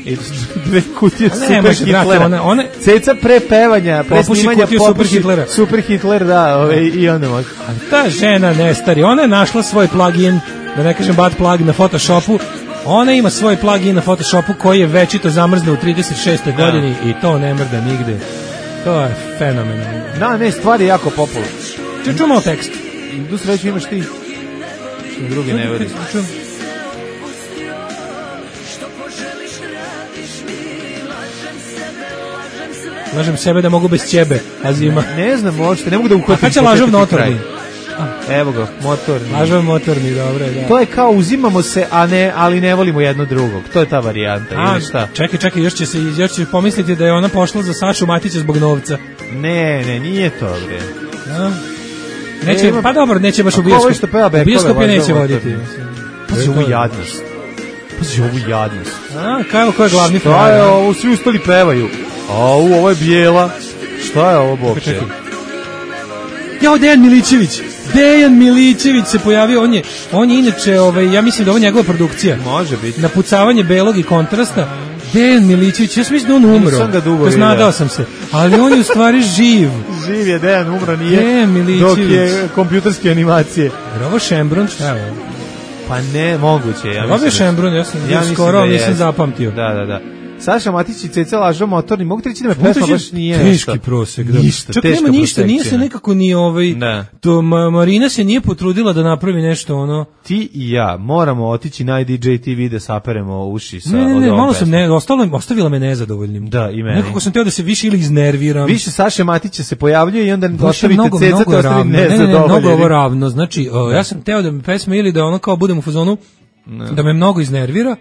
I 2 kutije Super Hitlera. Ceca pre pevanja, pre snimanja Super Hitler, da, i onda može. Ta žena ne stari, ona je našla svoj plugin, da ne kažem bad plug na Photoshopu. Ona ima svoj plugin na Photoshopu koji je večito zamrzne u 36. godini i to ne mrda nigde. To je fenomenalno. Da, ne, stvar je jako popularna. Čuo tekst. Idu sreću imaš ti. Drugi ne veri. Lažem sebe da mogu bez ćebe, a zima. Ne znam, možete, ne mogu da uhvatim. A kad će lažov motorni? Evo ga, motorni. Lažov motorni, dobro je, da. To je kao uzimamo se, ali ne volimo jedno drugog. To je ta varijanta, ili šta? Čekaj, još će pomisliti da je ona pošla za Sašu Matića zbog novca. Ne, nije to, bre. Neće, pa dobro, neće baš u bioskop. Bioskop je neće voditi. Pazi ovu jadnost. Ko je glavni frajer? Šta je ovo, svi ustali pevaju. Ovo je bijela. Šta je ovo, Bokče? Jao, Dejan Milićević se pojavio, on je inače, ja mislim da ovo je njegova produkcija. Može biti. Napucavanje belog i kontrasta. Dejan Milićević, ja mislim da on umro. Nisam ga dugo vidio. Nadao sam se, ali on je u stvari živ. Živ je, Dejan umro nije. Dejan Milićević. Dok je kompjuterske animacije. Jer ovo Šembrun, šta je ovo? Pa ne, moguće. Ovo je Šembrun, ja sam skoro nisam zapamtio. Da. Saša Matić i Ceca lažo motorni, mogu ti reći da me pesma baš nije teški prosek. Ništa, čak nema ništa, nije se nekako ni to Marina se nije potrudila da napravi nešto ono. Ti i ja moramo otići na DJ TV da saperemo uši sa Ne, malo sam ostavila me nezadovoljnim. Da, i meni. Nekako sam teo da se više ili iznerviram. Više Saše Matića se pojavljuje i onda ostavite Ceca te ostavi nezadovoljni. Ne, mnogo ovo ravno. Znači, ja sam teo da mi pesma ili da ono kao budem u fazonu da me mnogo iznervira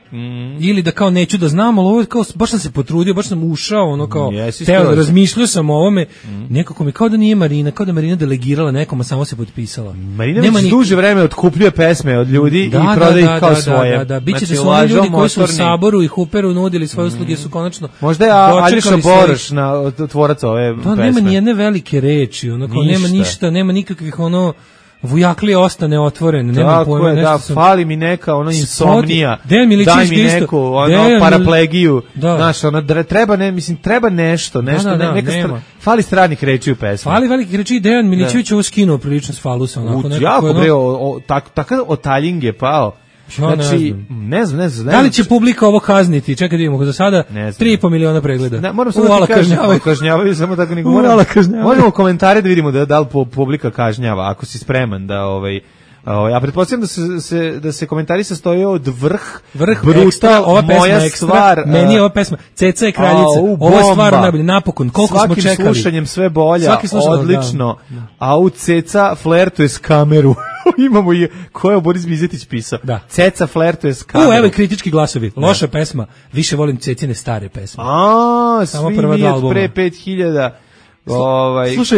ili da kao neću da znam, ali ovo kao baš sam se potrudio, baš sam ušao ono kao teo, razmišljao sam o ovome, nekako mi kao da nije Marina, kao da Marina delegirala nekom, a samo se potpisala. Marina već duže vreme otkupljuje pesme od ljudi i prodaje ih kao svoje. Da, biće da su oni ljudi koji su u Saboru i Huperu nudili svoje usluge su konačno možda je Aljoša Boroš tvorac ove pesme. Nema ni jedne velike reči, ono kao nema ništa, nema nikakvih ono Vujaklije ostane otvoren, nema pojma nešto. Da, fali mi neka ono insomnija. Daj mi neku ono paraplegiju. Znaš, ono treba treba nešto, neka fali stranih reči u pesmi. Fali velikih reči. Dejan Milićević ovo skinuo prilično s falusa onako nekako. Jako bre, takav otaljing je pao. Znači, ne znam. Da li će publika ovo kazniti? Čekaj da vidimo, za sada 3,5 miliona pregleda. Moram samo da kažnjavaju, samo tako nego možemo u komentare da vidimo da li publika kažnjava, ako si spreman da ja pretpostavljam da se komentari sastoje od vrh brutal, ekstra, ova moja pesma stvar. Ekstra, meni je ova pesma, Ceca je kraljica, ovo je stvar najbolje, napokon, koliko smo čekali. Svakim slušanjem sve bolja, odlično, a u Ceca flertuje s kameru. Imamo i ko je Boris Bizetić pisao. Ceca flertuje s kameru. Evo i kritički glasovi. Loša pesma, više volim Cecine stare pesme. Samo prva dva albuma. Pre 5000.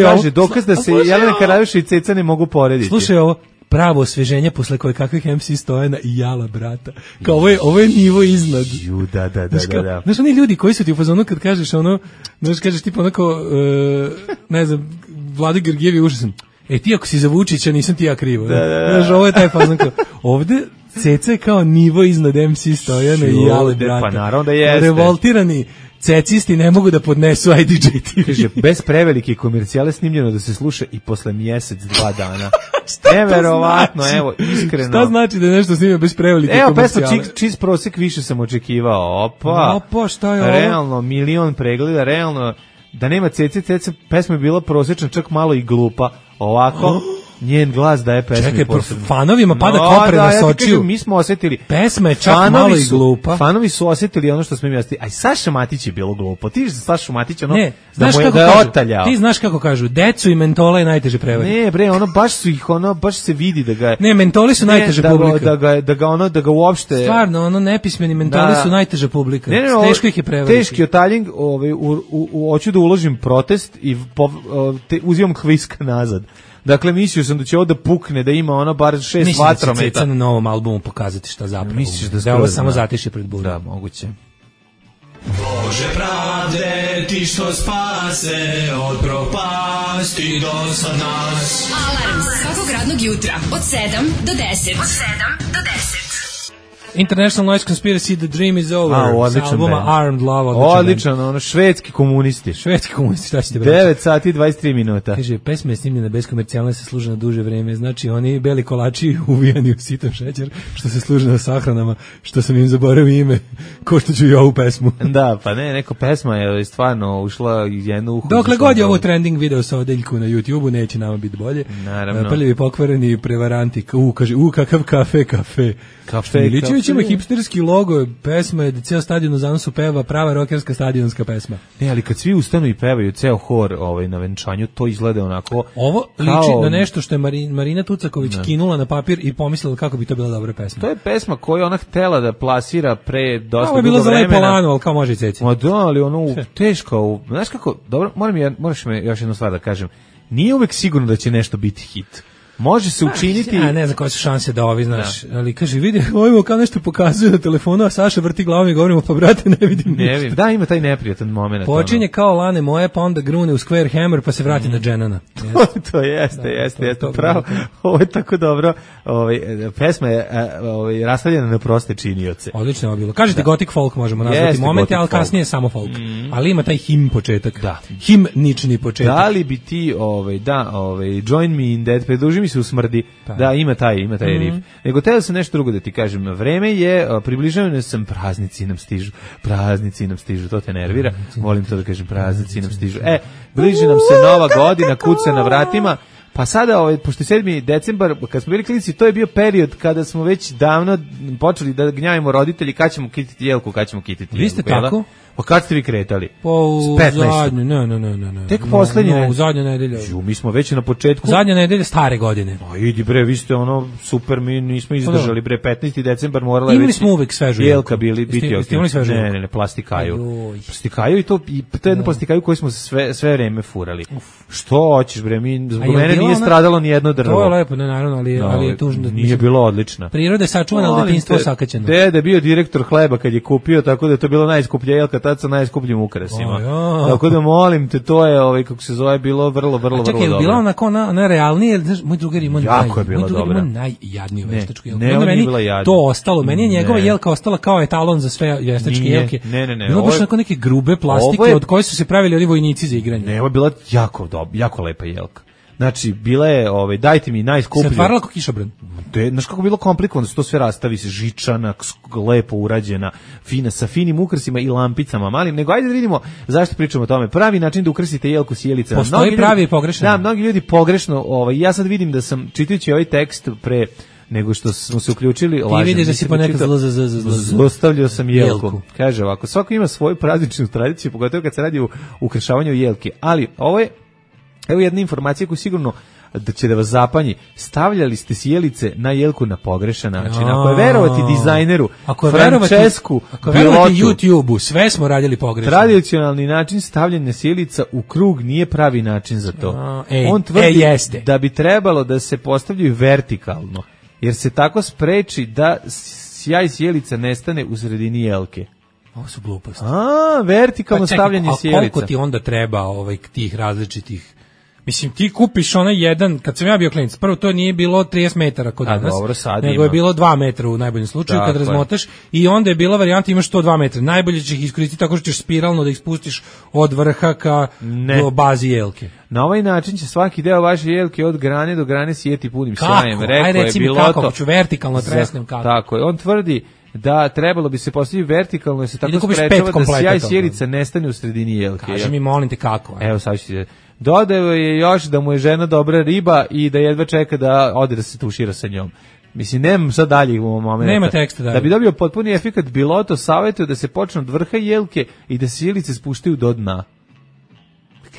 Kaže, dokaz da se Jelena Karajevša i Ceca ne mogu porediti. Slušaj ovo. Pravo osveženje posle koje kakvih MC Stojana i Jala brata. Kao ovo je nivo iznad. Da. Znaš, oni ljudi koji su ti u fazonu kad kažeš ono, znaš, kažeš tipa onako, ne znam, Vlada Grgijevi užasan. Ti ako si za Vučića, nisam ti ja krivo. Da. Znaš, ovo je taj fazon kao, ovde Ceca je kao nivo iznad MC Stojana i Ale brata. Pa naravno da jeste. Revoltirani cecisti ne mogu da podnesu IDJ TV. Kaže, bez prevelike komercijale snimljeno da se sluša i posle mjesec, 2 dana. Neverovatno, znači? Evo, iskreno. Šta znači da je nešto snimio bez prevelike komercijale? Evo, pesma Čist prosek više sam očekivao. Opa, šta je ovo? Realno, 1.000.000 pregleda, realno, da nema Ceca, pesma je bila prosječna, čak malo i glupa. Ovako, njen glas daje pesmi. Čekaj, fanovima pada kopre na sočiju. Mi smo osjetili. Pesma je čak malo i glupa. Fanovi su osjetili ono što smo im jasli. Aj, Saša Matić je bilo glupo. Ti znaš Saša Matić, ono, ne, da mu je, da je otaljao. Ti znaš kako kažu, decu i mentola je najteže prevariti. Ne, bre, ono, baš su ih, ono, baš se vidi da ga... Ne, mentoli su najteža publika. Da ga uopšte... Stvarno, ono, nepismeni mentoli su najteža publika. Teško ih je prevariti. Teški otaljing, hoću da uložim protest i uzimam hviska nazad. Dakle, mislio sam da će ovo da pukne, da ima ono bar 6 vatrometa. Mislim da će Ceca na novom albumu pokazati šta zapravo. Misliš da ovo samo zatiše pred burom. Da, moguće. Bože pravde, ti što spase od propasti do sad nas. Alarm svakog radnog jutra od 7 do 10. Od 7 do 10. International Noise Conspiracy, The Dream is Over. Odličan albuma Armed Love. Odličan, ono, švedski komunisti. Švedski komunisti, šta ćete 9 sati 23 minuta. Kaže, pesma je snimljena bez komercijalne, se služe na duže vreme. Znači, oni beli kolači uvijani u sitan šećer, što se služe na sahranama, što sam im zaboravio ime, ko što ću i ovu pesmu. Da, pa ne, neko pesma je stvarno ušla iz jednu uhu. Dokle god je ovo trending video sa odeljku na YouTube-u, neće nama biti bolje. Naravno. Prljavi pokvareni prevaranti, kaže, kakav kafe. Milićević ima hipsterski logo, pesma je da ceo stadion u zanosu peva, prava rokerska stadionska pesma. Ne, ali kad svi ustanu i pevaju ceo hor na venčanju, to izgleda onako... Ovo liči na nešto što je Marina Tucaković kinula na papir i pomislila kako bi to bila dobra pesma. To je pesma koju ona htela da plasira pre dosta dugo vremena. Ovo je bilo za lepo lano, ali kao može i Ceci. Ma da, ali ono teško. Znaš kako, dobro, moraš me još jednu stvar da kažem. Nije uvek sigurno da će nešto biti hit. Može se učiniti... Ja ne znam koje su šanse da ovi, znaš, ali kaže, vidi, ovimo kao nešto pokazuje na telefonu, a Saša vrti glavom i govorimo, pa brate, ne vidim ništa. Da, ima taj neprijatan moment. Počinje kao Lane moje, pa onda grune u Square Hammer, pa se vrati na Dženana. To jeste, pravo. Ovo je tako dobro. Pesma je rastavljena na proste činioce. Odlično je bilo. Kažete gothic folk možemo nazvati momente, ali kasnije samo folk. Ali ima taj him početak. Da. Himnični početak. Da li bi ti, Join Me in That, pridruži mi se u smrdi, da, ima taj riff. Nego teo sam nešto drugo da ti kažem. Vreme je, približavane sam, praznici nam stižu, to te nervira. Volim to da kažem, praznici nam stižu. Bliži nam se nova godina, kuca na vratima. Pa sada, pošto 7. decembar, kad smo bili klinici, to je bio period kada smo već davno počeli da gnjavimo roditelji kad ćemo kititi jelku, kad ćemo kititi jelku. Vi ste tako? Pa kad ste vi kretali? Pa u zadnju, ne. Tek poslednje? U zadnju nedelju. Mi smo već na početku. Zadnja nedelja stare godine. Pa idi bre, vi ste super, mi nismo izdržali bre, 15. decembar morala je već... Imali smo uvek svežu jelka biti. Ste imali svežu jelku? Ne, plastikaju. Plastikaju i to je jedno plastikaju koju smo sve vreme furali. Što hoćeš bre, zbog mene nije stradalo ni jedno drvo. To je lepo, naravno, ali je tužno. Nije bilo odlična. Priroda je sačuvana, ali detinjstvo sakaćeno. Deda je bio direktor hleba kad je kupio, tako da je to bilo najskuplja jelka, tad sa najskupljim ukrasima. Tako da molim te, to je kako se zove, bilo vrlo dobro. Čekaj, je bila onako na realnije, moj drugar ima najjadniju veštačku jelku. Ne, on je bila jadna. To ostalo, meni je njegova jelka ostala kao etalon za sve veštačke jelke. Ne. Bilo baš onako neke grube plastike od koje su se pravili oni vojnici za igranje. Ne, ovo je bila jako lepa jelka. Znači, bila je, dajte mi najskuplju. Se otvarala kao kišobran. Znaš kako je bilo komplikovano, se to sve rastavi, se žičana, lepo urađena, fina, sa finim ukrasima i lampicama malim, nego ajde da vidimo zašto pričamo o tome. Pravi način da ukrasite jelku s jelicama. Postoji pravi i pogrešan. Da, mnogi ljudi pogrešno, ja sad vidim da sam, čitajući ovaj tekst pre nego što smo se uključili, ti vidiš da si ponekad zlostavljao sam jelku. Kaže ovako, svako ima svoju prazničnu tradiciju, pogotovo kad se radi o ukrašavanju jelke, ali ovo je, evo jedna informacija koju sigurno da će da vas zapanji. Stavljali ste sjelice na jelku na pogrešan način. Ako je verovati dizajneru Francesku Pilotu, YouTube-u, sve smo radili pogrešno. Tradicionalni način stavljanja sjelica u krug nije pravi način za to. On tvrdi da bi trebalo da se postavljaju vertikalno, jer se tako spreči da sjaj sjelica nestane u sredini jelke. Ovo su gluposti. Vertikalno stavljanje sjelica. A koliko ti onda treba tih različitih Mislim, ti kupiš onaj jedan, kad sam ja bio klinac, prvo to nije bilo 30 metara kod nas, dobro, nego je bilo 2 metra u najboljem slučaju, kad razmotaš, i onda je bila varijanta imaš 102 metra. Najbolje ćeš ih iskoristiti tako što ćeš spiralno da ih spustiš od vrha do bazi jelke. Na ovaj način će svaki deo vaše jelke od grane do grane sjeti punim sjajem. Rekao je Biloto. Kako? Hoću vertikalno tresnem kako. Tako je, on tvrdi da trebalo bi se postaviti vertikalno, jer se tako sprečava da sjaj sjelica nestane u sredini jelke. Kaži mi, molim te, kako? Evo, sad ću ti... Dodao je još da mu je žena dobra riba i da jedva čeka da ode da se tušira sa njom. Mislim, nemam sad dalje u momentu. Nema teksta dalje. Da bi dobio potpuni efekat, Biloto savjetuje da se počne od vrha jelke i da sjelice spuštaju do dna.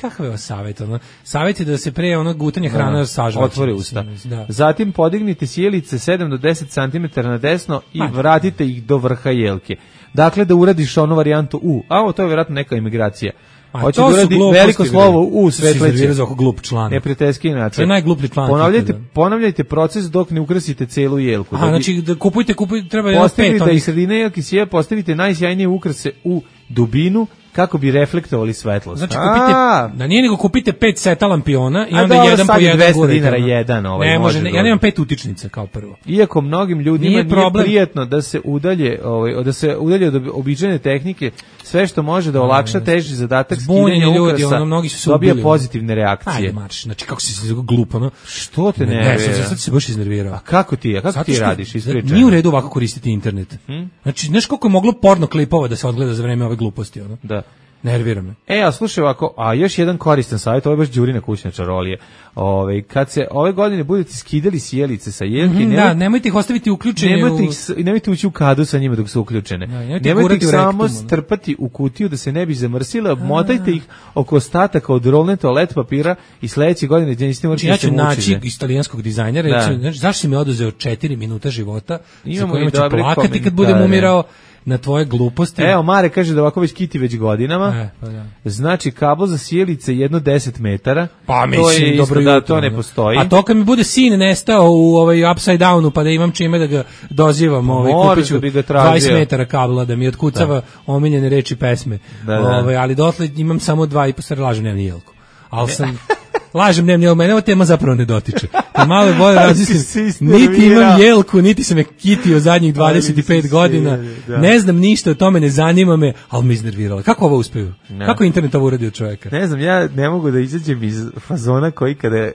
Kakav je ovo savjet? Savjet je da se pre gutanje hrana sažvaće. Otvore usta. Zatim podignite sjelice 7 do 10 cm na desno i vratite ih do vrha jelke. Dakle, da uradiš onu varijantu U. A to je vjerojatno neka imigracija. Hoće da uradi veliko slovo U svetleće. Neprijateljski način. To je najgluplji član. Ponavljajte proces dok ne ukrasite celu jelku. Znači, da kupujte, treba je postavite da iz sredine jelke sije, postavite najsjajnije ukrase u dubinu, kako bi reflektovali svetlost. Znači, kupite, da nije nego kupite 5 seta lampiona i onda jedan po jedan gurite. $200 jedan ne može, ja nemam 5 utičnica kao prvo. Iako mnogim ljudima nije prijetno da se udalje, od običajne tehnike, sve što može da olakša teži zadatak skidanja ukrasa, dobija pozitivne reakcije. Ajde, marš, znači kako si se glupo, Što te nervira? Sad se baš iznervirao. A kako ti radiš? Ispričaj. Nije u redu ovako koristiti internet. Znači, znaš koliko je moglo porno klipova da se odgleda za vreme ove gluposti, Da. Nervira me. A slušaj ovako, još jedan koristan savjet, ovo je baš Đurina kućna čarolija. Kad se ove godine budete skidali sjelice sa jelke, nemojte ih ostaviti uključene. Nemojte ući u kadu sa njima dok su uključene. Nemojte ih samo strpati u kutiju da se ne bi zamrsile, motajte ih oko ostataka od rolne toalet papira i sledeće godine gdje niste morali da se mučite. Ja ću naći italijanskog dizajnera, zašto si mi oduzeo 4 minuta života, za kojima ću plakati kad budem umirao na tvoje gluposti. Evo, Mare kaže da ovako već kiti već godinama. Znači, kabel za sjelice jedno 10 metara. Pa mislim, dobro da to ne postoji. A to kad mi bude sin nestao u upside downu, pa da imam čime da ga dozivam, kupit ću 20 metara kabla da mi otkucava omiljene reči pesme. Ali dotle imam samo 2,5, lažem, nemam ni jelku. Ali sam... Lažem, mene ova tema zapravo ne dotiče. Malo je bolje razmislim, niti imam jelku, niti sam je kitio zadnjih 25 godina, ne znam ništa o tome, ne zanima me, ali me iznerviralo. Kako ovo uspeju? Kako internet ovo uradi od čovjeka? Ne znam, ja ne mogu da izađem iz fazona koji kada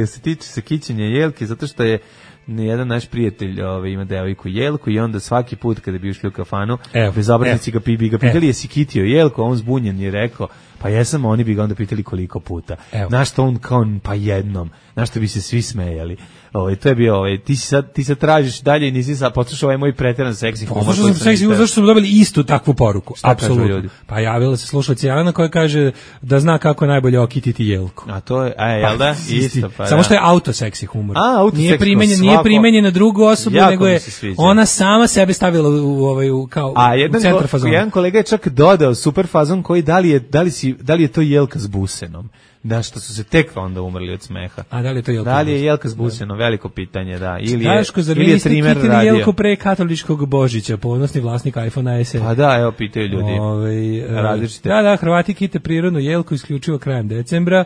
se tiče se kićenja jelke, zato što je jedan naš prijatelj ima devojku jelku i onda svaki put kada bi ušli u kafanu, bezobraznici ga pitali jesi kitio jelku, a on zbunjen je rekao pa jesam, oni bi ga onda pitali koliko puta. Na što on kao pa jednom, na što bi se svi smejali. To je bio, ti sad tražiš dalje i nisi sad poslušao ovaj moj preteran seksi humor. Poslušao sam seksi humor, zašto smo dobili istu takvu poruku. Apsolutno. Pa javila se slušalica Jelena koja kaže da zna kako je najbolje okititi jelku. A to je, jel da? Isto, pa samo što je auto seksi humor. Nije primenjen na drugu osobu, nego je ona sama sebe stavila u centar fazona. Jedan kolega je čak dodao super fazon koji da li je to jelka s busenom. Da, što su se tek onda umrli od smeha. A da li je to jelka? Da li je jelka s busenom? Veliko pitanje, da. Ili je trimer radio. Jelku pre katoličkog Božića, ponosni vlasnik iPhone SE. Pa da, evo, pitaju ljudi. Različite. Da, Hrvati kite prirodnu jelku isključivo krajem decembra.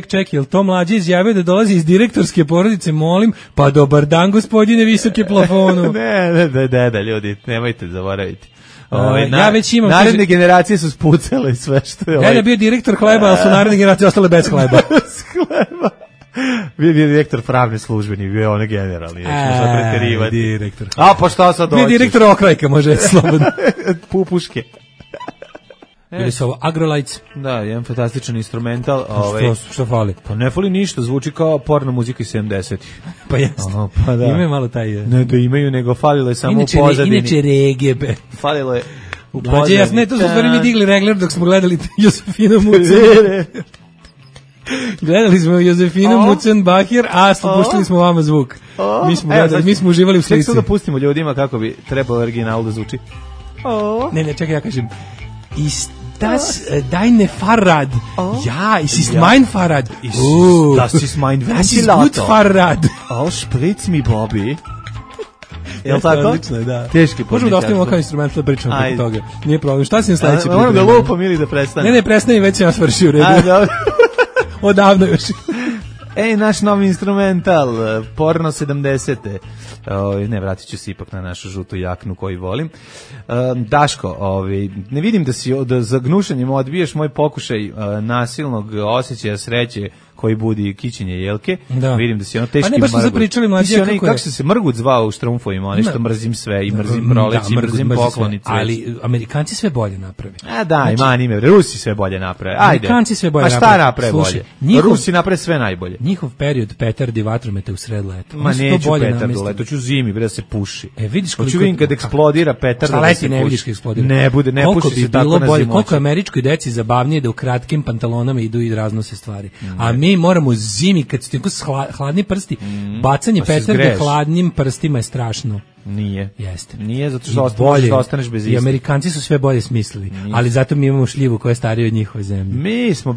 Ček, jel to mlađe izjavio da dolazi iz direktorske porodice, molim, pa dobar dan, gospodine visoke plafonu. Ne, ljudi, nemojte zaboraviti. Ja već imam... Naredne generacije su spucale sve što je... Ja je bio direktor hleba, ali su naredne generacije ostale bez hleba. Bez hleba. Bio direktor pravne službe, nije bio one generalni. Direktor. Pa šta sad hoćeš? Bio direktor okrajka, može slobodno. Pupuške. Bili su ovo Agrolights. Da, jedan fantastičan instrumental. Što fali? Pa ne fali ništa, zvuči kao porno muzika iz 70-ih. Pa jeste. Pa da. Imaju malo taj... Ne da imaju, nego falilo je samo u pozadini. Inače regije. Falilo je u pozadini. Ne, to smo stvari mi digli regler dok smo gledali Josefina Mucen. Gledali smo Josefinu Mucen-Bahir, a puštili smo vama zvuk. Mi smo uživali u slici. Ček da pustimo ljudima kako bi trebalo original da zvuči. Ne, čekaj, ja kažem. Das deine Fahrrad. Ja, es ist mein Fahrrad. Das ist mein Ventilator. Das ist gut Fahrrad. Spritz mi, Bobby. Jel tako? Odlično je, da. Teški Možemo da ostavimo podnećarstvo. kao instrument da pričamo preko toga. Nije problem. Šta si na sledeći? Moram da lupam ili da prestanem? Ne, prestani, već sam ja svršio u redu. Dobro. Odavno još. Naš novi instrumental, porno 70. Ne, vratit ću se ipak na našu žutu jaknu koju volim. Daško, ne vidim da za gnušanjem odbiješ moj pokušaj nasilnog osjećaja sreće koji budi kićenje jelke. Da. Vidim da si ono teški mrgut. Pa ne, baš smo zapričali mlađe kako je. Kako se mrgut zvao u štrumfovima, ono što mrzim sve i mrzim proleći, mrzim poklonice. Ali Amerikanci sve bolje naprave. Da, ima anime, Rusi sve bolje naprave. Ajde. Amerikanci sve bolje naprave. A šta naprave bolje? Rusi naprave sve najbolje. Njihov period petardi vatromete u sred leta. Ma neću petardu leto, ću zimi, bre da se puši. Vidiš koliko vidim kad eksplodira petarda da se ne vidiš kad eksplodira. Ne bude, ne puši se tako na zimoći. Koliko je američkoj deci zabavnije da u kratkim pantalonama idu i raznose stvari. A mi moramo zimi kad su tako hladni prsti, bacanje petarde hladnim prstima je strašno. Nije. Jeste. Nije zato što ostaneš bez istih. I Amerikanci su sve bolje smislili, ali zato mi imamo šljivu koja je starija od njihove zemlje. Mi smo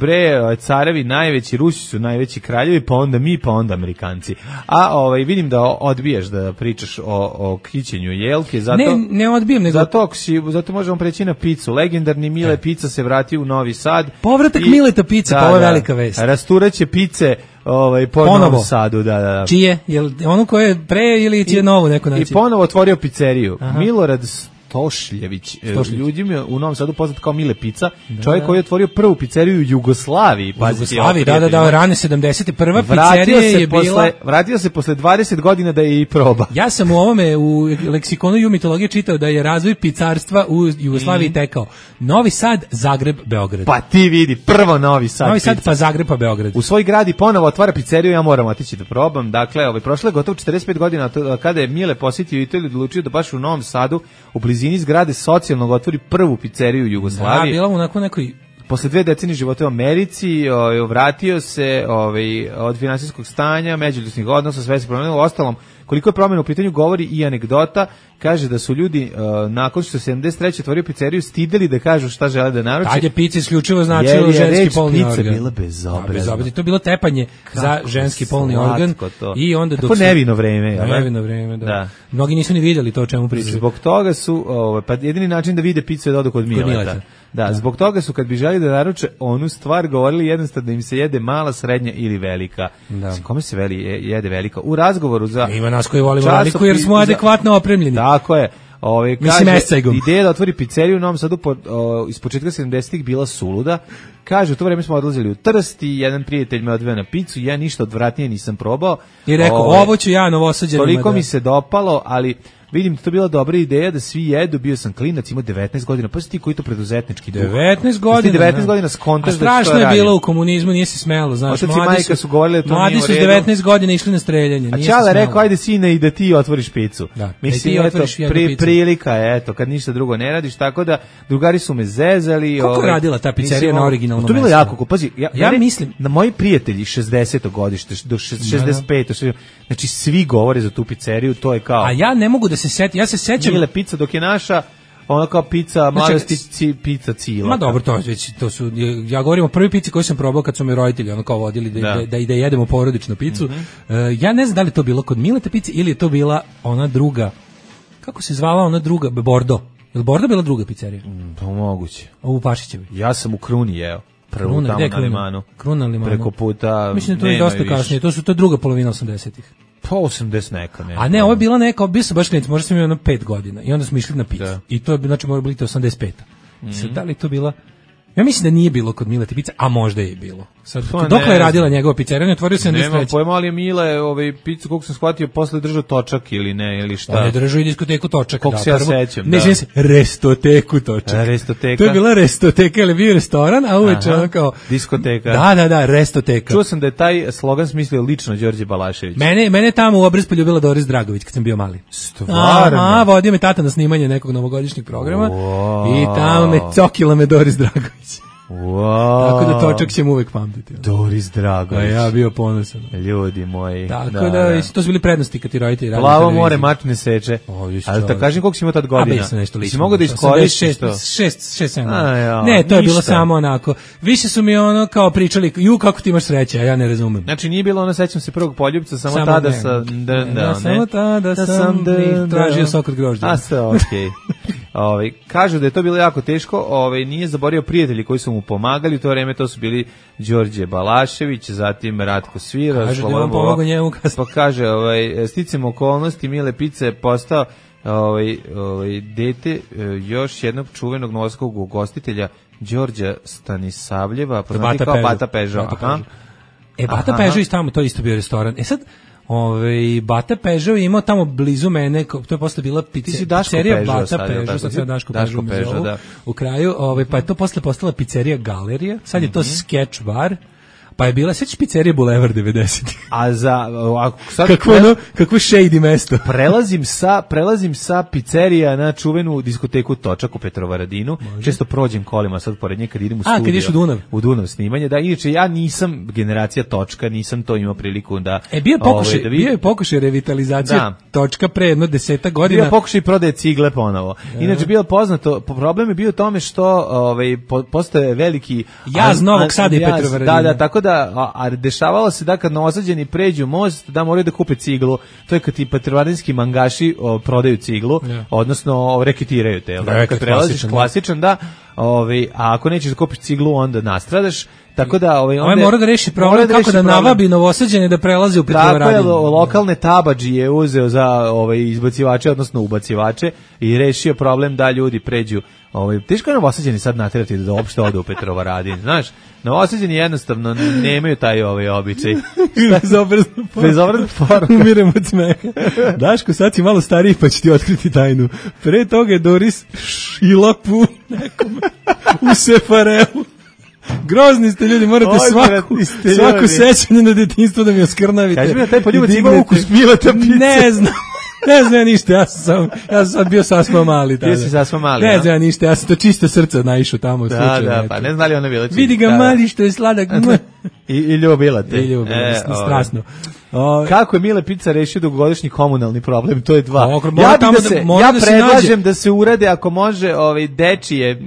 carevi najveći, Rusi su najveći kraljevi, pa onda mi, pa onda Amerikanci. A vidim da odbijaš da pričaš o kićenju jelke, zato ne odbijem, nego zato možemo preći na picu. Legendarni Mile Pizza se vratio u Novi Sad. Povratak Mileta Pizza, pa ovo je velika vest. Rasturaće pice po Novom Sadu, da. Čije? Jel ono koje je pre ili će novo neko naći? I ponovo otvorio pizzeriju. Milorad Stošljević, ljudima u Novom Sadu poznat kao Mile Pizza, čovjek koji je otvorio prvu pizzeriju u Jugoslaviji. Da, rane 70. Prva pizzerija je bila... Vratio se posle 20 godina da je i proba. Ja sam u ovome, u leksikonu ju mitologije čitao da je razvoj pizzarstva u Jugoslaviji tekao. Novi Sad, Zagreb, Beograd. Pa ti vidi, prvo Novi Sad. Novi Sad, pa Zagreb, pa Beograd. U svoj grad i ponovo otvara pizzeriju, ja moram otići da probam. Dakle, prošlo je gotovo 45 godina kada je Mile posjetio Italiju, odlučio da baš u Novom Sadu, u blizini zgrade socijalnog otvori prvu pizzeriju u Jugoslaviji. Da, bila mu nakon nekoj... Posle 2 decenije života u Americi, vratio se od finansijskog stanja, međuljudskih odnosa, sve se promenilo. Ostalom, koliko je promjena u pitanju govori i anegdota, kaže da su ljudi nakon što se 73. otvorio pizzeriju stideli da kažu šta žele da naruče. Tad je pizza isključivo značilo ženski polni organ. Pizza bila bezobrazna. To je bilo tepanje za ženski polni organ. I onda dok nevino vreme. Nevino vreme, da. Mnogi nisu ni vidjeli to o čemu pričaju. Zbog toga su, pa jedini način da vide pizzu je da odu kod Mileta. Da, zbog toga su kad bi želi da naruče onu stvar govorili jednostavno da im se jede mala, srednja ili velika. Kome se jede velika? U razgovoru za... Ima nas koji volimo veliku jer smo adekvatno opremljeni. Tako je. Kaže, ideja da otvori pizzeriju u Novom Sadu iz početka 70-ih bila suluda. Kaže, u to vreme smo odlazili u Trst i jedan prijatelj me odveo na picu, ja ništa odvratnije nisam probao. I rekao, ovo ću ja novosađenima. Toliko mi se dopalo, ali vidim da to bila dobra ideja da svi jedu, bio sam klinac, imao 19 godina, pa si ti koji to preduzetnički duh. 19 godina. 19 godina skontaš da što radim. Strašno je bilo u komunizmu, nije se smelo, znaš. Otac i majka su govorili da to nije u redu. Mladi su 19 godina išli na streljanje. A Čale rekao, ajde sine i da ti otvoriš picu. Mislim, prilika je, kad ništa drugo ne radiš, tako da drugari su me zezali. Kako je radila ta pizzerija na originalnom mestu? To je bilo jako, pazi, ja mislim, na moji prijatelji 60. godište, do 65. Znači, svi govore za tu pizzeriju, to je kao... A ja ne mogu da se setim, ja se sećam... Mile Pizza, dok je naša, ona kao pizza, mladosti pizza Cila. Ma dobro, to su, ja govorim o prvi pici koju sam probao kad su me roditelji ono kao vodili da jedemo porodičnu picu. Ja ne znam da li to bilo kod Mileta Pizze ili je to bila ona druga, kako se zvala ona druga, Bordo. Je li Bordo bila druga pizzerija? Pa moguće. U Pašićevi. Ja sam u Kruni jeo. Prvo tamo na Limanu. Kruna na Limanu. Preko puta. Mislim da to je dosta kasnije. To je druga polovina 80-ih. Pa 80 neka. A ne, ovo je bila neka, bio sam baš klinac, možda sam imao 5 godina. I onda smo išli na picu. I to je, znači, mora biti 85. Sad, da li to bila... Ja mislim da nije bilo kod Mileta Pizza, a možda je bilo. Sad, dokle je radila njegova pizzerija, on je otvorio 73. Nemam pojma, ali je Mile pizzu, koliko sam shvatio, posle držao točak ili ne, ili šta. On je držao i diskoteku točak. Koliko se ja sećam, ne, želim se, restoteku točak. Restoteka. To je bila restoteka, ili bio restoran, a uveče ono kao... Diskoteka. Da, restoteka. Čuo sam da je taj slogan smislio lično Đorđe Balašević. Mene tamo u Obraz poljubila Doris Dragović kad sam bio mali. Stvarno? Vodio me tata na snimanje nekog novogodišnjeg programa i tamo me cokila me Doris Dragović. Wow. Tako da točak ćemo uvek pamtiti. Doris Dragović. Ja bio ponosan. Ljudi moji. Tako da, to su bili prednosti kad ti roditelji radili. Plavo more, mač ne seče. Ali da kažem koliko si imao tad godina? A nešto lično. Si mogu da iskoristiš to? 6-7. Ne, to je bilo samo onako. Više su mi ono kao pričali, kako ti imaš sreće, a ja ne razumem. Znači nije bilo ono, sećam se prvog poljubca, samo tada sam... Samo tada sam tražio sok od grožđa. A sve, okej. Kažu da je to bilo jako teško, nije zaborio prijatelji koji su mu pomagali, u to vreme to su bili Đorđe Balašević, zatim Ratko Svira, kaže da vam pomogao njemu pa kaže, sticam okolnosti, Mile Pica je postao dete još jednog čuvenog novosadskog ugostitelja Đorđa Stanisavljeva, poznati kao Bata Pežo. Bata Pežo i tamo, to isto bio restoran. Sad, Bata Pežo imao tamo blizu mene, to je posle bila pizzerija Bata Pežo, sad je Daško Pežo u kraju, pa je to posle postala pizzerija Galerija, sad je to sketch bar, pa je bila, sećaš pizzerija Bulevar 90. A sad kakvo shady mesto. Prelazim sa pizzerija na čuvenu diskoteku Točak u Petrovaradinu. Često prođem kolima sad pored nje kad idem u studio. Kad ideš u Dunav? U Dunav snimanje, da. Inače ja nisam generacija Točka, nisam to imao priliku da... Bio je pokušaj revitalizacije Točka pre jedno 10 godina. Bio je pokušaj prodaje cigle ponovo. Inače bilo poznato, problem je bio u tome što postoje veliki... Jaz Novog Sada i Petrovaradina. Da, tako a dešavalo se da kad novosađeni pređu most da moraju da kupe ciglu, to je kad ti petrovaradinski mangaši prodaju ciglu, odnosno reketiraju te, kad prelaziš klasičan, da, a ako nećeš da kupiš ciglu onda nastradaš, tako da mora da reši problem kako da navabi novosađene da prelaze u Petrovaradinu. Tako je, lokalne tabadži je uzeo za izbacivače, odnosno ubacivače i rešio problem da ljudi pređu. Teško je novosađeni sad naterati da uopšte ode u Petrovaradin, znaš, novosađeni jednostavno nemaju taj običaj. Bezobrazna forma. Umirem od smeha. Daško, sad si malo stariji pa će ti otkriti tajnu. Pre toga je Doris šila pu nekome u Sefareu. Grozni ste ljudi, morate svaku sećanje na detinjstvo da mi oskrnavite. Kaži mi da taj poljubac ima ukus Mileta Pice. Ne znam ništa, ja sam sad bio sasma mali. Bio si sasma mali, ne znam ništa, ja sam to čisto srce naišao tamo. Da, pa ne znam li ona bila čista. Vidi ga mali što je sladak. I ljubila te. I ljubila, strasno. Kako je Mile Pica rešio dugogodišnji komunalni problem, to je dva. Ja predlažem da se urade, ako može, dečije,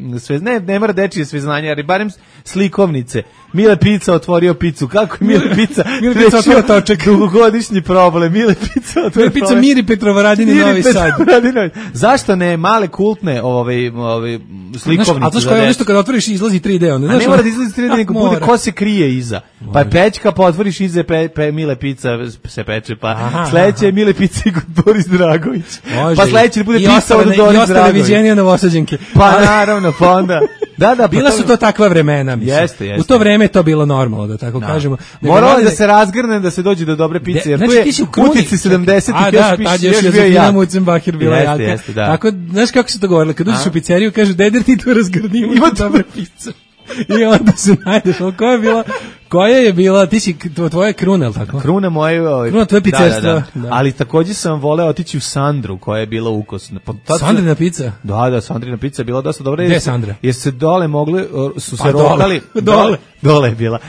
ne mora dečije sveznanje, ali barem slikovnice. Mile Pica otvorio picu. Kako je Mile Pica rešio točak dugogodišnji problem? Mile Pica otvorio Pica Miri Petrovaradin i Novi Sad. Zašto ne male kultne slikovnice? A to što je nešto kad otvoriš izlazi 3D. A ne mora da izlazi 3D, nego bude ko se krije iza. Pa je pećka, pa otvoriš iza Mile Pica se peče, pa sledeće je Mile Pica i Boris Dragović. Pa sledeće bude Pica od Boris Dragović. I ostale viđenija novosađenke. Pa naravno, pa onda. Bila su to takva vremena, mislim. U to vreme je to bilo normalno, da tako kažemo. Moralo da se razgrne, da se dođe do dobre pice, jer tu je utici 70-ih još bio jak. Mucenbacher bila jaka. Tako, znaš kako se to govorilo? Kad uđeš u pizzeriju, kažu, deder ti tu razgrnimo, ima dobre pice. I onda se najdeš, koja je bila, ti si tvoja kruna, ili tako? Kruna moje, kruna tvoje pizzerstva. Ali također sam voleo otići u Sandru, koja je bila ukosna. Sandrina pizza? Da, Sandrina pizza je bila dosta dobra. Gde je Sandra? Jer se dole mogli, su se rokali. Dole je bila.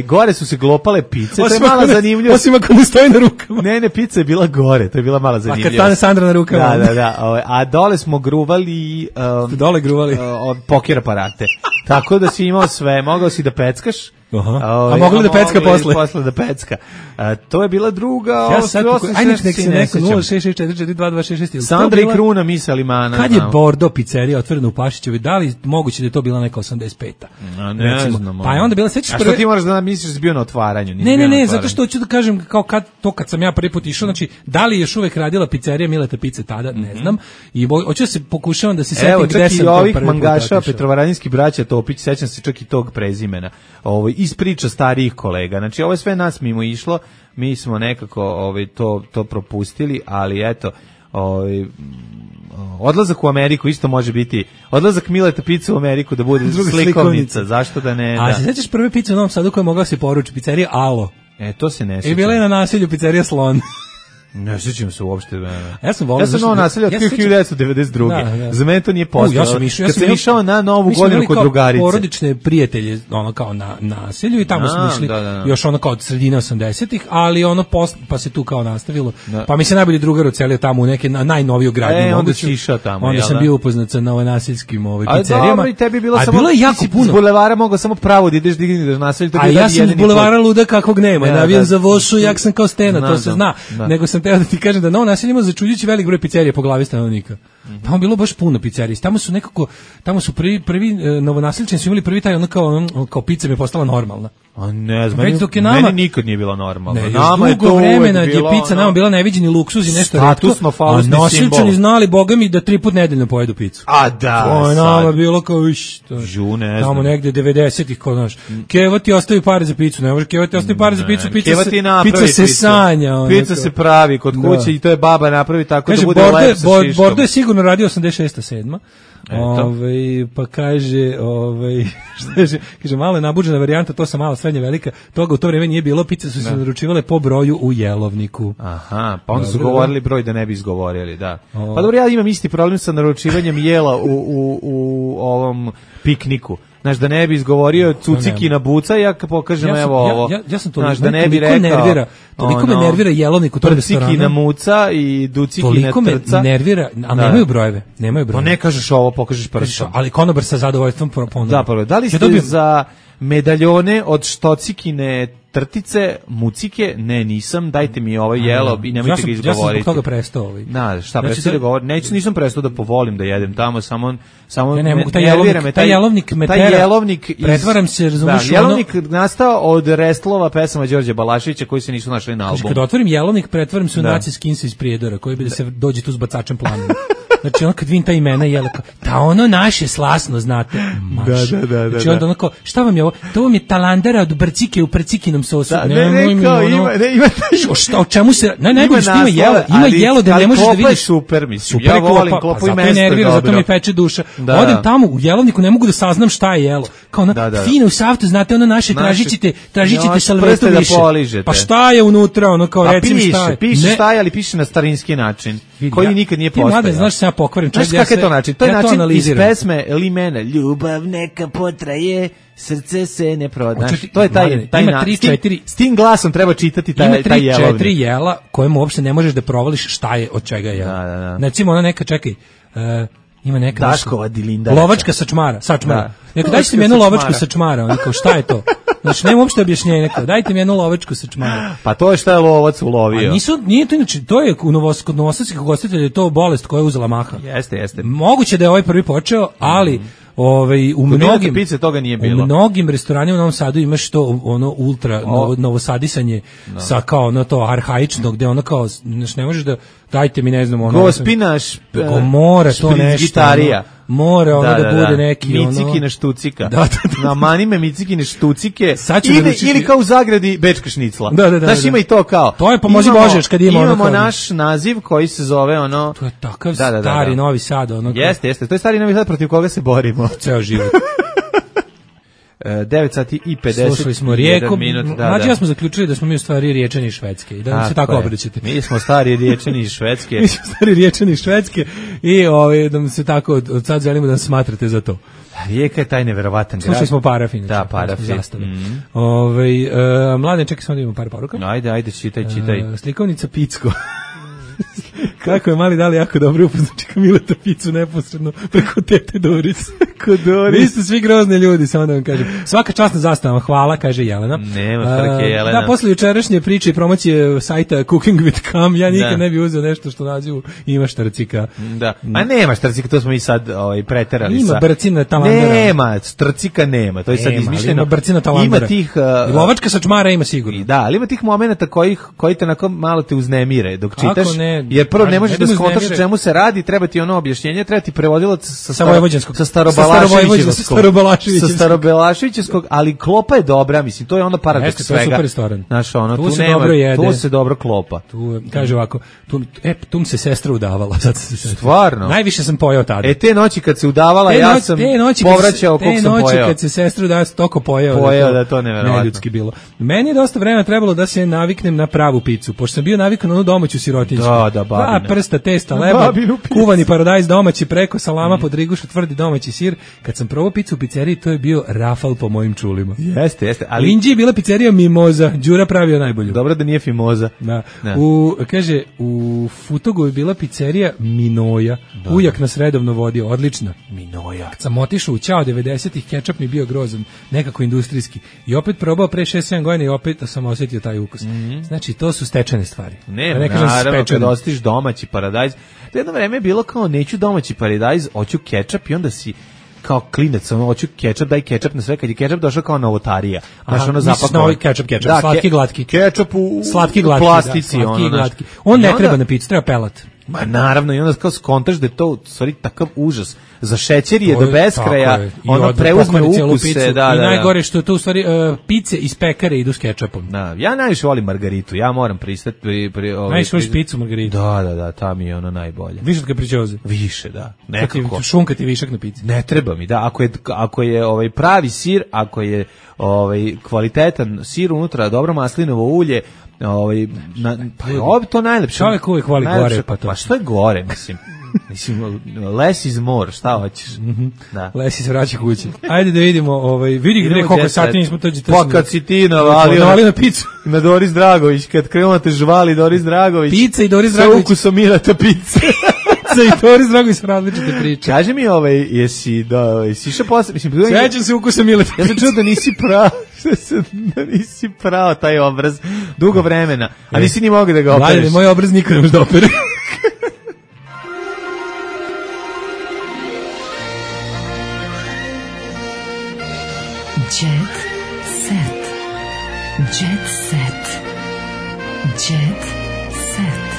Gore su se glopale pice, to je mala zanimljiva. Osim ako ne stoji na rukama. Ne, pizza je bila gore, to je bila mala zanimljiva. A kad stane Sandra na rukama. Da. A dole smo gruvali... Dole gruvali? Poker aparate. Tako da si imao sve, mogao si da peckaš. A mogli da pecka posle? Posle da pecka. To je bila druga... Ja sad, ajde nek se neko 066442266. Sandra i Kruna Misa Limana. Kad je Bordo pizzerija otvorena u Pašićevoj, da li moguće da je to bila neka 85-a? Ne znam. Pa je onda bila, sećaš prve... A što ti moraš da misliš da si bio na otvaranju? Ne, zato što hoću da kažem, kao kad sam ja prvi put išao, znači, da li je još uvek radila pizzerija Mileta Pice tada, ne znam, i hoću da se pokušavam da se setim gde sam to prvi put. Evo, čak i ovih mangaša, Petrovaradinski braća Topić, sećam se čak i tog prezimena, iz priča starijih kolega. Znači, ovo je sve nas mimo išlo, mi smo nekako to propustili, ali eto, odlazak u Ameriku isto može biti, odlazak Mileta Pice u Ameriku da bude slikovnica, zašto da ne? A se sećaš prve pice u Novom Sadu koja je mogla se poručiti, pizzerija Alo? To se ne sjećam. I bila je na naselju pizzerija Slon. Ne sjećam se uopšte. Ja sam volio Novo naselje od 1992. Za mene to nije postojalo. Kad sam išao na Novu godinu kod drugarice. Porodične prijatelje, ono kao na naselju i tamo smo išli još ono kao od sredine 80-ih, ali ono pa se tu kao nastavilo. Pa mi se najbolji drugar ocelio tamo u neke najnoviju gradnju. Onda si išao tamo. Onda sam bio upoznat sa novonaseljskim pizzerijama. Dobro, i tebi bilo samo... bilo je jako puno. S bulevara mogao samo pravo da ideš da naselju. A ja sam s bulevara luda kakvog nema. Navijam za Vošu, jak sam kao Stena, to se zna. Nego sam teo da ti kažem da Novo naselje ima začuđujući velik broj pizzerija po glavi stanovnika. Tamo bilo baš puno pizzerija. Tamo su prvi novonaseljčani su imali prvi taj ono kao pizza mi je postala normalna. A ne znam, meni nikad nije bila normalna. Nama je to vremena je pizza nama bila neviđeni luksuz i nešto retko. A nosilčani znali, boga mi, da 3 puta nedeljno pojedu picu. A da, to je nama bilo kao žune, tamo negde 90-ih, kao znaš. Keva ti ostavi pare za picu, ne može Keva ti ostavi pare za picu, pizza se sanja. Pizza se pravi kod kuće i to je baba napravi tako da bude lepo sa šiškom. Bordo je sigurno radio 86-7. Pa kaže, kaže malo je nabuđena varijanta, to sam mala, srednja, velika, toga u to vrijeme nije bilo, pice su se naručivale po broju u jelovniku. Aha, pa onda su govorili broj da ne bi izgovorili, da. Pa dobro, ja imam isti problem sa naručivanjem jela u ovom pikniku. Znaš, da ne bi izgovorio cucikina buca, ja pokažem evo ovo. Ja sam to, znaš, da ne bi rekao... Toliko me nervira jelovnik u tom restoranu. Prcikina muca i ducikina trca. Toliko me nervira, a nemaju brojeve. Pa ne kažeš ovo, pokažeš prstom. Ali konobar sa zadovoljstvom ponovno. Da, pa da li ste za medaljone od štocikine trtice, mucike? Ne, nisam, dajte mi ovo jelo i nemojte ga izgovoriti. Ja sam zbog toga prestao. Šta, prestao da govorim? Nisam prestao da povolim da jedem tamo, samo ne mogu, taj jelovnik me tera, pretvaram se, razumiješ, jelovnik nastao od restlova pesama Đorđe Balaševića koji se nisu našli na albumu. Kad otvorim jelovnik, pretvaram se u Naci Skinsa iz Prijedora, koji bi da se dođe tu s bacačem planom. Znači ono kad vidim ta imena jela kao, da ono naše slasno, znate. Da. Znači onda onako, šta vam je ovo? To vam je talandara od brcike u prcikinom sosu. O čemu se, najbolje što ima jelo da ne možeš da vidiš. Klopa je super, mislim, ja volim klopu i mesto je dobro. Zato mi peče duša. Odem tamo u jelovniku, ne mogu da saznam šta je jelo. Kao ono, fino u saftu, znate ono naše, tražićete salvetu više. Pa šta je unutra, ono kao recimo šta je. Piše šta je, ali piše na starinski način, koji nikad nije postojao. Znaš se ja pokvarim. Znaš kakav je to način? To je način iz pesme Limena. Ljubav neka potraje, srce se ne proda. To je taj način. S tim glasom treba čitati taj jelovnik. Ima 3-4 jela kojemu uopšte ne možeš da provališ šta je od čega je. Recimo ona neka, čekaj, ima neka Daškova Dilinda. Lovačka sačmara. Neka dajte mi jednu lovačku sačmara, oni kao šta je to? Znači nema uopšte objašnjenja, neko dajte mi jednu lovačku sačmara. Pa to je šta je lovac ulovio. Nije to inače, to je kod novosadskih ugostitelja je to bolest koja je uzela maha. Jeste. Moguće da je ovaj prvi počeo, ali u mnogim pice toga nije bilo. U mnogim restoranima u Novom Sadu imaš to ono ultra novosadisanje sa kao ono to arhaično gde ono kao ne možeš da dajte mi ne znam ono gospinaš mora to nešto gitarija. Mora ono da bude neki micikine štucika. Da. Na manime micikine štucike. Ili kao u zagradi bečka šnicla. Da. Znaš, ima i to kao. To je pomozi Božeš kad imamo naš naziv koji se zove ono. To je takav stari Novi Sad ono. Jeste. To je stari Novi Sad protiv koga se borimo ceo život. 9 sati i 50 slušali smo Rijeku, mlađi ja smo zaključili da smo mi u stvari Riječani iz Švedske i da nam se tako obraćate. Mi smo stari Riječani iz Švedske. I da nam se tako od sad želimo da nas smatrate za to. Rijeka je taj neverovatan grad. Slušali smo Parafin. Da, Parafin. Mladen, čekaj samo da imamo par poruka. Ajde, čitaj. Slikovnica Picko. Kako je mali dali jako dobro upoznači Mileta Picu neposredno preko tete Doris. Vi ste svi grozni ljudi, samo da vam kažem. Svaka čast na zastavama, hvala, kaže Jelena. Nema trke, Jelena. Da, posle jučerašnje priče i promocije sajta Cooking with Cam, ja nikad ne bi uzeo nešto što nazivu ima štrcika. Da, a nema štrcika, to smo i sad preterali. Ima brcina talandera. Nema, štrcika nema, to je sad izmišljeno. Ima brcina talandera. Ima tih... Lovačka sačmara ima sigurno. Da, ali ima tih momenata koji te onako malo te uznemire dok čitaš. ne. Jer prvo ne možeš da skontaš o čemu se radi, treba ti ono objašnjenje, treba ti prevodilac sa Starobalaševićevskog, ali klopa je dobra, mislim, to je onda paradoks svega. To je super restoran. Znaš, ono, tu se dobro jede. Tu se dobro klopa. Tu, kaže ovako, tu mi se sestra udavala. Stvarno? Najviše sam pojeo tada. Te noći kad se udavala, ja sam povraćao koliko sam pojeo. Te noći kad se sestra udavala, toko pojeo da to neljudski bilo. Meni je dosta vremena trebalo da se naviknem na pravu picu, pošto sam bio navikan na onu domaću sirotinjsku. Da, dva prsta testa, leba, kuvani paradajz domaći preko salama pod rigušu, tvrdi domaći sir. Kad sam probao picu u pizzeriji, to je bio rafal po mojim čulima. Jeste. Ali u Inđiji je bila pizzerija Mimoza, Đura pravio najbolju. Dobro da nije Fimoza. Da. U Futogu je bila pizzerija Minoja. Ujak nas redovno vodio, odlična. Minoja. Kad sam otišao u Ćao 90-ih, kečap mi bio grozan, nekako industrijski. I opet probao pre 6-7 godina i opet sam osjetio taj ukus. Znači, to su stečene stvari. Naravno, kad ostiš domaći paradajz. To jedno vreme je bilo kao neću domaći paradajz, hoću kečap i onda si kao klinac, hoću kečap, daj kečap na sve, kad je kečap došao kao novotarija. Znaš, ono zapakovan. Kečap, slatki glatki. Kečap u plastici. On ne treba na picu, treba pelat. Ma naravno, i onda kao skontaš da je to u stvari takav užas. Za šećer je do beskraja, ono preuzme ukuse. I najgore što je to u stvari pice iz pekare idu s kečapom. Da, ja najviše volim margaritu, ja moram pristati. Najviše voliš picu margaritu? Da, ta mi je ono najbolje. Više od kapričoze? Više, da. Nekako. Šunka ti višak na pici? Ne treba mi, da. Ako je pravi sir, ako je kvalitetan sir unutra, dobro maslinovo ulje, to najlepše. Čovjek uvijek voli gore, pa to. Pa što je gore, mislim, less is more, šta hoćeš? Da. Less is vraća kući. Ajde da vidimo, vidi gdje koliko sati nismo tođe. Pa kad si ti navalio na picu. Na Doris Dragović, kad krenuo te žvali Doris Dragović. Pizza i Doris Dragović. Sa ukusom Mileta pice. I Doris Dragović su različite priče. Kaži mi, jesi išao posle, mislim, sećam se ukusa Mileta. Ja sam čuo da nisi pravo taj obraz dugo vremena, a nisi ni mogao da ga opereš. Moj obraz nikad ne može da opere. Jet set. Jet set. Jet set.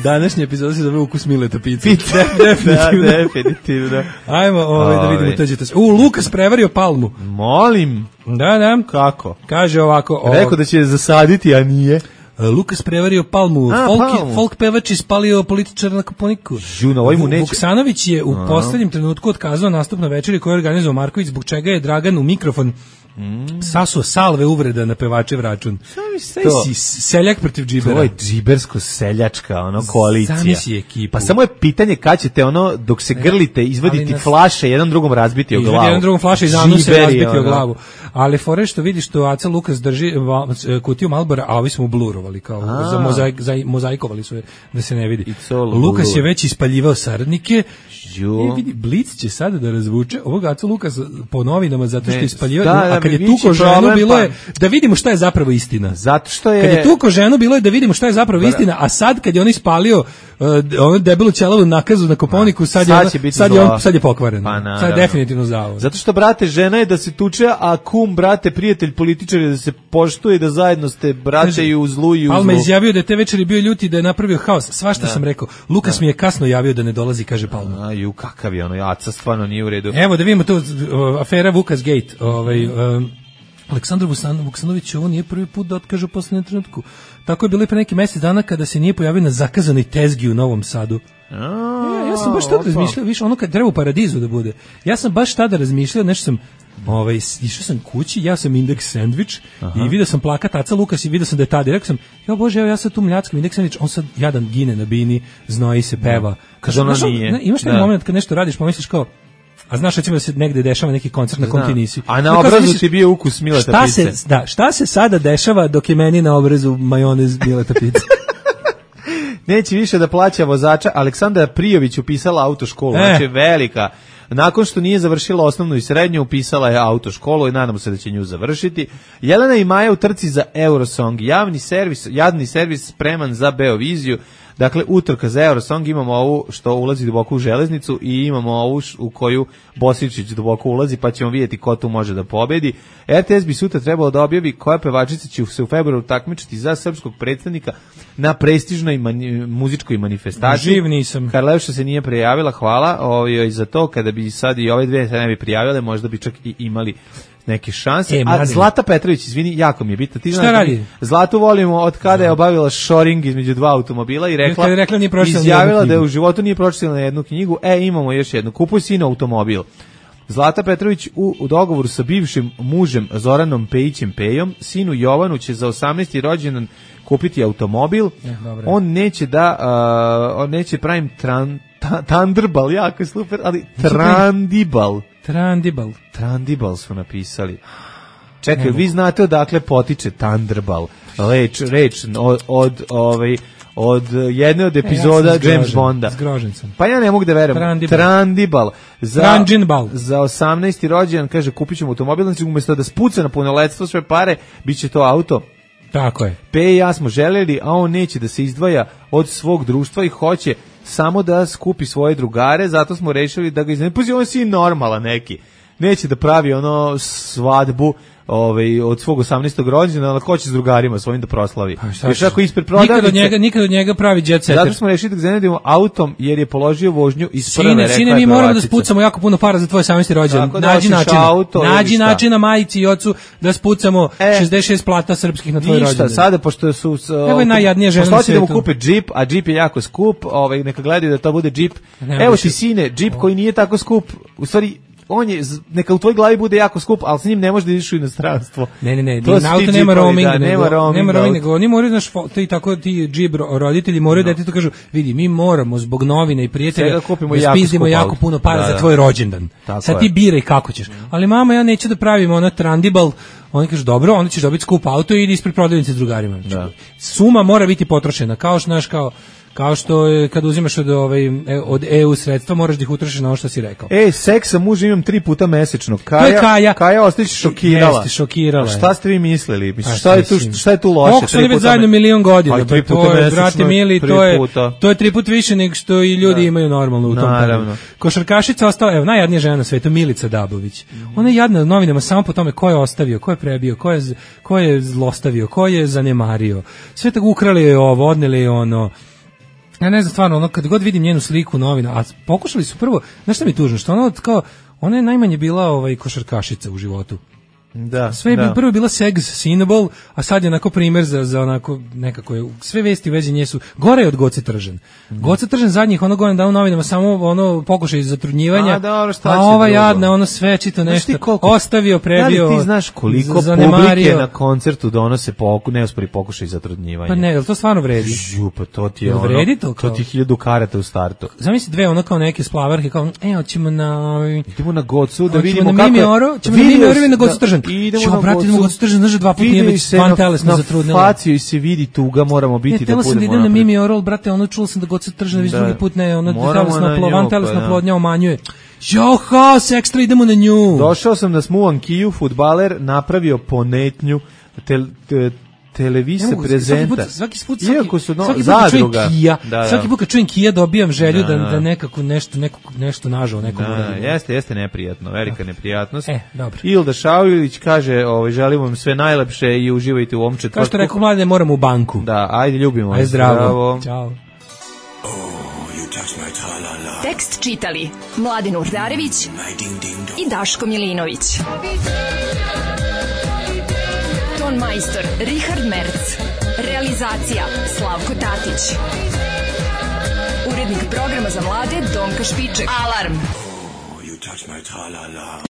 Današnji epizod se zove ukus Mileta pice. Definitivno. Ajmo da vidimo tođete se. Lukas prevario palmu. Molim. Da. Kako? Kaže ovako. Rekao da će zasaditi, a nije. Lukas prevario palmu. Folk pevač ispalio političara na Koponiku. Vuksanović je u poslednjem trenutku otkazao nastup na večeri koju je organizovao Marković, zbog čega je Dragan u mikrofon sasuo salve uvreda na pevačev račun. Seljak protiv džibera. To je džibersko-seljačka koalicija. Zamisli ekipu. Pa samo je pitanje kad ćete dok se grlite, izvaditi flaše, jedan drugom razbiti o glavu. Jedan drugom flaše iz anusa razbiti o glavu. Ali fore što vidiš što Aca Lukas drži kutiju Malbora, a ovi smo blurovali, kao mozaikovali su je da se ne vidi. Lukas je već ispaljivao saradnike. Vidi, Blic će sada da razvuče ovog Aca Lukas po novinama zato što ispaljivao, a kad je tuko ženu bilo je da vidimo šta je zapravo istina. Zato što je... Kad je tuko ženu bilo je da vidimo šta je zapravo istina, a sad kad je on ispalio onu debelu ćelavu nakazu na Koponiku, sad je pokvaren. Sad je definitivno zao. Zato što, brate, žena je da se tuče, a kum, brate, prijatelj, političar je da se poštuje, da zajedno ste brate i u zlu i u zlu. Palma izjavio da je te večeri bio ljuti, da je napravio haos. Svašta sam rekao. Lukas mi je kasno javio da ne dolazi, kaže Palma. Kakav je Aca, stvarno nije u redu. Evo da vidimo tu afera Vukas Gate. Aleksandar Vuksanović ovo nije prvi put da otkaže u poslednjem trenutku. Tako je bilo i pre neki mjesec dana kada se nije pojavio na zakazanoj tezgi u Novom Sadu. Ja sam baš tada razmišljao, više ono kad treba u Paradizu da bude. Ja sam baš tada razmišljao, nešto sam išao sam kući, ja sam Indeks sendvič i vidio sam plakat Aca Lukas i vidio sam da je tada. I rekao sam, Bože, ja sad tu mljackam Indeks sendvič, on sad jadan gine na bini, znoji se, peva. Imaš taj moment kad nešto radiš, pomisliš kao, a znaš recimo da se negde dešava neki koncert na kom ti nisi. A na obrazu ti bio ukus Mileta pice. Šta se sada dešava dok je meni na obrazu majonez Mileta pice? Neće više da plaća vozača. Aleksandra Prijović upisala autoškolu, znači velika. Nakon što nije završila osnovnu i srednju, upisala je autoškolu i nadamo se da će nju završiti. Jelena i Maja u trci za Eurosong. Jadni servis spreman za Beoviziju. Dakle, utrka za Eurosong, imamo ovu što ulazi duboko u železnicu i imamo ovu u koju Bosičić duboko ulazi, pa ćemo vidjeti ko tu može da pobedi. RTS bi sutra trebalo da objavi koja pevačica će se u februaru takmičiti za srpskog predstavnika na prestižnoj muzičkoj manifestaciji. Živ nisam. Karlevša se nije prijavila, hvala za to. Kada bi sad i ove dve se ne bi prijavile, možda bi čak i imali neke šanse. A Zlata Petrović, izvini, jako mi je bitno. Ti šta radi? Zlatu volimo od kada je obavila shoring između dva automobila i izjavila da je u životu nije pročitala na jednu knjigu. Imamo još jednu. Kupuj sin automobil. Zlata Petrović u dogovoru sa bivšim mužem Zoranom Pejićem Pejom, sinu Jovanu će za 18. rođendan kupiti automobil. On neće pravim Thunderball, jako je super, ali Trandibal su napisali. Čekaj, vi znate odakle potiče Thunderball. Reč od jedne od epizoda James Bonda. Zgrožen sam. Pa ja ne mogu da verujem. Trandibal. Za 18. rođendan, kaže, kupit ćemo automobil, znači umjesto da spuca na punoletstvo sve pare, bit će to auto. Tako je. Pe i ja smo željeli, a on neće da se izdvaja od svog društva i hoće samo da skupi svoje drugare, zato smo rešili da ga iznenimo. Puzi, on si normalan neki. Neće da pravi svadbu od svog 18. rođendana, ali ko će s drugarima svojim da proslavi. Još ako ispred prodavnice. Nikad od njega pravi jet setter. Zato smo rešili da ga iznenimo autom, jer je položio vožnju iz prve. Sine, mi moramo da spucamo jako puno para za tvoj 18. rođendan. Nađi način na majici i ocu da spucamo 66 plata srpskih na tvoj rođendan. Ništa, sada pošto su... Evo je najjadnija žena na svijetu. Da mu kupe džip, a džip je jako skup, neka gledaju da to bude džip. Evo ti, sine, džip koji nije tako skup, u stvari... On je, neka u tvoj glavi bude jako skup, ali s njim ne može da ideš u inostranstvo. Ne, na auto nema roaming, nego oni moraju, znaš, ti džib roditelji moraju da ti to kažu, vidi, mi moramo zbog novine i prijatelja da spizdimo jako puno para za tvoj rođendan. Sad ti biraj kako ćeš. Ali mama, ja neću da pravim Trandibal. Oni kažu, dobro, onda ćeš dobiti skup auto i idi ispred prodavnice s drugarima. Suma mora biti potrošena, kao što je kad uzimaš od EU sredstva, moraš da ih utrošiš na ono što si rekao. Seks sa mužem imam 3 puta mesečno. Kaja ostaće šokirala. Jeste, šokirala. Šta ste vi mislili? Šta je tu loše? Kako su oni već zajedno 1.000.000 godina? To je, brate mili, to je 3 puta više nego što i ljudi imaju normalno u tom periodu. Košarkašica ostala, evo, najjadnija žena na svetu, Milica Dabović. Ona je jadna novinama samo po tome ko je ostavio, ko je prebio, ko je zlostavio, ko je zanemario. Sve tako ukrali je ovo, odneli je ono. Ja ne znam, stvarno, kad god vidim njenu sliku novina, a pokušali su prvo, znaš šta mi je tužno, što ona je najmanje bila košarkašica u životu. Da, sve je prvo bila sex-signable, a sad je onako primjer za onako nekako je, sve vesti u vezi nje su gore od Goce Tržan. Goce Tržan zadnjih godina dao novinama samo pokušaj zatrudnjivanja, a ova jadna sve čito nešto, ostavio, prebio, da li ti znaš koliko publike na koncertu donose neuspori pokušaj zatrudnivanja? Pa ne, to stvarno vredi. Pa to ti je to ti 1000 karata u startu. Zamisli dve kao neke splavarke, kao hoćemo na Gocu da vidimo kako ćemo na Mimioro i na Gocu Tržan. Idemo na Gocu Tržan, znaš, 2 puta nije već van telesno zatrudnila. Na faciju se vidi tuga, moramo biti da budemo. Tela sam da idem na Mimi Oral, brate, čulo sam da Gocu Tržan već drugi put ne, van telesna plodnja umanjuje. Johas, ekstra idemo na nju. Došao sam da Smuvan Kiju, fudbaler, napravio ponetnju televise prezenta. Svaki put kad čujem Kija dobijam želju da nekako nešto nažao nekom. Jeste neprijatno, velika neprijatnost. Dobro. Ilda Šaulić kaže, želimo vam sve najlepše i uživajte u ovom četvrtku. Kao što rekao, mlade, moramo u banku. Da, ajde, ljubimo. Ajde, zdravo. Ćao. Tekst čitali Mladen Urdarević i Daško Milinović. Ton majstor Richard Merc. Realizacija Slavko Tatić. Urednik programa za mlade Donka Špiček. Alarm!